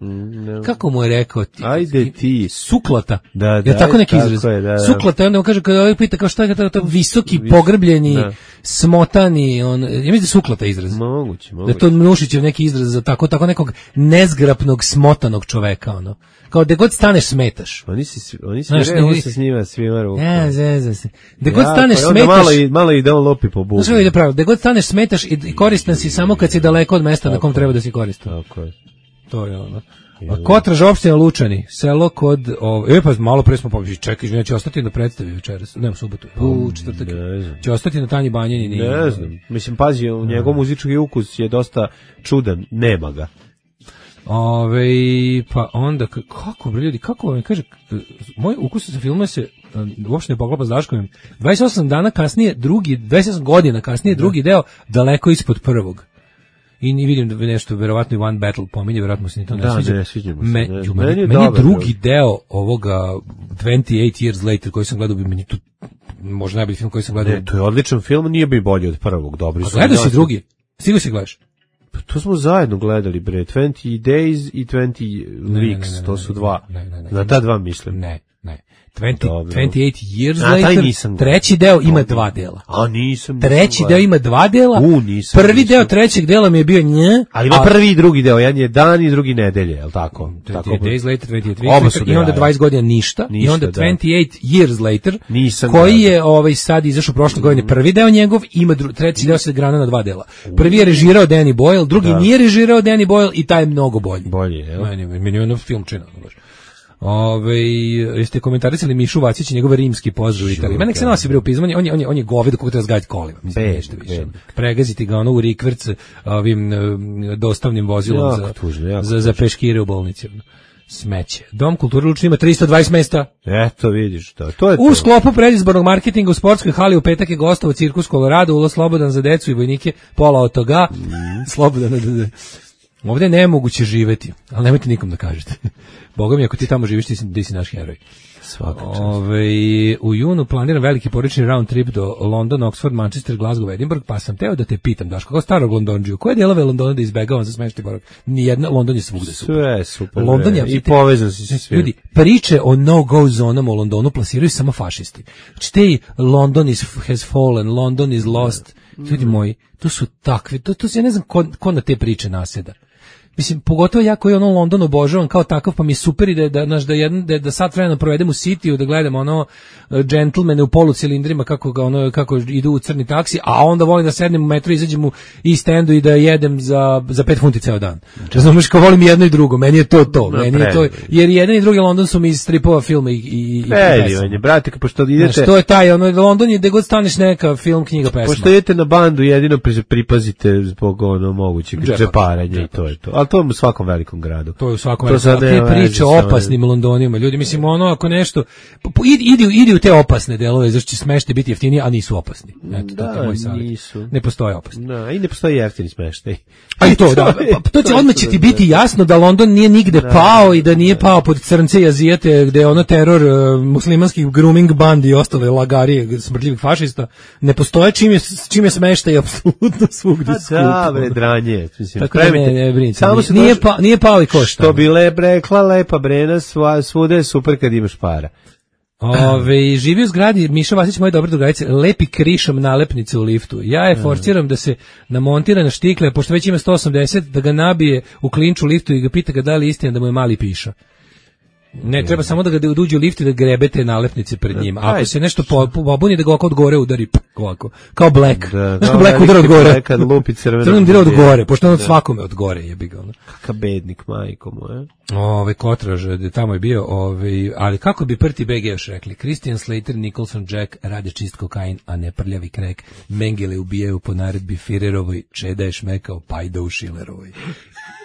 Kako mu je rekao ti? Ajde ti. Suklata. Da, da, je tako neki tako izraz? je, da, da. Suklata, i onda mu kaže, kada ovaj pita kao šta je to, to visoki, pogrbljeni, da. smotani, on, ja mislim da je suklata izraz. Moguće, Da moguće. je to Nušićev neki izraz za tako, tako nekog nezgrapnog, smotanog čoveka, ono. Kao da god staneš smetaš. Oni si, svi- oni si Znaš, revo ne- se s njima svima rukom. Ja, zezam se. Da god Jako, staneš i onda smetaš. Malo i, malo i da on lopi po bubu. Znaš kako ide pravo, da god staneš smetaš i, i koristan si samo kad si daleko od mesta na kom treba da si koristan. Tako je. To je ono. A Kotraž, opština Lučani, selo kod, ov, e pa malo pre smo pobišli, čekaj, izvinja, će ostati na predstavi večeras, ne u subotu, u četvrtak, ne znam. će ostati na Tanji Banjanini. Ne znam. Mislim, pazi, njegov muzički ukus je dosta čudan. Nema ga. Ove, pa onda, k- kako bre ljudi, kako vam kaže, k- moj ukus za filmove se a, uopšte ne poklapa s Daškovim. dvadeset osam dana kasnije, drugi, dvadeset osam godina kasnije, drugi deo, daleko ispod prvog. I ni vidim da bi nešto, verovatno i One Battle pominje, verovatno se ni to ne Da, sviđa. ne sviđa mu se, Me, ne. ju, Meni meni, je meni je dobar, drugi drugi. deo ovoga dvadeset osam Years Later koji sam gledao, bi meni tu možda najbolji film koji sam gledao. Ne, to je odličan film, nije bi bolji od prvog, dobri A su. gledao si drugi? Stigo si gledaš? Pa to smo zajedno gledali, bre, twenty days i twenty ne, weeks, ne, ne, to ne, su ne, dva. ne, ne, ne. Na ta dva mislim. Ne, ne. dvadeset, Dobro. dvadeset osam Years A, taj Later, nisam gledao. treći deo ima dva dela. A nisam. Treći nisam deo gledao. ima dva dela, U, nisam, prvi nisam. deo trećeg dela mi je bio nje, Ali ima prvi i drugi deo, jedan je dan i drugi nedelje, je li tako? Tako dvadeset Days Later, dvadeset Oba osam su Later, i onda da, dvadeset godina ništa, i Ništa, onda da. dvadeset osam Years Later, Nisam koji gledao. je ovaj, sad izašao prošle godine, prvi deo njegov, ima dru, treći deo se grana na dva dela. Prvi je režirao Danny Boyle, drugi Da. nije režirao Danny Boyle i taj je mnogo bolji. Bolje, jel? Meni, meni je ono filmčina. baš. Ove, jeste komentarisali Mišu Vacić i njegove rimski pozdrav u Italiji. Mene se nosi bre u pizmanje, on je, on je, on je govedo kako treba zgajati kolima. Mislim, Bed, ništa više. bed. Pregaziti ga ono u rikverc ovim um, dostavnim vozilom Jako za, tužno, jako za, za peškire u bolnici. ono. Smeće. Dom kulture Lučani ima tristo dvadeset mesta. Eto, vidiš to. To je to. U sklopu predizbornog marketinga u sportskoj hali u petak je gostovao cirkus Colorado, ulaz slobodan za decu i vojnike, pola od toga. Mm. Slobodan. Ovdje je nemoguće živeti, ali nemojte nikom da kažete. Boga mi, ako ti tamo živiš, ti si, ti si naš heroj. Svaka čast. Ove, u junu planiram veliki porodični round trip do London, Oxford, Manchester, Glasgow, Edinburgh, pa sam teo da te pitam, Daško, kao starog Londonđiju, koje delove Londona da izbegavam za smešti borak? Nijedna, London je svugde super. Sve super. London je, i povezan si se ljudi, priče o no-go zonama u Londonu plasiraju samo fašisti. Znači, te London is, has fallen, London is lost. Ljudi moji, to su takve, to, to ja ne znam ko, ko na te priče naseda. Mislim, pogotovo ja koji ono London obožavam kao takav, pa mi je super i da, da, da, jedan, da, da sad vremena provedem u Cityu, da gledam ono džentlmene u polucilindrima kako, ga ono, kako idu u crni taksi, a onda volim da sednem u metro, izađem u East Endu i da jedem za, za pet funti ceo dan. Znaš, kao volim jedno i drugo, meni je to to. No, meni je to, jer jedan i drugi London su mi iz stripova filma i, i, i pesma. Brate, pošto idete... Znaš, to je taj, ono, London je gde god staneš neka film, knjiga, pesma. Pošto idete na bandu, jedino pripazite zbog ono mogućeg džeparanja i to je to. Ali to je u svakom velikom gradu. To je u svakom velikom gradu. Te priče o opasnim Londonima. Ljudi, mislim, ono, ako nešto... Idi, idi u te opasne delove, zašto će smeštaj biti jeftiniji, a nisu opasni. Eto, da, to je moj savjet. Nisu. Ne postoje opasni. Da, i ne postoji jeftini smeštaj. A i to, da. Pa, to će, odmah će ti biti jasno da London nije nigde da, pao i da nije da. pao pod crnce i azijete, gde je ono teror uh, muslimanskih grooming bandi i ostale lagarije smrdljivih fašista. Ne postoje čim je, čim je smeštaj apsolutno svugde skup. Da, bre, dranje. Mislim, tako da ne, ne brinite. Nije, pa, nije pao i košta. Što bi lep rekla, lepa Brena, svuda je super kad imaš para. Ove, živi u zgradi Miša Vasić, moje dobre drugarice, lepi krišom nalepnice u liftu. Ja je forciram da se namontira na štikle, pošto već ima sto osamdeset, da ga nabije u klinču liftu i ga pita ga da li istina da mu je mali piša. Ne, treba samo da ga uđe u lift i da grebete nalepnice pred njim. A ako se nešto pobuni, da ga ovako od gore udari, ovako, kao Black. Da, znaš kao Black udara od gore. Kad lupi crveno. Crveno udara od gore, pošto on od svakome od gore jebi ga. Kakav bednik, majko mu, je. Ove, Kotraž, tamo je bio, ove, ali kako bi Prti B G još rekli? Christian Slater, Nicholson, Jack, rade čist kokain, a ne prljavi krek. Mengele ubijaju po naredbi Firerovoj, Čeda je šmekao pajda u Šilerovoj.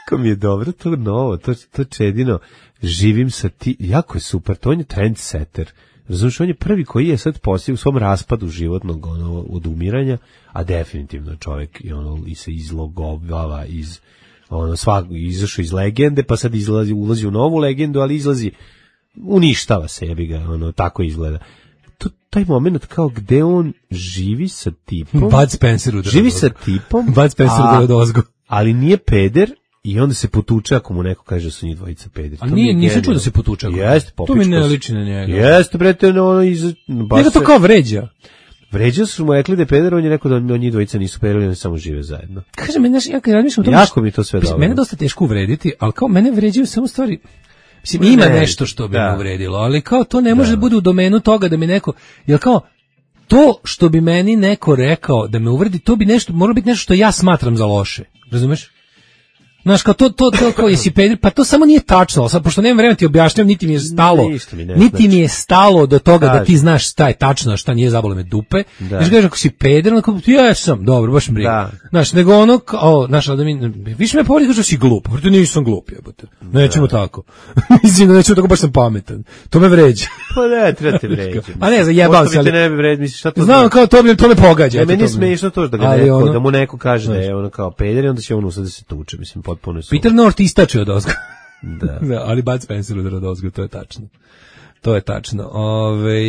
Kako mi je dobro, to novo, to, to Čedino, živim sa ti, jako je super, to on je trendsetter. Razumiješ, on je prvi koji je sad poslije u svom raspadu životnog ono, odumiranja, a definitivno čovjek i ono, i se izlogovava iz ono, svak, izašao iz legende, pa sad izlazi, ulazi u novu legendu, ali izlazi, uništava se, jebi ga, ono, tako izgleda. To, taj moment kao gde on živi sa tipom. Bud Spencer udara živi sa tipom. Bud Spencer udara dozgo. Ali nije peder, i onda se potuče ako mu neko kaže da su njih dvojica pederi. A nije, nisam čuo da se potuče. Jeste, to mi ne liči na njega. Jeste, brete, ono iz... Njega to kao vređa. Vređa su mu rekli da je peder, on je rekao da on njih dvojica nisu pederi, oni samo žive zajedno. Kaže, mene, ja kad razmišljam o tome... Jako mi to sve dobro. Mene dosta teško uvrediti, ali kao mene vređaju samo stvari... Mislim, ima ne, nešto što bi da. me uvredilo, ali kao to ne može da bude u domenu toga da mi neko... Jel kao... To što bi meni neko rekao da me uvredi, to bi nešto, mora biti nešto što ja smatram za loše. Razumeš? Znaš, kao to, to, to, kao jesi peder, pa to samo nije tačno, sad, pošto nemam vremena ti objašnjam, niti mi je stalo, mi ne, niti znači. mi je stalo do toga Kaži. da ti znaš šta je tačno, šta nije, zabole me dupe, da. Znaš, kažeš, ako si peder, onako, ja sam, dobro, baš mi briga. Znaš, nego ono, kao, znaš, da mi, više me povodi, kažeš da si glup, jer nisam glup, jebote, nećemo tako, mislim da nećemo tako, baš sam pametan, to me vređa. Pa ne, treba te vređa. A ne, zajebao se, ali... ne bi vređa, misliš, šta to znam, kao, to me, to me pogađa. Ne, meni je smiješno to da ga neko, ono, da mu neko kaže da je ono kao peder i onda će on usad da se tuče, mislim, potpuno su. Peter North istače od ozgo. Da. da. Ali Bud Spencer udara od ozgo, to je tačno. To je tačno. Ove,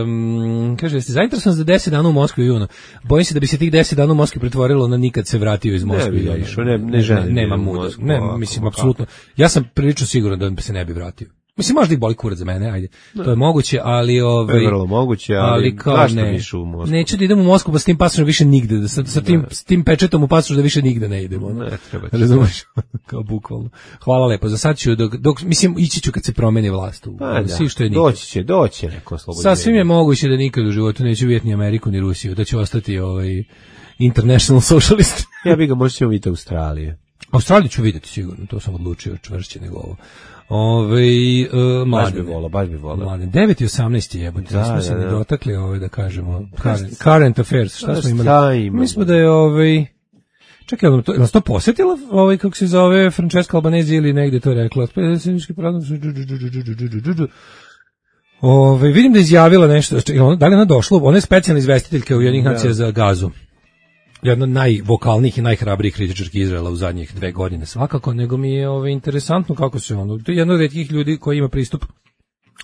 um, kaže, jeste zainteresovan za deset dana u Moskvi i junu? Bojim se da bi se tih deset dana u Moskvi pretvorilo na nikad se vratio iz Moskve. Ne bi ja išao, ne, ne želim. Ne, nema muda. Ne, mislim, apsolutno. Ja sam prilično siguran da se ne bi vratio. Mislim, možda i boli kurac za mene, ajde. No. To je moguće, ali... Ovaj, je vrlo moguće, ali, ali kao ne. U Moskvu? Neću da idem u Moskvu, pa s tim pasošom više nigde. Da, sa, sa, tim, s tim pečetom u pasošu da više nigde ne idemo. Ne, treba će. Razumeš? Kao bukvalno. Hvala lepo. Za sad ću, dok, dok, mislim, ići ću kad se promeni vlast. U, pa svi da, što je doći će, doći neko slobodno. Sasvim je moguće da nikad u životu neću vidjeti ni Ameriku, ni Rusiju. Da će ostati ovaj international socialist. Ja bih ga možda ćemo vidjeti Australije. Australiju ću vidjeti sigurno, to sam odlučio čvršće nego ovo. Ove, uh, baš bi volao, baš bi volao. devet i osamnaest jebote, da, nismo se ne dotakli ove, da kažemo, current, current affairs, šta smo imali? Imamo? Mi smo da je, ovaj, Čekaj, je to, je nas to posjetila, ovaj, kako se zove, Francesca Albanese ili negde to je rekla? Ove, vidim da je izjavila nešto, da li je ona došla, ona je specijalna izvestiteljka Ujedinjenih nacija za Gazu. Jedna od najvokalnijih i najhrabrijih kritičarki Izraela u zadnjih dve godine svakako, nego mi je ove, interesantno kako se ono, to je jedna od retkih ljudi koji ima pristup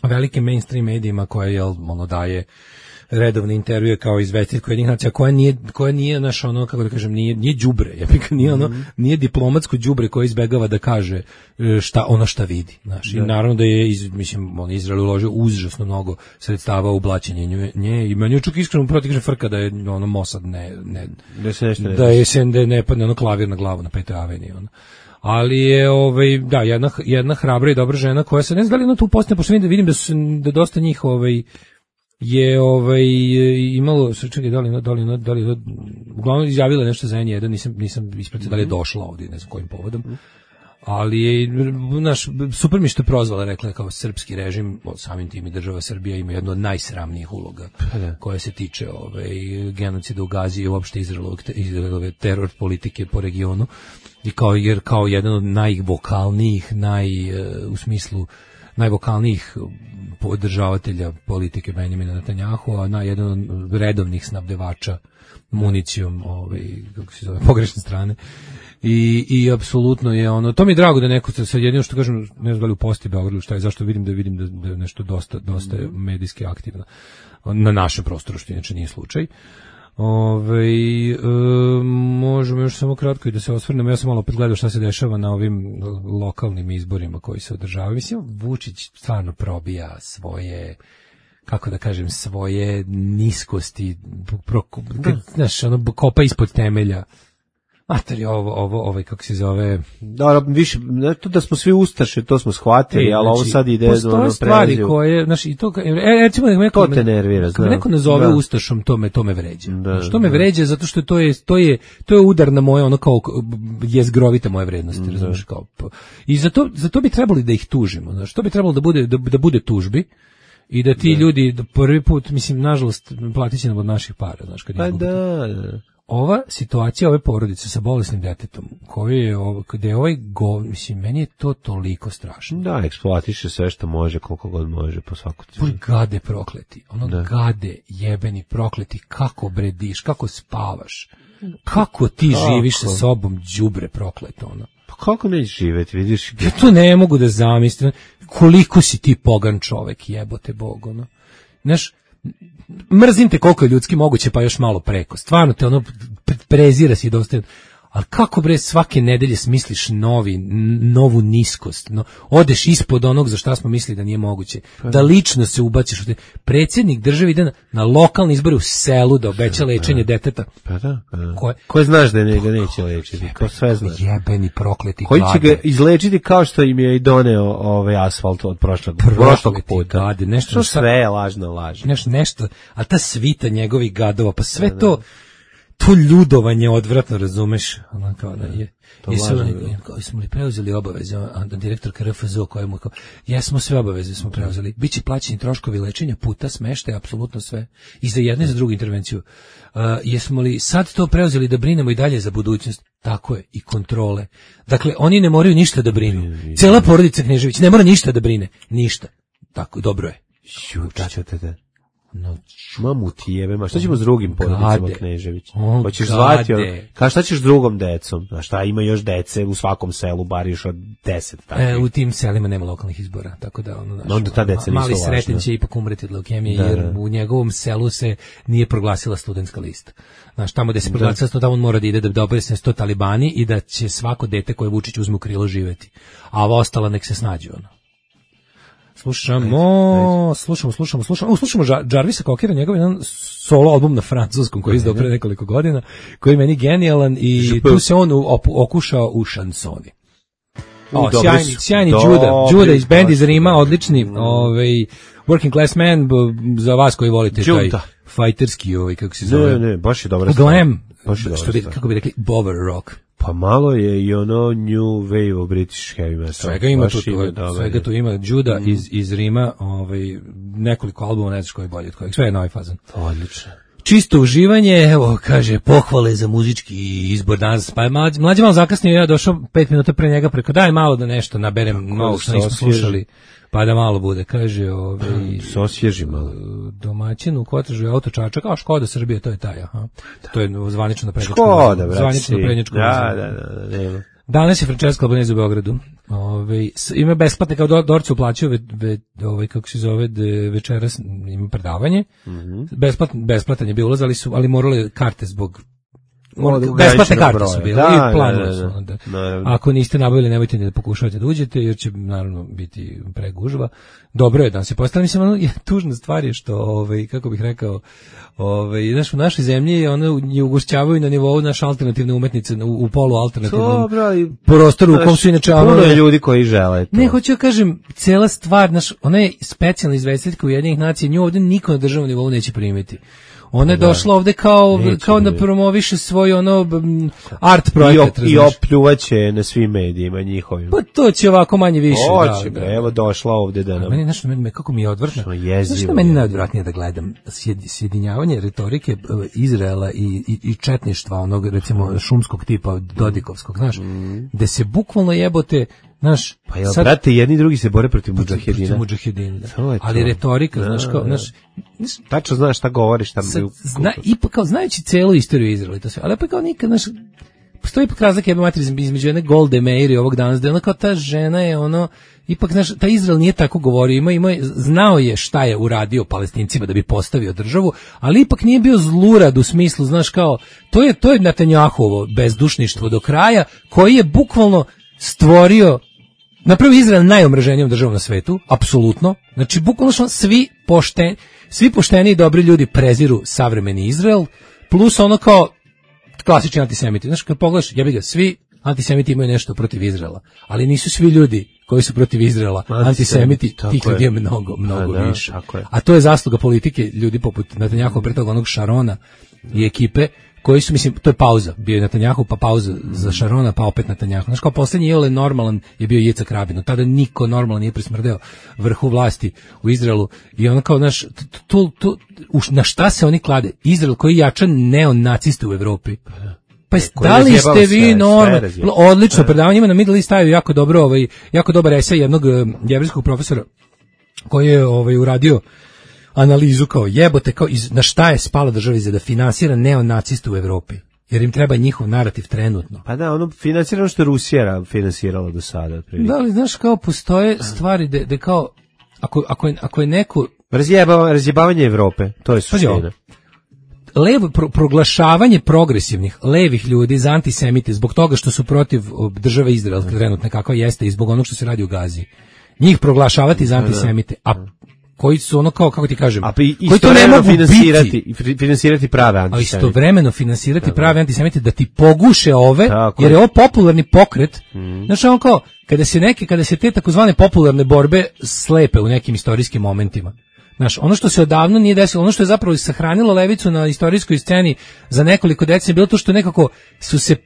velikim mainstream medijima koje jel, ono, daje redovne intervjue kao izvestiteljka Ujedinjenih nacija, koja nije, koja nije naš ono, kako da kažem, nije, nije đubre, ja bih nije ono, nije diplomatsko đubre koje izbegava da kaže šta, ono šta vidi, znaš. I naravno da je, iz, mislim, on Izrael uložio užasno mnogo sredstava u blaćenje nje i meni je čak iskreno proti kaže frka da je ono Mossad ne, ne, da se nešto ne, da je se ne, ne padne ono klavir na glavu na Petoj aveniji, ono. Ali je ovaj da jedna jedna hrabra i dobra žena koja se ne zna da li ona tu postane, pošto vidim da vidim da su da dosta njih ovaj je ovaj imalo čekaj da li da li da li uglavnom izjavila nešto za N jedan, nisam nisam ispratio da li je došla ovdje, ne znam kojim povodom. Ali je naš super mi što je prozvala, rekla je kao srpski režim, samim tim i država Srbija ima jednu od najsramnijih uloga koja se tiče ovaj genocida u Gazi i uopšte Izraelovog Izraelove teror politike po regionu. I kao jer kao jedan od najvokalnijih, naj u smislu najvokalnijih podržavatelja politike Benjamina Netanjahua, a na jedan od redovnih snabdevača municijom, ovaj kako se zove, pogrešne strane. I i apsolutno je ono, to mi je drago da neko sad jedino što kažem, ne znam da li u Posti Beogradu šta je, zašto vidim da vidim da, da je nešto dosta dosta medijski aktivno na našem prostoru, što inače nije slučaj. Ove, e, možemo još samo kratko i da se osvrnemo. Ja sam malo opet gledao šta se dešava na ovim lokalnim izborima koji se održavaju. Mislim, Vučić stvarno probija svoje, kako da kažem, svoje niskosti, pro, kad, znaš, ono, kopa ispod temelja. Mater, ovo, ovo, ovaj, kako se zove... Da, više, ne to da smo svi ustaše, to smo shvatili, e, ali znači, ovo sad ide... Postoje ono, stvari koje, znaš, i to, e, recimo, da neko, to te nervira, kad neko nazove da. Ustašom, to me, to me vređa. Da, što me da. vređa, zato što to je, to je, to je udar na moje, ono kao, jezgrovite moje vrednosti, razumiješ, kao... I zato, zato bi trebali da ih tužimo, znaš, to bi trebalo da bude, da, da bude tužbi, i da ti da. ljudi, da prvi put, mislim, nažalost, platit će nam od naših para, znaš, kad pa da, da. Ova situacija ove porodice sa bolesnim detetom, koji je ovo, gde je ovaj go, mislim, meni je to toliko strašno. Da, eksploatiše sve što može, koliko god može, po svaku cijenu. Gade prokleti, ono da. gade jebeni prokleti, kako brediš, kako spavaš, kako ti kako? živiš sa sobom, đubre prokleto, ono. Pa kako nećeš živjeti, vidiš? Ja to ne mogu da zamislim, koliko si ti pogan čovek, jebote Bog, ono. Znaš, mrzim te koliko je ljudski moguće, pa još malo preko. Stvarno te ono prezira si dosta. Ali kako bre svake nedelje smisliš novi, novu niskost, no, odeš ispod onog za šta smo mislili da nije moguće, pa da lično se ubaciš. Predsjednik države ide na, na lokalni izbori u selu da obeća lečenje deteta. Pa da, pa da. Koje, koje znaš da ne, ga neće lečiti, jebeni, ko sve znaš. Jebeni prokleti koji će ga izlečiti kao što im je i doneo ovaj asfalt od prošlog, prošlog puta. Gade, nešto, što sve je lažno laž. Nešto, nešto, a ta svita njegovih gadova, pa sve pa to... To ljudovanje odvratno, razumeš, ono kao da je. Jesu, kao smo li preuzeli obaveze, a direktor K R F Z O kojemu kao, jesmo sve obaveze smo preuzeli, biće plaćeni troškovi lečenja, puta, smeštaja, apsolutno sve, i za jednu i za drugu intervenciju. Uh, jesmo li sad to preuzeli da brinemo i dalje za budućnost? Tako je, i kontrole. Dakle, oni ne moraju ništa da brinu. Cela porodica Knežević ne mora ništa da brine, ništa. Tako, dobro je. Jučate. No, mamu ti jebe, ma šta ćemo s drugim porodicama Knežević? Hoćeš zvati, kao šta ćeš s drugom decom? A šta, ima još dece u svakom selu, bar još od deset. E, u tim selima nema lokalnih izbora, tako da ono, naš, onda ta deca mali Sreten će ipak umreti od leukemije, jer da. u njegovom selu se nije proglasila studentska lista. Znaš, tamo gde se proglasila, da. tamo on mora da ide da dobere se sto talibani i da će svako dete koje Vučić uzme u krilo živeti. A ova ostala nek se snađe, ono. Slušamo, slušamo, slušamo, slušamo, o, slušamo Jarvisa Cockera, njegov jedan solo album na francuskom koji je izdao pre nekoliko godina, koji je meni genijalan i tu se on okušao u šansoni. O, sjajni, sjajni Juda, Juda iz band iz Rima, odlični, ovaj, Working Class Man, za vas koji volite taj fajterski, ovaj, kako se zove. Ne, ne, baš je dobra Glam, što bi, kako bi rekli, bover rock. Pa malo je i ono new wave of British heavy metal. Svega ima tu, tu svega tu ima Juda mm. iz, iz Rima, ovaj, nekoliko albuma, ne znaš koji je bolji od kojeg, sve je novi fazan. Odlično. čisto uživanje, evo, kaže, pohvale za muzički izbor danas, pa je mlađi, mlađi malo zakasnio, ja došao pet minuta pre njega preko, daj malo da nešto naberem, malo što nismo slušali, pa da malo bude, kaže, ovaj, se osvježi malo. Domaćin u Kotražu auto Čačak, kao Škoda Srbije, to je taj, aha. To je zvanično na prednjačkom. Škoda, brate. Zvanično na prednjačkom. Da, da, da, da, nema. Danas je Francesca Albanese u Beogradu. Ove, ima besplatne, kao Dorce uplaćaju, ve, ve, ovaj, kako se zove, de, večeras ima predavanje. Mm -hmm. Besplat, besplatan je bio ulaz, ali, su, ali morali karte zbog... Morali, besplatne karte broja. Su bile da, i planovali su. Da, da. Ako niste nabavili, nemojte ni da pokušavate da uđete, jer će naravno biti pregužva. Dobro je da se postavlja. Mislim, ono, je, tužna stvar je što, ovaj, kako bih rekao, ovaj, znaš, u našoj zemlji ono, je ugošćavaju na nivou naše alternativne umetnice u, u polu alternativnom prostoru u kom su inače... Puno je ljudi koji žele to. Ne, hoću ja kažem, cela stvar, naš, ona je specijalna izvestiteljka Ujedinjenih nacija, nju ovdje niko na državnom nivou neće primiti. Ona je da. došla ovde kao, kao da promoviše svoj ono art projekat. I, op, i opljuvaće na svim medijima njihovim. Pa to će ovako manje više. Hoće, da, da. Evo došla ovde da nam... Meni, znaš, meni, kako mi je odvrtno. Znaš što meni najodvratnije da gledam? Sjedinjavanje retorike Izraela i, i, i četništva, onog recimo šumskog tipa, Dodikovskog, znaš, mm. gde se bukvalno jebote, znaš, pa jel, sad, brate, jedni drugi se bore protiv mudžahedina. Protiv mudžahedina, da. Ali retorika, da, znaš, kao, znaš, tačno znaš šta govoriš tamo. Zna, ipak kao, znajući celu istoriju Izraela i to sve, ali pa kao nikad, znaš, postoji ipak razlika jebe materi između jedne Golde Meir i ovog danas, da je ona kao ta žena je ono, ipak, znaš, ta Izrael nije tako govorio, ima, ima, znao je šta je uradio Palestincima da bi postavio državu, ali ipak nije bio zlurad u smislu, znaš, kao, to je, to je Netanjahuovo bezdušništvo do kraja, koji je bukvalno stvorio, napravio Izrael najomraženijom državom na svetu, apsolutno. Znači, bukvalno svi pošteni, svi pošteni i dobri ljudi preziru savremeni Izrael, plus ono kao klasični antisemiti. Znaš, kad pogledaš, jebi ga, svi antisemiti imaju nešto protiv Izraela, ali nisu svi ljudi koji su protiv Izraela antisemiti, tih ljudi je mnogo, mnogo A, da, više. A to je zasluga politike ljudi poput Netanjahova, pre toga onog Šarona i ekipe, koji su, mislim, to je pauza, bio je Netanjahu, pa pauza za Šarona, pa opet Netanjahu. Znaš, kao posljednji je normalan je bio Jicak Rabin, tada niko normalan nije prismrdeo vrhu vlasti u Izraelu i ono kao, znaš, tu, tu, na šta se oni klade? Izrael koji jača neonaciste u Evropi. Pa da li ste vi normalni? Odlično, predavanje ima na Middle East Eye, jako dobro, ovaj, jako dobar esej jednog jevrejskog profesora koji je ovaj, uradio analizu kao jebote, kao iz, na šta je spala država za da finansira neonaciste u Evropi, jer im treba njihov narativ trenutno. Pa da, ono finansira što je Rusija finansirala do sada. Prilike. Da li, znaš, kao postoje stvari da, da kao, ako, ako, je, ako je neko... Razjebavanje, razjebavanje Evrope, to je suština. Levo, pro, proglašavanje progresivnih levih ljudi za antisemite zbog toga što su protiv države Izrael trenutno kakva jeste i zbog onog što se radi u Gazi. Njih proglašavati za antisemite, a koji su ono kao, kako ti kažem, a koji to ne mogu finansirati, biti, finansirati prave antisemite. A istovremeno finansirati prave antisemite da ti poguše ove, tako jer je ovo popularni pokret. Mm. Znači ono kao, kada se neke, kada se te takozvane popularne borbe slepe u nekim istorijskim momentima. Znaš, ono što se odavno nije desilo, ono što je zapravo sahranilo levicu na istorijskoj sceni za nekoliko decenija bilo to što nekako su se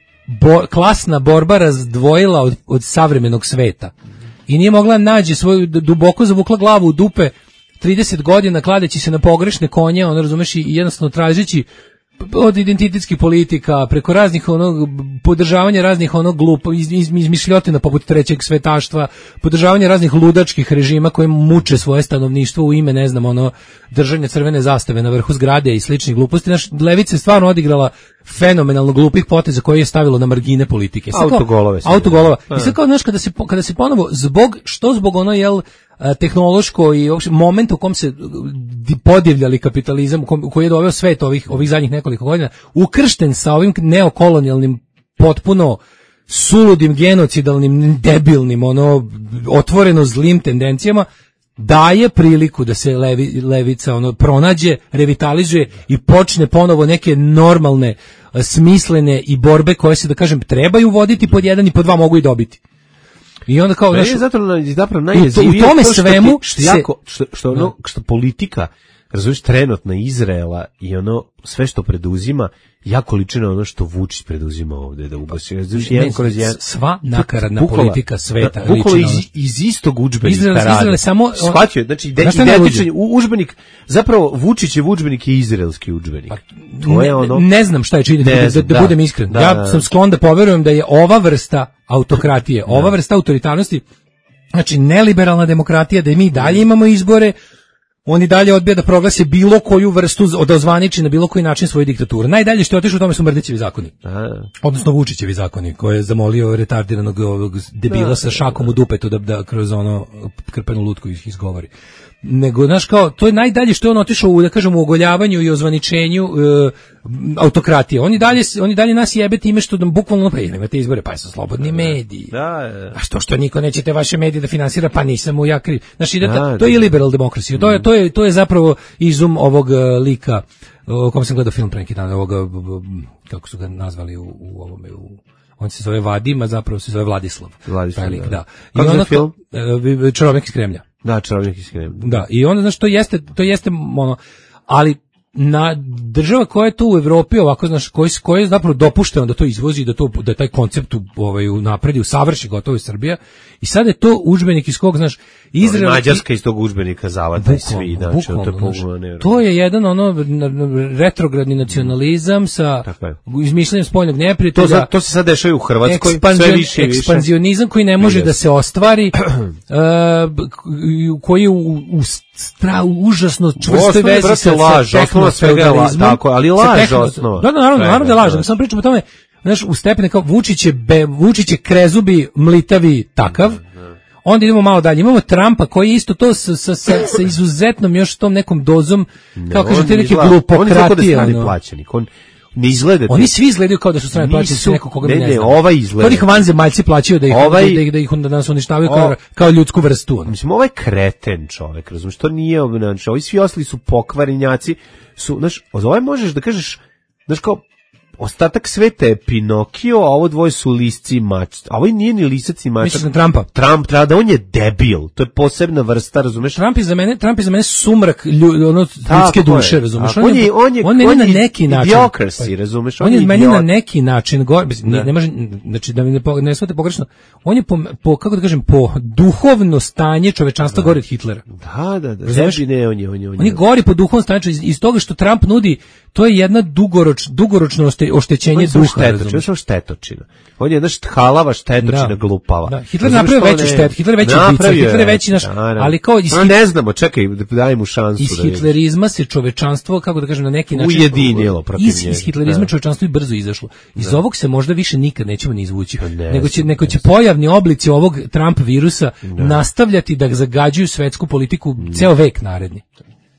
bo, klasna borba razdvojila od, od savremenog sveta. I nije mogla nađe svoju, duboko zavukla glavu u dupe trideset godina kladeći se na pogrešne konje, ono razumeš, i jednostavno tražeći od identitetskih politika, preko raznih onog podržavanja raznih onog glupo iz, iz, izmišljotina poput trećeg svetaštva, podržavanja raznih ludačkih režima koji muče svoje stanovništvo u ime, ne znam, ono držanja crvene zastave na vrhu zgrade i sličnih gluposti. Naš levica je stvarno odigrala fenomenalno glupih poteza koje je stavilo na margine politike. Autogolove. Autogolova. I sad kao, znaš, kada se, kada se ponovo, zbog, što zbog ono, jel, tehnološko i uopšte moment u kom se podivljali kapitalizam, u, kom, u koji je doveo svet ovih, ovih zadnjih nekoliko godina, ukršten sa ovim neokolonijalnim, potpuno suludim, genocidalnim, debilnim, ono, otvoreno zlim tendencijama, daje priliku da se levi, levica ono pronađe, revitalizuje i počne ponovo neke normalne, smislene i borbe koje se, da kažem, trebaju voditi pod jedan i pod dva mogu i dobiti. I onda kao, znaš, je zapravo, zapravo najjezivije u tome to što svemu ti, što, jako, što, što, ono, što politika razumiješ, trenutna Izraela i ono, sve što preduzima, jako liči na ono što Vučić preduzima ovde, da ugasi. Sva nakaradna bukvala, politika sveta. Da, bukvala iz, iz istog udžbenika Izrael, rade. Izrael samo... Shvatio, znači, identičan udžbenik, zapravo Vučićev udžbenik je izraelski udžbenik. Pa, to je ono... Ne znam šta je čini, da, da, da budem iskren. Da, ja da, sam sklon da poverujem da je ova vrsta autokratije, ova vrsta autoritarnosti, znači neliberalna demokratija, da mi dalje imamo izbore, oni dalje odbija da proglase bilo koju vrstu, da ozvaniči na bilo koji način svoju diktaturu. Najdalje što je otišao u tome su Mrdićevi zakoni. A. Odnosno Vučićevi zakoni, koje je zamolio retardiranog ovog debila da, sa šakom u dupetu da, da kroz ono krpenu lutku ih izgovori. Nego, znaš, kao, to je najdalje što je on otišao u, da kažem, u ogoljavanju i ozvaničenju e, autokratije. Oni dalje, oni dalje nas jebe time što nam bukvalno, pa imate izbore, pa su slobodni mediji. Da, da. A što što niko neće te vaše medije da finansira, pa nisam mu ja kriv. Znači, da, da, to je liberal demokracija. To je, to je, to je zapravo izum ovog uh, lika, o kom sam gledao film pre neki dan, ovoga, kako su ga nazvali u, u ovome, u on se zove Vadim, a zapravo se zove Vladislav. Vladislav, lik, da. da. I kako je film? Uh, Čarobnjak iz Kremlja. Da, Čarobnjak iz Kremlja. Da, i onda, znaš, to jeste, to jeste, ono, ali na država koja je tu u Evropi ovako, znaš, koji koji je zapravo dopušteno da to izvozi, da to da taj koncept ovaj napredi, usavrši gotovo i Srbija. I sad je to udžbenik iz kog, znaš, Izrael, Mađarska iz tog udžbenika zavada i svi, znači to je pogubno. To je jedan ono retrogradni nacionalizam sa izmišljanjem spoljnog neprijatelja. To, to se sad dešava u Hrvatskoj, sve više i više. Ekspanzionizam koji ne može da se ostvari, uh, koji u, u stra, užasno čvrstoj vezi sa, sa laž, osnova svega je laž, tako, ali laž osnova. Da, da, naravno, naravno da laž, samo pričamo o tome, znaš, u stepene kao Vučić je, be, Vučić je krezubi, mlitavi takav, onda idemo malo dalje, imamo Trumpa koji isto to sa, sa, sa, sa izuzetnom još tom nekom dozom, kao kaže te neke glupokratije. On izgleda da strani plaćenik, on ne izgleda. Oni svi izgledaju kao da su strani plaćenici, neko koga mi ne, ne, ne ovaj izgleda. Kao ih vanzemaljci plaćaju da ih ovaj, da ih da ih onda nas uništavaju kao kao ljudsku vrstu. Mislim, ovaj kreten čovjek, razumiješ, to nije obnaš, ovi svi ostali su pokvarenjaci, su, znaš, ovaj možeš da kažeš, znaš, kao ostatak sveta je Pinokio, a ovo dvoje su lisci i mač. A ovo nije ni lisac i mač. Misliš na Trumpa? Trump, treba da on je debil. To je posebna vrsta, razumeš? Trump je za mene, Trump je za mene sumrak lju, ono, ljudske duše, razumeš? On, on je, on je, on je, on je na neki način. Idiokrasi, razumeš? On, on je meni na neki način, go, ne, ne može, znači da mi ne, ne shvate pogrešno, on je po, po, kako da kažem, po duhovno stanje čovečanstva gori od Hitlera. Da, da, da. Znači, ne, on je, on je, on je. On je gori po duhovnom stanju, iz, iz toga što Trump nudi, to je jedna dugoroč, dugoročno oštećenje duha. Štetočina, što štetočina. On je jedna halava štetočina, da, glupava. Da. Hitler napravio veću štetu, Hitler veći ubica, Hitler je veći naš, ali kao iz no, ne znamo, čekaj, daj mu šansu. Iz da hitlerizma se čovečanstvo, kako da kažem, na neki način ujedinilo protiv iz, iz hitlerizma da. Čovečanstvo i brzo izašlo. Iz da. Ovog se možda više nikad nećemo ni izvući. Ne, nego će, neko će pojavni oblici ovog Trump virusa da. Nastavljati da zagađuju svetsku politiku da. Ceo vek naredni.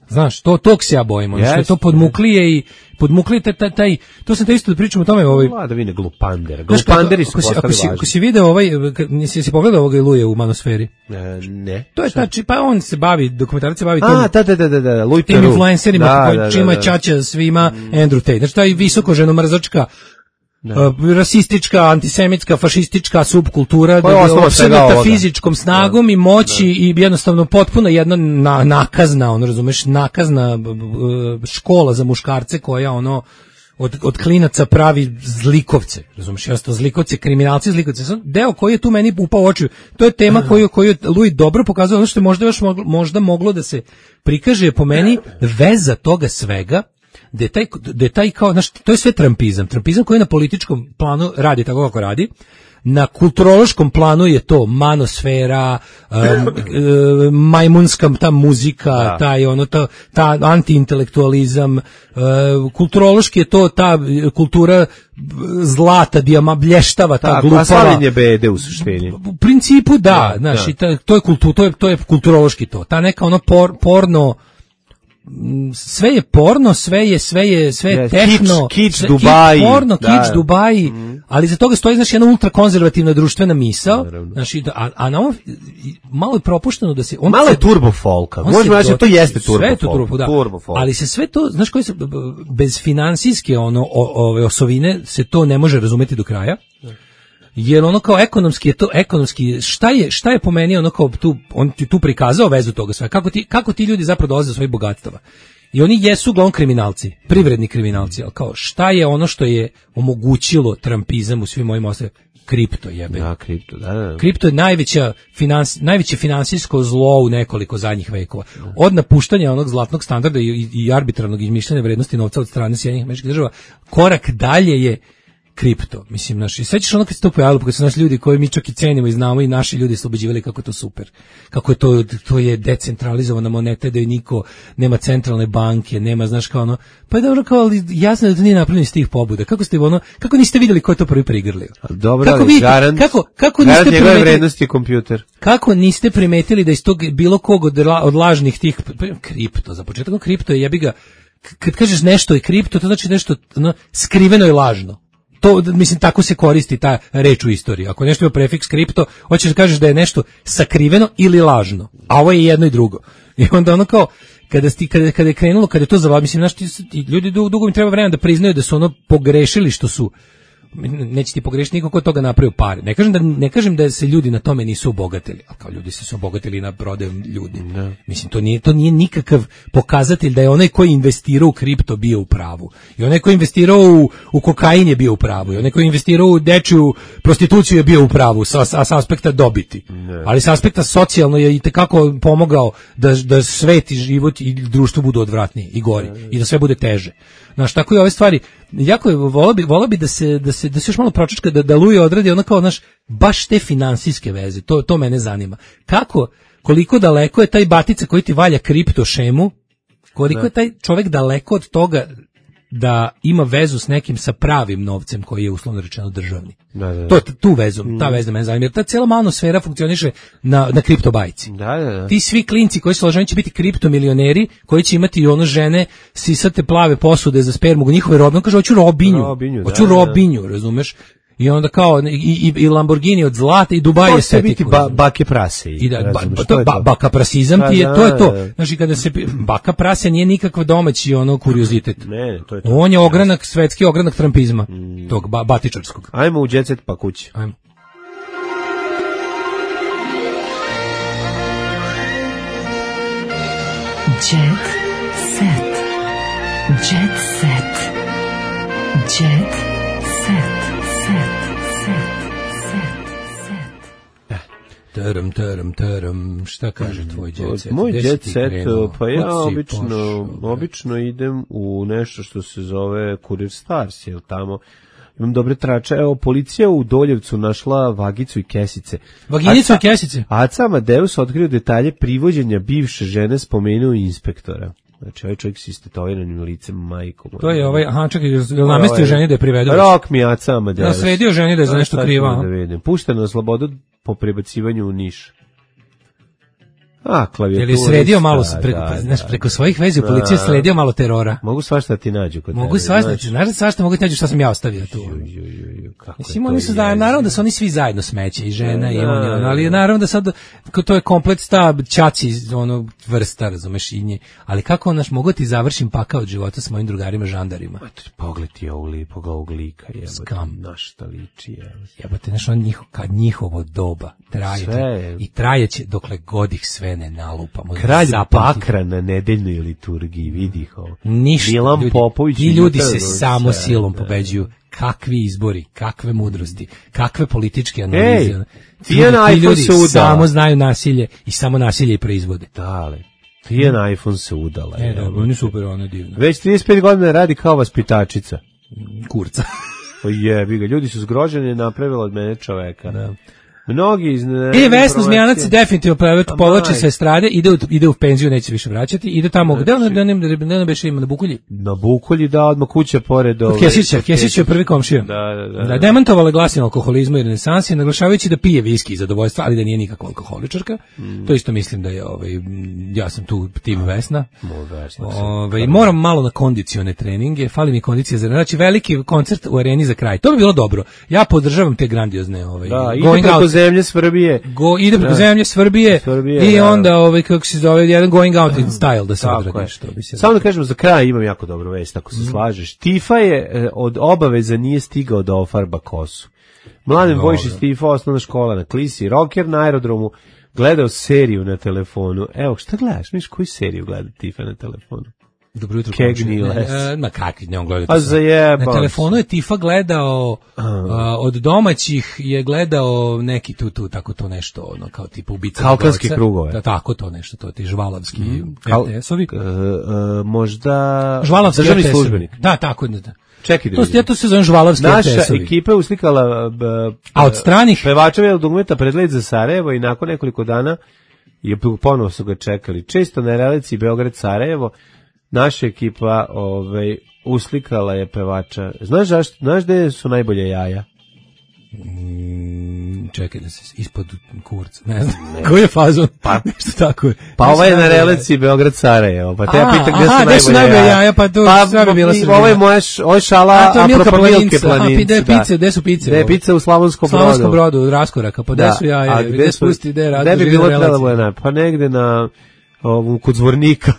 Znaš, to tog se ja bojim, ono što je to podmuklije i podmuklije taj, taj, to sam te isto da pričam o tome. Ovaj, Vladavine glupandera, glupanderi su postali važni. Ako si video ovaj, nisi si pogledao ovoga Iluje u Manosferi? E, ne. To je ta, pa on se bavi, dokumentarac se bavi tim, A, da, da, da, da, Louis tim influencerima, da, koji, da, da, čima da. Čača svima mm. Andrew Tate. Znači, taj visoko ženomrzačka, da. Uh, rasistička, antisemitska, fašistička subkultura da je opsednuta fizičkom snagom da. I moći da. I jednostavno potpuno jedna na, nakazna, ono razumeš, nakazna uh, škola za muškarce koja ono od, od klinaca pravi zlikovce, razumeš, jednostavno zlikovce, kriminalci zlikovce. Deo koji je tu meni upao u oči, to je tema koju, koju je Louis dobro pokazao, ono što je možda još moglo, možda moglo da se prikaže po meni veza toga svega, da je taj, da je taj kao, znaš, to je sve trampizam. Trampizam koji na političkom planu radi tako kako radi. Na kulturološkom planu je to manosfera, um, um, majmunska ta muzika, da. Taj ono ta, ta antiintelektualizam, uh, kulturološki je to ta kultura zlata, dijama, blještava, ta glupava. A slavljenje bede u suštini. U principu da, da znaš, da. I ta, to je kultu, to je to je kulturološki to. Ta neka ono por, porno sve je porno, sve je sve je sve je tehno, kič, kič Dubai, porno, da, kič Dubai, mm. Ali za toga stoji znači jedna ultrakonzervativna društvena misao, znači a, a na ovom malo je propušteno da se on malo je turbo folka. Možemo reći to jeste turbo folk, turbo, da. turbo folk. Ali se sve to, znaš koji se bez finansijske ono ove osovine se to ne može razumeti do kraja. Jer ono kao ekonomski je to ekonomski šta je šta je po meni ono kao tu on ti tu prikazao vezu toga sve kako ti kako ti ljudi zapravo dolaze do svojih bogatstava i oni jesu uglavnom kriminalci, privredni kriminalci, ali kao šta je ono što je omogućilo trampizam u svim ovim osnovima? Kripto jebe. Da, kripto, da, da. Kripto je najveća finans, najveće finansijsko zlo u nekoliko zadnjih vekova. Od napuštanja onog zlatnog standarda i, i arbitrarnog izmišljanja vrednosti novca od strane Sjedinjenih Američkih Država, korak dalje je kripto. Mislim, naši, sećaš ono kad se to pojavilo, kad su naši ljudi koji mi čak i cenimo i znamo i naši ljudi su ubeđivali kako je to super. Kako je to, to je decentralizovana moneta, da je niko, nema centralne banke, nema, znaš, kao ono, pa je dobro kao, ali jasno da to nije napravljeno iz tih pobuda. Kako ste ono, kako niste vidjeli ko je to prvi prigrlio? Dobro, kako ali vidite, garant, kako, kako garant niste njegove primetili, vrednosti je kompjuter. Kako niste primetili da iz tog bilo kog od, od lažnih tih, kripto, za početak kripto je jebi ga, kad kažeš nešto je kripto, to znači nešto ono, skriveno i lažno. To, mislim, tako se koristi ta reč u istoriji. Ako nešto ima prefiks kripto, hoćeš da kažeš da je nešto sakriveno ili lažno. A ovo je jedno i drugo. I onda ono kao, kada, sti, kada, kada je krenulo, kada je to zavadilo, mislim, znaš, ti, ti, ljudi dugo im treba vremena da priznaju da su ono pogrešili što su, neće ti pogrešiti niko ko toga napravio pare. Ne kažem da ne kažem da se ljudi na tome nisu obogatili, al kao ljudi se su obogatili na prodaju ljudi. Ne. Mislim to nije to nije nikakav pokazatelj da je onaj koji investirao u kripto bio u pravu. I onaj koji investirao u, u kokain je bio u pravu. I onaj koji investirao u dečiju prostituciju je bio u pravu sa, sa, sa aspekta dobiti. Ne. Ali sa aspekta socijalno je i tekako pomogao da da svet i život i društvo budu odvratniji i gori ne. I da sve bude teže. Znaš, tako i ove stvari, jako je, volao bi, volao bi da se, da se, da se još malo pročačka, da, da Luje odradi ono kao, znaš, baš te finansijske veze, to, to mene zanima. Kako, koliko daleko je taj batica koji ti valja kripto šemu, koliko da. Je taj čovjek daleko od toga da ima vezu s nekim sa pravim novcem koji je uslovno rečeno državni. Da, da, da. To, tu vezu, ta veza mene zanima, jer ta cijela malna sfera funkcioniše na, na kriptobajci. Da, da, da. Ti svi klinci koji su loženi će biti kriptomilioneri, koji će imati ono žene sisate plave posude za spermu, njihove robne, on kaže, hoću robinju, robinju hoću da, robinju, da. Razumeš? I onda kao i, i, i Lamborghini od zlata i Dubai je sve biti ba, bake prase. I da, ba, ba, to je ba, baka prasizam ti je, to je to. Znači kada se baka prase nije nikakav domaći ono kuriozitet. Ne, to je to. On je ogranak, svetski ogranak trampizma, mm. tog ba, batičarskog. Ajmo u jet set pa kući. Ajmo. Jet set. Jet set. Jet set. Taram, taram, taram, šta kaže tvoj jet set? Moj jet set, pa ja obično, obično idem u nešto što se zove Kurir Stars, jel tamo imam dobre trače. Evo, policija u Doljevcu našla vagicu i kesice. Vaginicu i kesice? Aca Amadeus otkrio detalje privođenja bivše žene, spomenuo inspektora. Znači, ovaj čovjek s istetoviranim licem, majkom. To je ovaj, aha, čekaj, je namestio ženi da je privedu? Rok mi Aca Amadeus. Nasredio ženi da je za nešto kriva. Da vidim. Pušteno na slobodu po prebacivanju u Niš. A, klavijatura. Je li sredio malo, preko, da, znaš, da, preko svojih vezi u policiji je sredio malo terora? Mogu svašta ti nađu kod Mogu svašta ti, znaš da svašta mogu ti nađu šta sam ja ostavio tu. Mislim, oni su da, naravno da su oni svi zajedno smeće, i žena da, i on, da, ali naravno da sad, to je komplet sta čaci, ono, vrsta, razumeš, i nje. Ali kako, onaš, mogu ti završim pakao od života s mojim drugarima žandarima? Pogled ti ovog lipoga, ovog lika, jebate, na šta liči, jebate. Jebate, znaš, on njiho, kad njihovo doba traje, i trajeće dokle god ih sve ne nalupamo. Kralj Bakra na nedeljnoj liturgiji, vidi ih ovo. Ništa, Milan ljudi, Popović. ti ljudi se samo sve, silom pobeđuju. Kakvi izbori, kakve mudrosti, kakve političke analize. Ej, Tijan iPhone ljudi se udala. Samo znaju nasilje i samo nasilje i proizvode. Dale. Tijan iPhone se udala. E, dobro, oni super, ono je divno. Već trideset pet godina radi kao vaspitačica. Kurca. O jebi ga, ljudi su zgroženi, napravila od mene čoveka. Da. Mnogi iz E, Vesna Zmijanac definitivno povlači se estrade, ide u, ide u penziju, neće više vraćati, ide tamo, gde on, da ne, da ne beše ima, na Bukulji? Na Bukulji, da, odmah kuća pored ove... Kesića, Kesić je prvi komšija. Da, da, da. Da, demantovala glasine alkoholizmu i renesansi, naglašavajući da pije viski i zadovoljstva, ali da nije nikakva alkoholičarka. Mm. To isto mislim da je, ovaj, ja sam tu tim Vesna. Ovaj, moram malo na kondicione treninge, fali mi kondicija za, znači veliki koncert u areni za kraj. To bi bilo dobro. Ja podržavam te grandiozne, ovaj, da, ide preko zemlje Svrbije. Go, ide preko da. zemlje Svrbije, Svrbije i da. onda ovaj, kako se zove, jedan going out in style da se odradi. Što bi se Samo da kažemo, za kraj imam jako dobru vest, ako se mm. slažeš. Tifa je eh, od obaveza nije stigao da ofarba kosu. Mladen Vojšić Tifa, osnovna škola na Klisi, rocker na aerodromu, gledao seriju na telefonu. Evo, šta gledaš? Miš, koju seriju gleda Tifa na telefonu? Dobro jutro. Kegni komšija. les. Ne, e, ma kakvi, ne on gleda. A zajebao Na telefonu je Tifa gledao, a, od domaćih je gledao neki tu, tu, tako to nešto, ono, kao tipa ubica. Kaukanske Goca. krugove. Da, tako to nešto, to ti žvalavski Mm. R T S-ovi. E, e, možda... Žvalavski državni R T S-ovi. službenik. Da, tako, da, da. Čekaj da To, vidim. ja to se zovem žvalavski R T Naša S-ovi. ekipa je uslikala b, A od stranih? pevača dugmeta pred let za Sarajevo i nakon nekoliko dana je ponovo su ga čekali. Često na relaciji Beograd-Sarajevo naša ekipa ovaj, uslikala je pevača. Znaš, zašto, znaš gde su najbolje jaja? Mm, čekaj da se ispod kurca, ne znam. Koji je fazon? Pa, nešto tako je. Pa Gde ovaj su je na najbolje relaciji Beograd-Sarajevo. Pa te ja A, pitam gde aha, su gde su najbolje najbolje jaja. jaja, pa to pa, sve bi bila Srbija. Ovo je moja š- ovo je šala A, to je Milka apropo Milke Planinca. Aha, Planince. gde je da. pice, gde su pice? Gde je pica u Slavonskom Brodu. Slavonskom Brodu, od raskoraka, pa gde Da, su jaja? a Gde su pusti, gde je rad? Gde bi bilo relacija? trebalo na, pa negde na ovom kod Zvornika.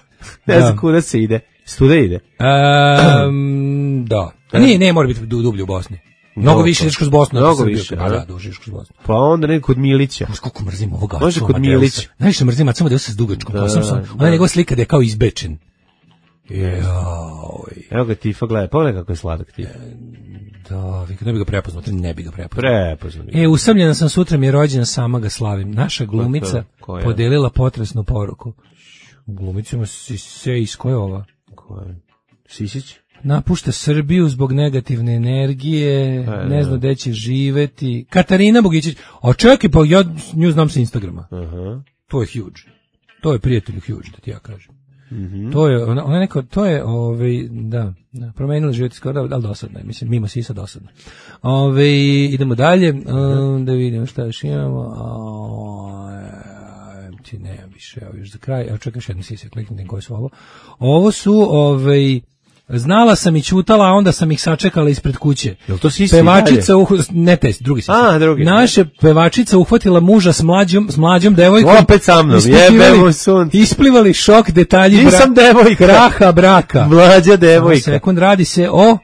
Ne Da. znam kuda se ide. Studa ide. Um, da. A nije, ne, mora biti du- dublje u Bosni. Mnogo Mnogo. više ideš kroz Bosnu. nego Mnogo Srbiju. više, Da, da. da, duže ideš kroz Bosnu. Pa onda nekako kod Milića. Znaš koliko mrzim ovog Acu Može kod Amadeusa. Milića. Najviše mrzim Acu Amadeusa s dugačkom Da, kosom. sam- da. Ona njegova slika da je kao izbečen. Joj. Evo ga Tifa gleda. Pogledaj kako je sladak Tifa. Da, vi kad ne bi ga prepoznao, ne bi ga prepoznao. Prepoznam. E, usamljena sam, sutra mi je rođena, sama ga slavim. Naša glumica Ko je? podelila potresnu poruku. Glumicima si se iz koje je ova? Ko je? Sisić? Napušta Srbiju zbog negativne energije, E, ne da. zna gde će živeti. Katarina Bogićić, a čekaj, pa ja nju znam sa Instagrama. Aha. To je huge. To je prijatelju huge, da ti ja kažem. Mhm. To je, ona, ona neko, to je, ovaj, da, da promenila život skoro, ali dosadno je, mislim, mimo sisa dosadno. Ove, idemo dalje, um, da vidimo šta još imamo. O, ti ne, više, evo još za kraj, evo čekaj još jednu sisa, kliknutim koje su ovo. Ovo su, ovaj, znala sam i ćutala, a onda sam ih sačekala ispred kuće. Jel to sisi Pevačica, uh, ne te, drugi sisi. A, drugi. Naše pevačica uhvatila muža s mlađom, s mlađom devojkom. Opet sa mnom, Ispitivali- jebemo sunce. Isplivali šok detalji bra- Nisam devojka. kraha braka. Mlađa Samo devojka. sekund, radi se o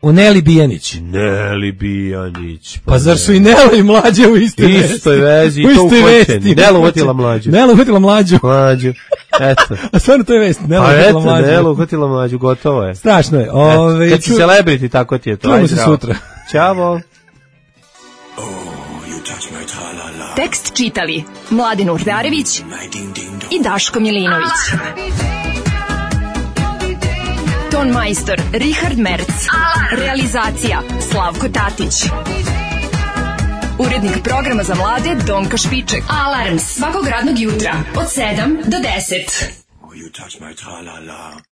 o Neli Bijanić. Neli Bijanić. Pa zar su i Nela i mlađe u istoj vesti? Istoj vezi, U i to istoj uhvaćeni. vesti. Nela uhvatila mlađu. Nela uhvatila mlađu. Mlađu. Eto. A stvarno to je vest. Nela Pa uhvatila eto, mlađu. Nela uhvatila mlađu, gotovo je. Strašno je. Eto, Ove, kad si ču- celebrity, tako ti je to. Čujemo Ajde, se zdravo. sutra. Ćao. Tekst čitali Mladin Urdarević i Daško Milinović. Ton majstor Richard Merc. Realizacija Slavko Tatić. Urednik programa za mlade Donka Špiček. Alarms svakog radnog jutra od sedam do deset. You touch my tra-la-la.